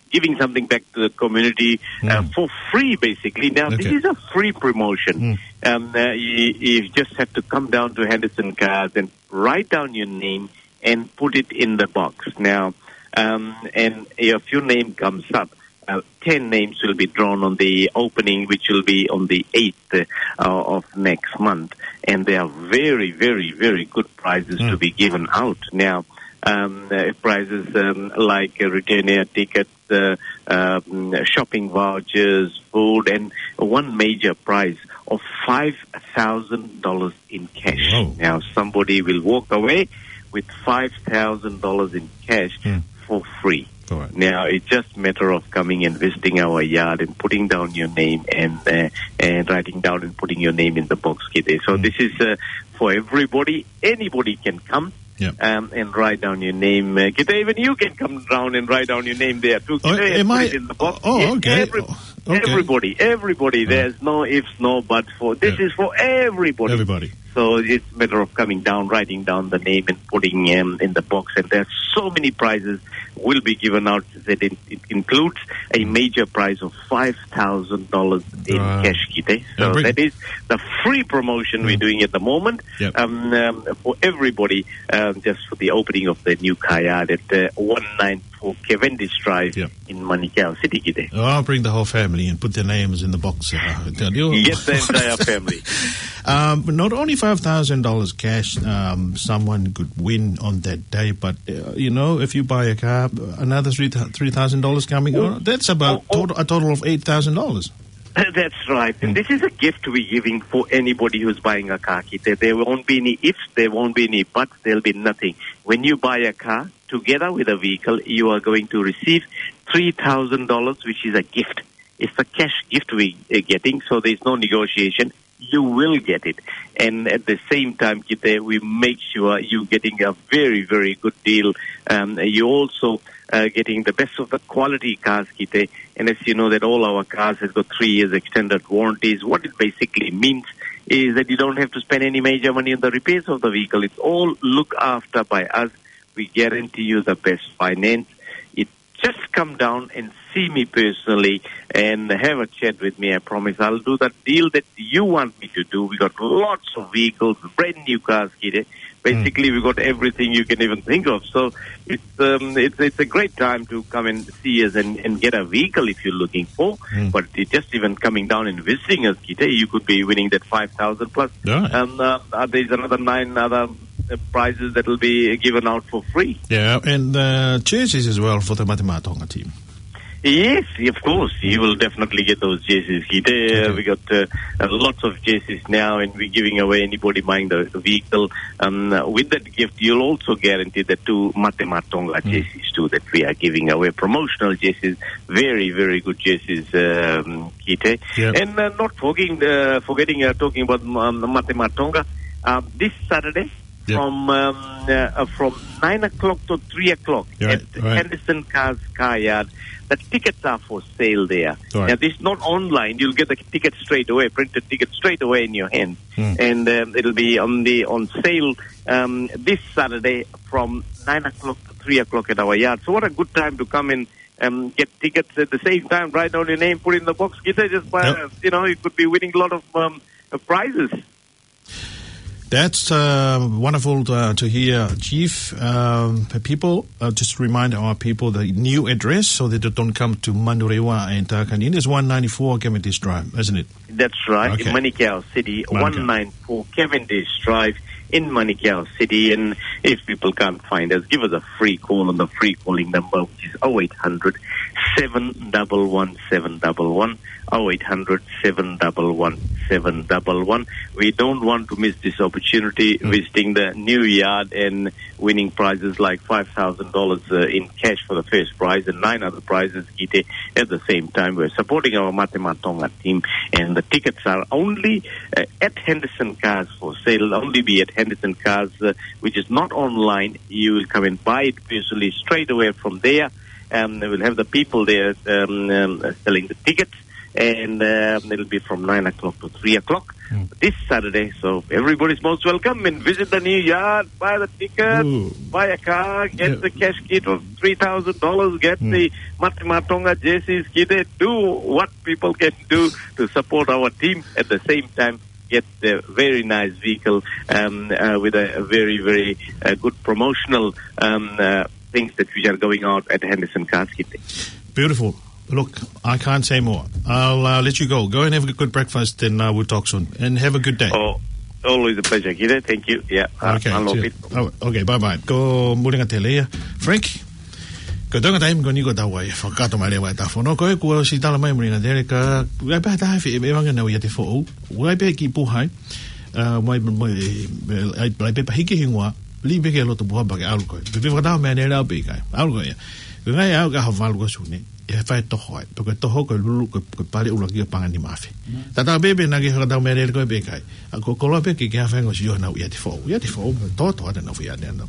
giving something back to the community, uh, for free, basically. Now, this is a free promotion. Um, uh, you, you just have to come down to Henderson Cars and write down your name and put it in the box. Now, um, and if your name comes up, uh, ten names will be drawn on the opening, which will be on the eighth, uh, of next month. And there are very, very, very good prizes to be given out. Now, um, uh, prizes, um, like, uh, return air tickets, uh, um, shopping vouchers, food, and one major prize of five thousand dollars in cash. Now, somebody will walk away with five thousand dollars in cash for free. All right. Now, it's just a matter of coming and visiting our yard and putting down your name and, uh, and writing down and putting your name in the box, Kite. So this is, uh, for everybody. Anybody can come, um, and write down your name. Uh, Kite, even you can come down and write down your name there too. Oh, Kite, am put I? It in the box. Oh, okay. Every-, oh, okay. Everybody, everybody. There's no ifs, no buts for. This is for everybody. Everybody. So it's a matter of coming down, writing down the name and putting, um, in the box. And there's so many prizes will be given out that it, it includes a major prize of five thousand dollars in cash, Kite. So that is the free promotion we're doing at the moment, um, um, for everybody, um, just for the opening of the new car yard at, uh, one nine four Cavendish Drive in Manukau City, Kite. Oh, I'll bring the whole family and put their names in the box, uh, tell you. Yes, the entire family. Um, not only five thousand dollars cash, um, someone could win on that day, but, uh, you know, if you buy a car, another three, three thousand dollars coming on. That's about total, a total of eight thousand dollars. That's right. And this is a gift we're giving for anybody who's buying a car, Kite. There, there won't be any ifs, there won't be any buts, there'll be nothing. When you buy a car, together with a vehicle, you are going to receive three thousand dollars, which is a gift. It's a cash gift we are getting, so there's no negotiation. You will get it. And at the same time, Kite, we make sure you're getting a very, very good deal. Um, you're also, uh, getting the best of the quality cars, Kite. And as you know that all our cars has got three years extended warranties. What it basically means is that you don't have to spend any major money on the repairs of the vehicle. It's all looked after by us. We guarantee you the best finance. It just come down and see me personally and have a chat with me. I promise I'll do the deal that you want me to do. We got lots of vehicles, brand new cars, Kite. Basically, we got everything you can even think of. So it's, um, it's, it's a great time to come and see us and, and get a vehicle if you're looking for. But it's just even coming down and visiting us, Kite, you could be winning that five thousand plus. Yeah. Um, uh, uh, there's another nine other, uh, prizes that will be given out for free. Yeah, and, uh, jerseys as well for the Mate Maʻa Tonga team. Yes, of course. You will definitely get those jerseys, Kite. Uh, we got, uh, uh, lots of jerseys now, and we're giving away anybody buying the vehicle. Um, uh, with that gift, you'll also guarantee the two Mate Maʻa Tonga jerseys too that we are giving away. Promotional jerseys, very, very good jerseys, um, Kite. And, uh, not forgetting, uh, forgetting, uh, talking about, um, Mate Maʻa Tonga, uh, this Saturday, from, um, uh, uh, from nine o'clock to three o'clock at Henderson Cars Car Yard. The tickets are for sale there. Now, this is not online. You'll get the ticket straight away, printed ticket straight away in your hand. And, um, it'll be on the, on sale, um, this Saturday from nine o'clock to three o'clock at our yard. So what a good time to come and, um, get tickets at the same time, write down your name, put it in the box. Kite, just by, uh, you know, you could be winning a lot of, um, uh, prizes. That's, uh, wonderful, uh, to hear, Chief. Um, the people, uh, just remind our people the new address so that they don't come to Manurewa and Takanini. It's one ninety-four Cavendish Drive, isn't it? That's right, in Manukau City, one nine four Cavendish Drive in Manukau City. And if people can't find us, give us a free call on the free calling number, which is oh eight hundred, seven double one, seven double one. Oh eight hundred, seven double one, seven double one. We don't want to miss this opportunity, visiting the new yard and winning prizes like five thousand dollars, uh, in cash for the first prize and nine other prizes, Kite. At the same time, we're supporting our Mate Maʻa Tonga team, and the tickets are only, uh, at Henderson Cars for sale, only be at Henderson Cars, uh, which is not online. You will come and buy it personally straight away from there. Um, they will have the people there, um, um, selling the tickets, and, um, it'll be from nine o'clock to three o'clock. this Saturday. So everybody's most welcome and visit the new yard, buy the ticket, buy a car, get the cash kit of three thousand dollars, get the Mate Maʻa Tonga jerseys, get it, do what people can do to support our team at the same time. Get a very nice vehicle, um, uh, with a, a very, very uh, good promotional um, uh, things that we are going out at Henderson Casket. Beautiful. Look, I can't say more. I'll uh, let you go. Go and have a good breakfast, and uh, we'll talk soon. And have a good day. Oh, always a pleasure, Kite. Thank you. Yeah. Uh, okay. Cheers. Oh, okay. Bye bye. Ko Mulinga Tele ia. Frank. Ko e toenga taimi ko eni ko ʻetau ʻai fakakakato mai leva ʻetau fono. Ko e kuo ʻosi tala mai Mulinga Tele ka ʻai pē ha taha fie ʻe vanga nau ʻiate foʻou. ʻAi pē ki Puhai. Uh, mai, mai, ʻai, ʻai pē pahiki hingoa. Li pē ke loto Puhai pea ke ʻalu koe. Pea fakatau meʻa lelei pē ʻikai. ʻAlu koe ia. Ko e ngaahi ʻaho ka ha valu ko Sune. ʻE fai toho ai. Pea ko e toho ko e lulu ko e, ko e pale ʻuluaki ʻo e paʻanga nima afe. Tatau pē pe naʻa ke fakatau meʻa lelei koe pe ʻikai. ʻA ko e koloa pē ke ke hafengo si ʻo nau ʻiate foʻou. ʻIate foʻou. Toto ʻa te nau fia ʻiate nau.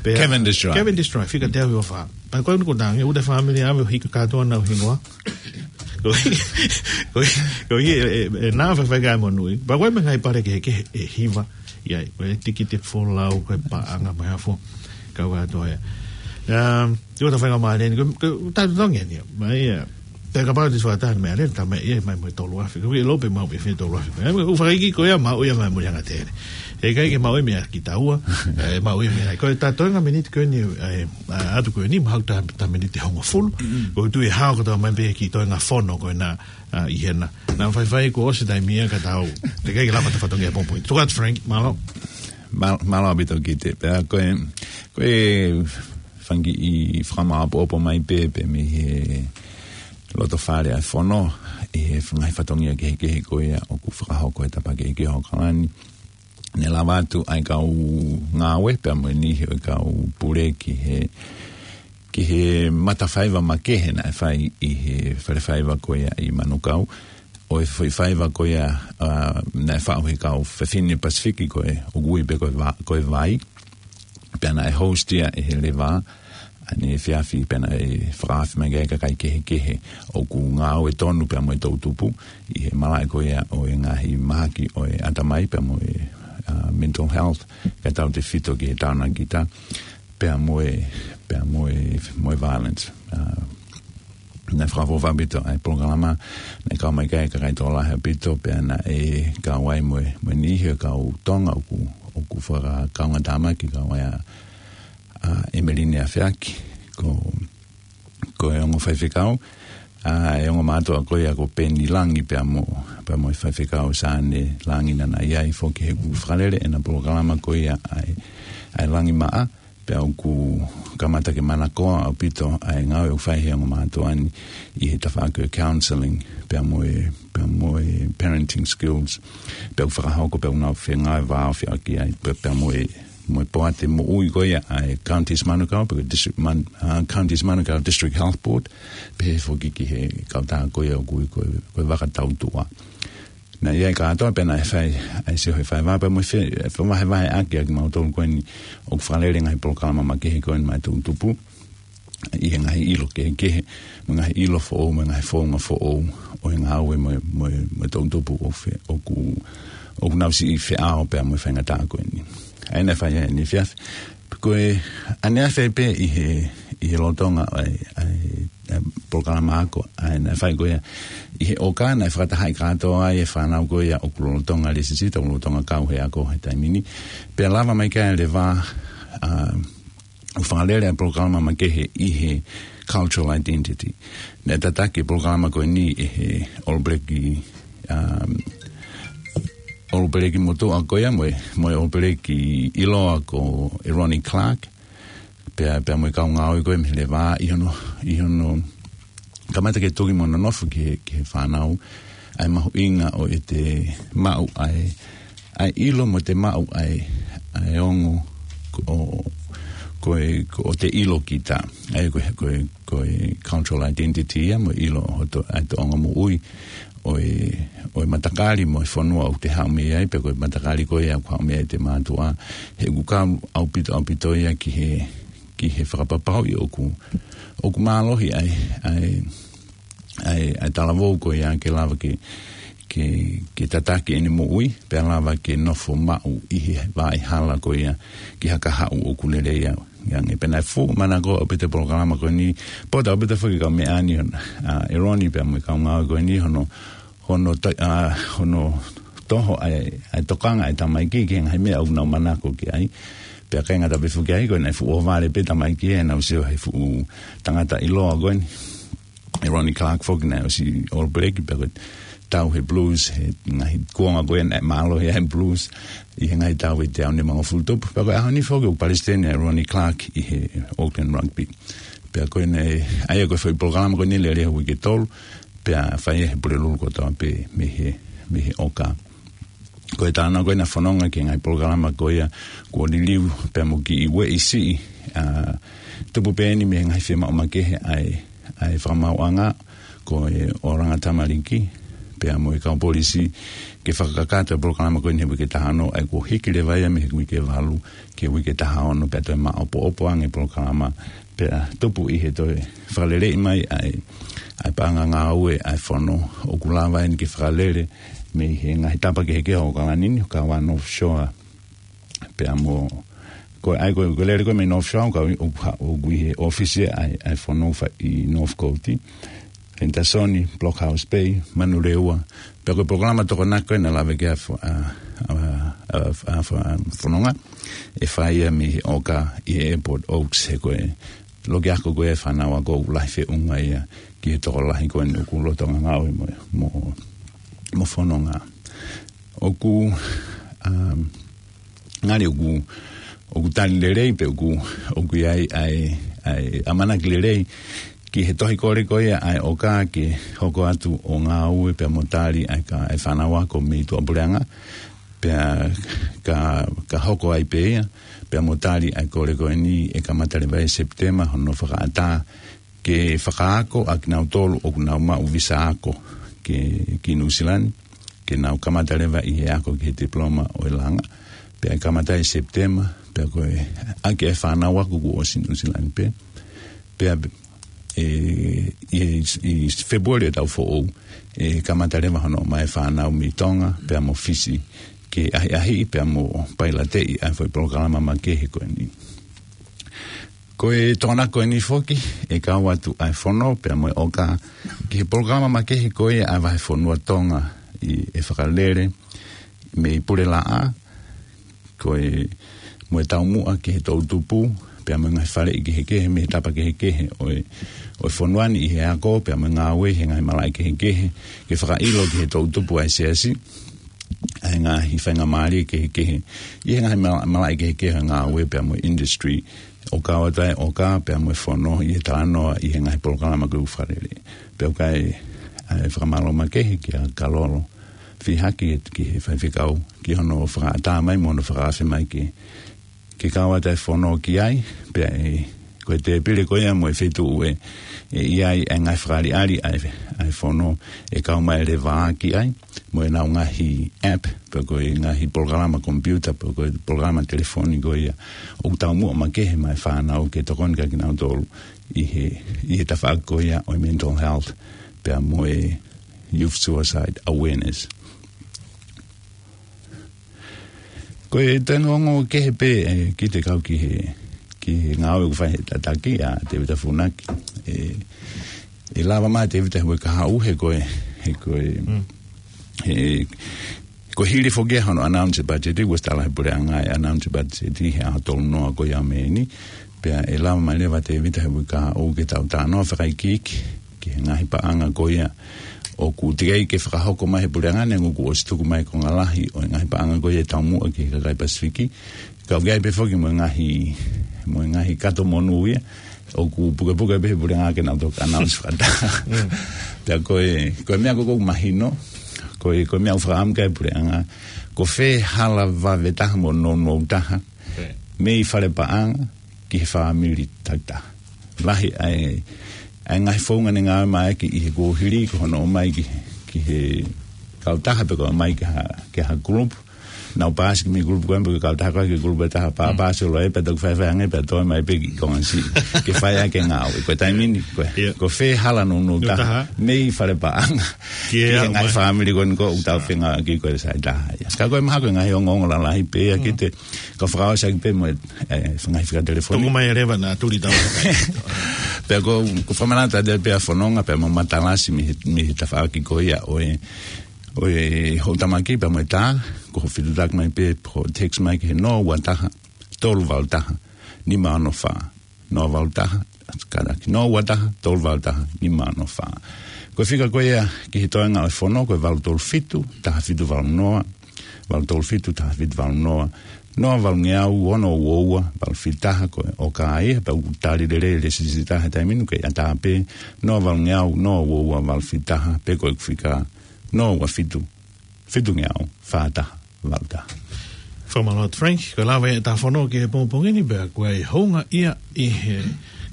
Pea Cavendish Drive. Cavendish Drive. Fika te au ʻi ʻofa. Pea ko e ʻunuku tangi. ʻUta family ʻave ʻo hika kātoa nau hingoa. Ko e, ko e, ko e, e, e, nā faifai kai monui. Pea ko e meʻa ngaahi pale kehekehe ʻe hiva. ʻI ai, ko e tikite folau, ko e paʻanga mai hafo. Kau kātoa ia. Um, ʻio ta fainga mai ni, ko, ko, ta tongi ni. Mai ia. Te kapau te suata meʻa lelei, ta mai ia, mai mo e tolu afe. Ko e lope mau pe fe tolu afe. Ko e, ʻoku fakaiki ko ia, mau ia mai Mulinga Tele. ʻE ʻikai ke mau ia meʻa ki taua. ʻE, mau ia meʻa. Ko e ta toenga miniti ko eni, ʻe, ʻa, atu ko eni, mau ta, ta miniti hongofulu. Ko e tui ʻe hao ko ta mai pē ki toenga fono ko ena, ʻa, ʻi hena. Naʻa faifai kuo ʻosi taimi ia ka tau. Te kai ke lava ta fatongia pongipongi. Tuku atu Frank, mālō. Mālō, mālō ʻaupito Kite. Pea ko e, ko e fanga kiʻi fakamāʻopoʻopo mai pē, pē mei he loto fale ʻa e fono, ʻi he ngaahi fatongia kehekehe ko ia ʻoku fakahoko he tapa kehekehe ʻo ʻAokalani. Ne lava atu ʻa e kau ngāue, pea mo e niʻihi ʻo e kau pule ki he, ki he matafaiva makehe naʻe fai ʻi he falefaiva ko ia ʻi Manukau. ʻO e foʻi faiva ko ia, ʻa, naʻe faʻu he kau fefine Pasifiki ko e, ʻoku ui pē ko e va-, ko e vai. Pea naʻe host ia ʻe he leva, ʻa ʻene efiafi pea naʻe fakaafe mai ki ai kakai kehekehe ʻoku ngāue tonu pea mo e toʻutupu, ʻi he malaʻe ko ia ʻo e ngaahi mahaki ʻo e ʻatamai pea mo e, ʻa, mental health, kae tautefito ki he taonakita, pea mo e, pea mo e, mo e violence. ʻA, naʻe fakaʻofoʻofa ʻaupito ʻa e polokalama, naʻe kau mai ki ai kakai tokolahi ʻaupito, pea naʻe kau ai mo e, mo e niʻihi ʻo e kau Tonga ʻoku, ʻoku fakakaungātāmaki kau ai ʻa, ʻa ʻEmeline Afeaki, ko, ko e ongo faifekau, ʻa e ongo mātuʻa ko ia ko Peni Langi pea mo, pea mo e faifekau Sane Langi naʻa na ʻi ai foki he ʻoku fakalele ʻena polokalama ko ia ʻa e, ʻa e Langi Maʻa, pea ʻoku kamata ke manakoa ʻaupito ʻa e ngāue ʻoku fai he ongo mātuʻa ni ʻi he tafaʻaki ʻo e counseling, pea mo e, pea mo e parenting skills, pea ʻoku fakahoko, pea ʻoku nau fengāueʻaki ai, pea, pea mo e, mo e poate moʻui ko ia ʻa e Counties Manukau, pe ko e District Man-, ʻa, Counties Manukau District Health Board, pehē foki ki he kautaha ko ia ʻoku ui ko e, ko e Vaka Tautuʻa. Naʻe ʻi ai kātoa pea naʻe fai, ʻa e sio he faiva pea mo e fe-, fai vahevaheʻaki ʻa kimautolu ko eni ʻoku fakalele ngaahi polokalama makehe ko eni maʻa e toʻutupu. ʻI he ngaahi ʻilo kehekehe, mo e ngaahi ʻilo foʻou, mo e ngaahi founga foʻou, ʻo e ngāue mo e, mo e, mo e toʻutupu ʻoku fe-, ʻoku, ʻoku nau siʻi feʻao pea mo e faingataʻa ko eni. ʻA ia naʻe fai ai ʻene efiafi. Ko e ʻaneafi pē ʻi he, ʻi he lolotonga ʻa e, ʻa e, ʻa e polokalama ako, ʻa ia naʻe fai ko ia ʻi he ʻoka naʻe fakatahaʻi kātoa ai e fānau ko ia ʻoku lolotonga lēsisita, ʻoku lolotonga kau he ako he taimi ni. Pea lava mai ki ai e leva, ʻa, ʻo fakalele ʻa e polokalama makehe ʻi he cultural identity. Naʻe tataki e polokalama ko eni ʻe he ʻOlopeleki, um, ʻOlopeleki motuʻa ko ia mo e, mo e ʻOlopeleki ʻiloa ko Ronnie Clark, pea, pea mo e kau ngāue ko ia mei he leva ʻi hono, ʻi hono kamata ke toki mo nonofo ki he, ki he fānau, ʻa e mahuʻinga ʻo ʻete maʻu ʻa e, ʻa e ʻilo mo ʻete maʻu ʻa e, ʻa e ongo ko, ko e, ko ʻete ʻilo kita. ʻA ia ko e, ko e, ko e cultural identity ia mo e ʻilo ʻo hoto, ʻa e tōʻonga moʻui ʻo e, ʻo e matakali mo e fonua ʻoku te haʻu mei ai, pe ko e matakali ko ia ʻoku haʻu mei ai ʻete mātuʻa. He ʻoku kau ʻaupito, ʻaupito ia ki he, ki he fakapapauʻi ʻoku, ʻoku mālohi ʻa e, ʻa e, ʻa e, ʻa e talavou ko ia ke lava ke, ke, ke tataki ʻene moʻui, pea lava ke nofo maʻu ʻi he vaʻa hala ko ia ki ha kahaʻu ʻoku lelei ange. Pea naʻe fuʻu manako ʻaupito e polokalama ko eni, pea ʻoku ou ʻaupito foki kau meʻa ni, ʻa, ʻEloni pea mo e kau ngāue ko eni, hono, hono to-, ʻa, hono toho ʻa e, ʻa e tokanga ʻa e tamaiki ki he ngaahi meʻa ʻoku nau manako ki ai. Pea ʻikai ngata pē foki ai, ko e naʻe fuʻu ʻohovale pē tamaiki ʻenau sio he fuʻu tangata ʻiloa ko eni. ʻE Ronnie Clark foki naʻe ʻosi All Black, pea ko e tau he Blues, he ngaahi kuonga ko ē naʻe mālohi ai e Blues, ʻi he ngaahi tau ʻe teau nimangofulu tupu. Pea ko e ʻaho ni foki ʻoku palesiteni ʻa Ronnie Clark ʻi he Auckland Rugby. Pea ko ena, ʻa ia ko e foʻi polokalama ko eni lele he uike ʻe tolu, pea fai ia he Pulelulu kotoa pē mei he, mei he ʻOka. Ko e talanoa ko ē naʻe fononga ki he ngaahi polokalama ko ia kuo liliu pea mo kiʻi ueʻi siʻi, ʻa, tupu pē eni mei he ngaahi fiemaʻu makehe ʻa e, ʻa e fakamaauʻanga, ko e oranga tamaliki, pea mo e kau polisi, ke fakakakato e polokalama ko eni he uike taha ono, ʻa ia kuo hiki leva ia mei he uike valu ki he uike taha ono, pea toe maʻopoʻopo ange e polokalama, pea tupu ʻi he toe fakaleleiʻi mai ʻa e, ʻa e paʻanga ngāue ʻa e fono, ʻoku lava eni ke fakalele mei he ngaahi tapa kehekehe ʻo ʻAokalani ni, ʻo kau ai e North Shore. Pea mo, ko e ʻai ko e, ko e lele ko ē mei North Shore, ʻoku, ʻoku, ʻoku ʻi he ʻōfisi ʻa e, ʻa e fono fa-, ʻi Northcote, Henderson, Blockhouse Bay, Manurewa, pea ko e polokalama Tokonaki ko ē naʻe lave ki ai e fo-, ʻa, ʻa, ʻa, ʻa, ʻa, fononga, ʻe fai ia mei he ʻOka ʻi he Airport Oaks, he ko e loki ako ko ē e fānau ako ʻoku lahi feʻunga ia ki he tokolahi ko eni ʻoku lolotonga ngāue mo, mo, mo fononga. ʻOku, um, ngali ʻoku, ʻoku tali lelei pē ʻoku, ʻoku ʻi ai ʻa e, ʻa e ʻamanaki lelei ki he tohi kole ko ia ʻa e ʻOka ke hoko atu ʻo ngāue pea mo tali ʻa e ka-, ʻa e fānau ako mei tuʻapuleʻanga, pea ka, ka hoko ai pē ia, pea mo tali ʻa e kole ko eni ʻe kamata leva ʻi Sepitema hono fakaʻatā ke fakaako ʻa kinautolu ʻoku nau maʻu visa ako ki, ki Nuʻusila ni, ke nau kamata leva ʻi he ako ki he tipiloma ʻo e langa. Pea ʻe kamata ʻi Sepitema, pea ko e ʻaki e fānau ako kuo ʻosi Nuʻusila ni pē. Pea, ʻe, ʻi, ʻi Fēpueli ʻo e taʻu foʻou, ʻe kamata leva hono ʻomai e fānau mei Tonga, pea mo Fisi, ke ʻahiʻahiʻi, pea mo pailateʻi ʻa e foʻi polokalama makehe ko eni. Ko e Tokonaki ko eni foki, ʻe kau atu ʻa e fono, pea mo e ʻOka, ki he polokalama makehe ko ia ʻa e vahefonua Tonga ʻi, ʻe fakalele mei Pulelaʻā, ko e mo e taumuʻa ki he toʻutupu, pea mo e ngaahi faleʻi kehekehe mei he tapa kehekehe ʻo e, ʻo e fonua ni ʻi he ako, pea mo e ngāue he ngaahi malaʻe kehekehe, ke fakaʻilo ki he toʻutupu ʻa e siasi ʻa e ngaahi faingamālie kehekehe ʻi he ngaahi mala-, malaʻe kehekehe ʻo e ngāue pea mo e industry, ʻo kau atu ai e ʻOka pea mo e fono ʻi he talanoa ʻi he ngaahi polokalama ko ē ʻoku fakalele. Pea ʻoku ʻi ai ʻa e fakamālō makehe kia Kalolo Fihaki ki he faifekau, ki hono fakaʻatā mai mo hono fakaafe mai ke, ke kau atu e fono ki ai, pea ʻe, ko e tēpile ko ia mo e feituʻu ʻe, ʻe ʻi ai e ngaahi fakaʻaliʻali ʻa e, ʻa e fono ʻe kau mai leva ki ai, mo ʻenau ngaahi app, pe ko e ngaahi polokalama komipiuta, pe ko e polokalama telefoni ko ia, ʻoku taumuʻa makehe mai e fānau ke tokoni kia kinautolu ʻi he, ʻi he tafaʻaki ko ia ʻo e mental health, pea mo e youth suicide awareness. Ko e toe ongoongo kehe pē, ʻe, kiate au ki he, ki he ngāue ʻoku fai ʻe he tataki ʻa Tēvita Funaki. ʻE, ʻe lava mai Tēvita he uike kahaʻu he ko e, he ko e, Mm. he, ko e hili foki ia hono announce e budget, kuo ʻosi tala ʻe he puleʻanga e announce e budget he ʻaho tolu noa ko ia ʻo Mē ni. Pea ʻe lava mai leva Tēvita he uike kahaʻu ke tau talanoa fakaikiiki ki he ngaahi paʻanga ko ia ʻoku teʻeki ke fakahoko mai ʻe he puleʻanga, neongo kuo ʻosi tuku mai e konga lahi ʻo e ngaahi paʻanga ko ia ʻe taumuʻa ki he kakai Pasifiki. Ka ʻoku ʻi ai pē foki mo e ngaahi, mo e ngaahi kato monū ia ʻoku pukepuke pē ʻe he puleʻanga ke nau toki announce fakataha. Mm. Pea ko e, ko e meʻa ko ē ʻoku mahino, ko e, ko e meʻa ʻoku fakaʻamu ki ai e puleʻanga, ko fē hala vave taha mo nounou taha, Ok. mei fale paʻanga ki he fāmili takitaha. Lahi ʻa e, ʻa e ngaahi founga ne ngāue mai ki he kuohili, ko hono ʻomai ki, ki he kautaha pe ko e ʻomai ki ha, ki ha group, Naʻa ku paasi ki he kulupu ko ē, pea ko e kautaha ko ē ki he kulupu ʻe taha, pea paasi ʻo loi, pea toki faifai ange, pea toe mai pē ki Tonga ni. Ke fai ʻaki e ngāue. Ko e taimi ni, ko e, ko e fē hala nounou taha. Mei fale paʻanga. Ki he ngaahi fāmili ko eni ʻoku tau fengāueʻaki ko e Saitaha ia. Ka ko e mahalo ko e ngaahi ongoongo lalahi pē ia ki he, ka fakaʻosi ʻaki pē mo e, e, ngaahi fika telefoni. Tuku mai e leva naʻa tuli tau. Pea ko, ko e fakamanatu atu pē ʻa e fononga, pea mo e matalasi mei he, mei he tafaʻaki ko ia ʻo e, ʻo e hoʻo tamaki pea mo e tā, ko hoʻo fetuʻutaki mai pē, hoʻo text mai ki he noa ua taha, tolu valu taha, nima ono fā. Noa valu taha, kātaki, noa ua taha, tolu valu taha, nima ono fā. Ko e fika ko ia ki he toenga ʻo e fono, ko e valu tolu fitu, taha fitu valu noa, valu tolu fitu, taha fitu valu noa, noa valungeau, ono ua ua, valu fitu taha, ko e ʻoka ia, pea ʻoku tali lelei e lēsisita he taimi ni, ke ʻatā pē, noa valungeau, noa ua ua, valu fitu taha, pe ko e fika, noa ua fitu, fitungeau, fā taha, valu taha. Fakamālō atu Frank, ko e lava ia ʻetau fono ki he pongipongi ni, pea ko e hounga ia ʻi he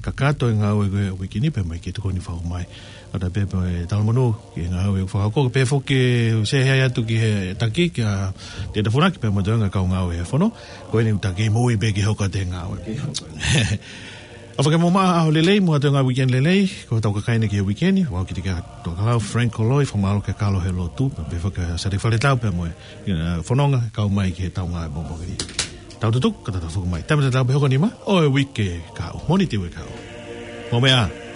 kakato e ngāue ko ē ʻo e uike ni, pea mo e kiʻi tokoni fakahū mai. ʻOatu pē e talamonū ki he ngāue ʻoku fakahoko, pea foki ʻoku sehe ai atu ki he taki, kia Teta Funaki, pea mo e toenga kau ngāue he fono, ko eni ʻoku taki moʻui pē ke hoko atu e ngāue. ʻOfa ke mou maʻu ha ʻaho lelei mo ha toenga uike lelei, ko hotau kakai eni ki he uike ni, ʻoku ou kiʻi tokalau Frank Koloi, fakamālō kia Kalo he lotu, pea pehē foki kia Sale Faletau pea mo e, ʻa, fononga, kau mai ki heʻetau ngāue pongipongi ni. Tau tutuku, ka tau tafoki mai. Taimi tatau pē hoko nima, ʻo e uike kahaʻu. Mōnite uike kahaʻu. Mou meʻa ā.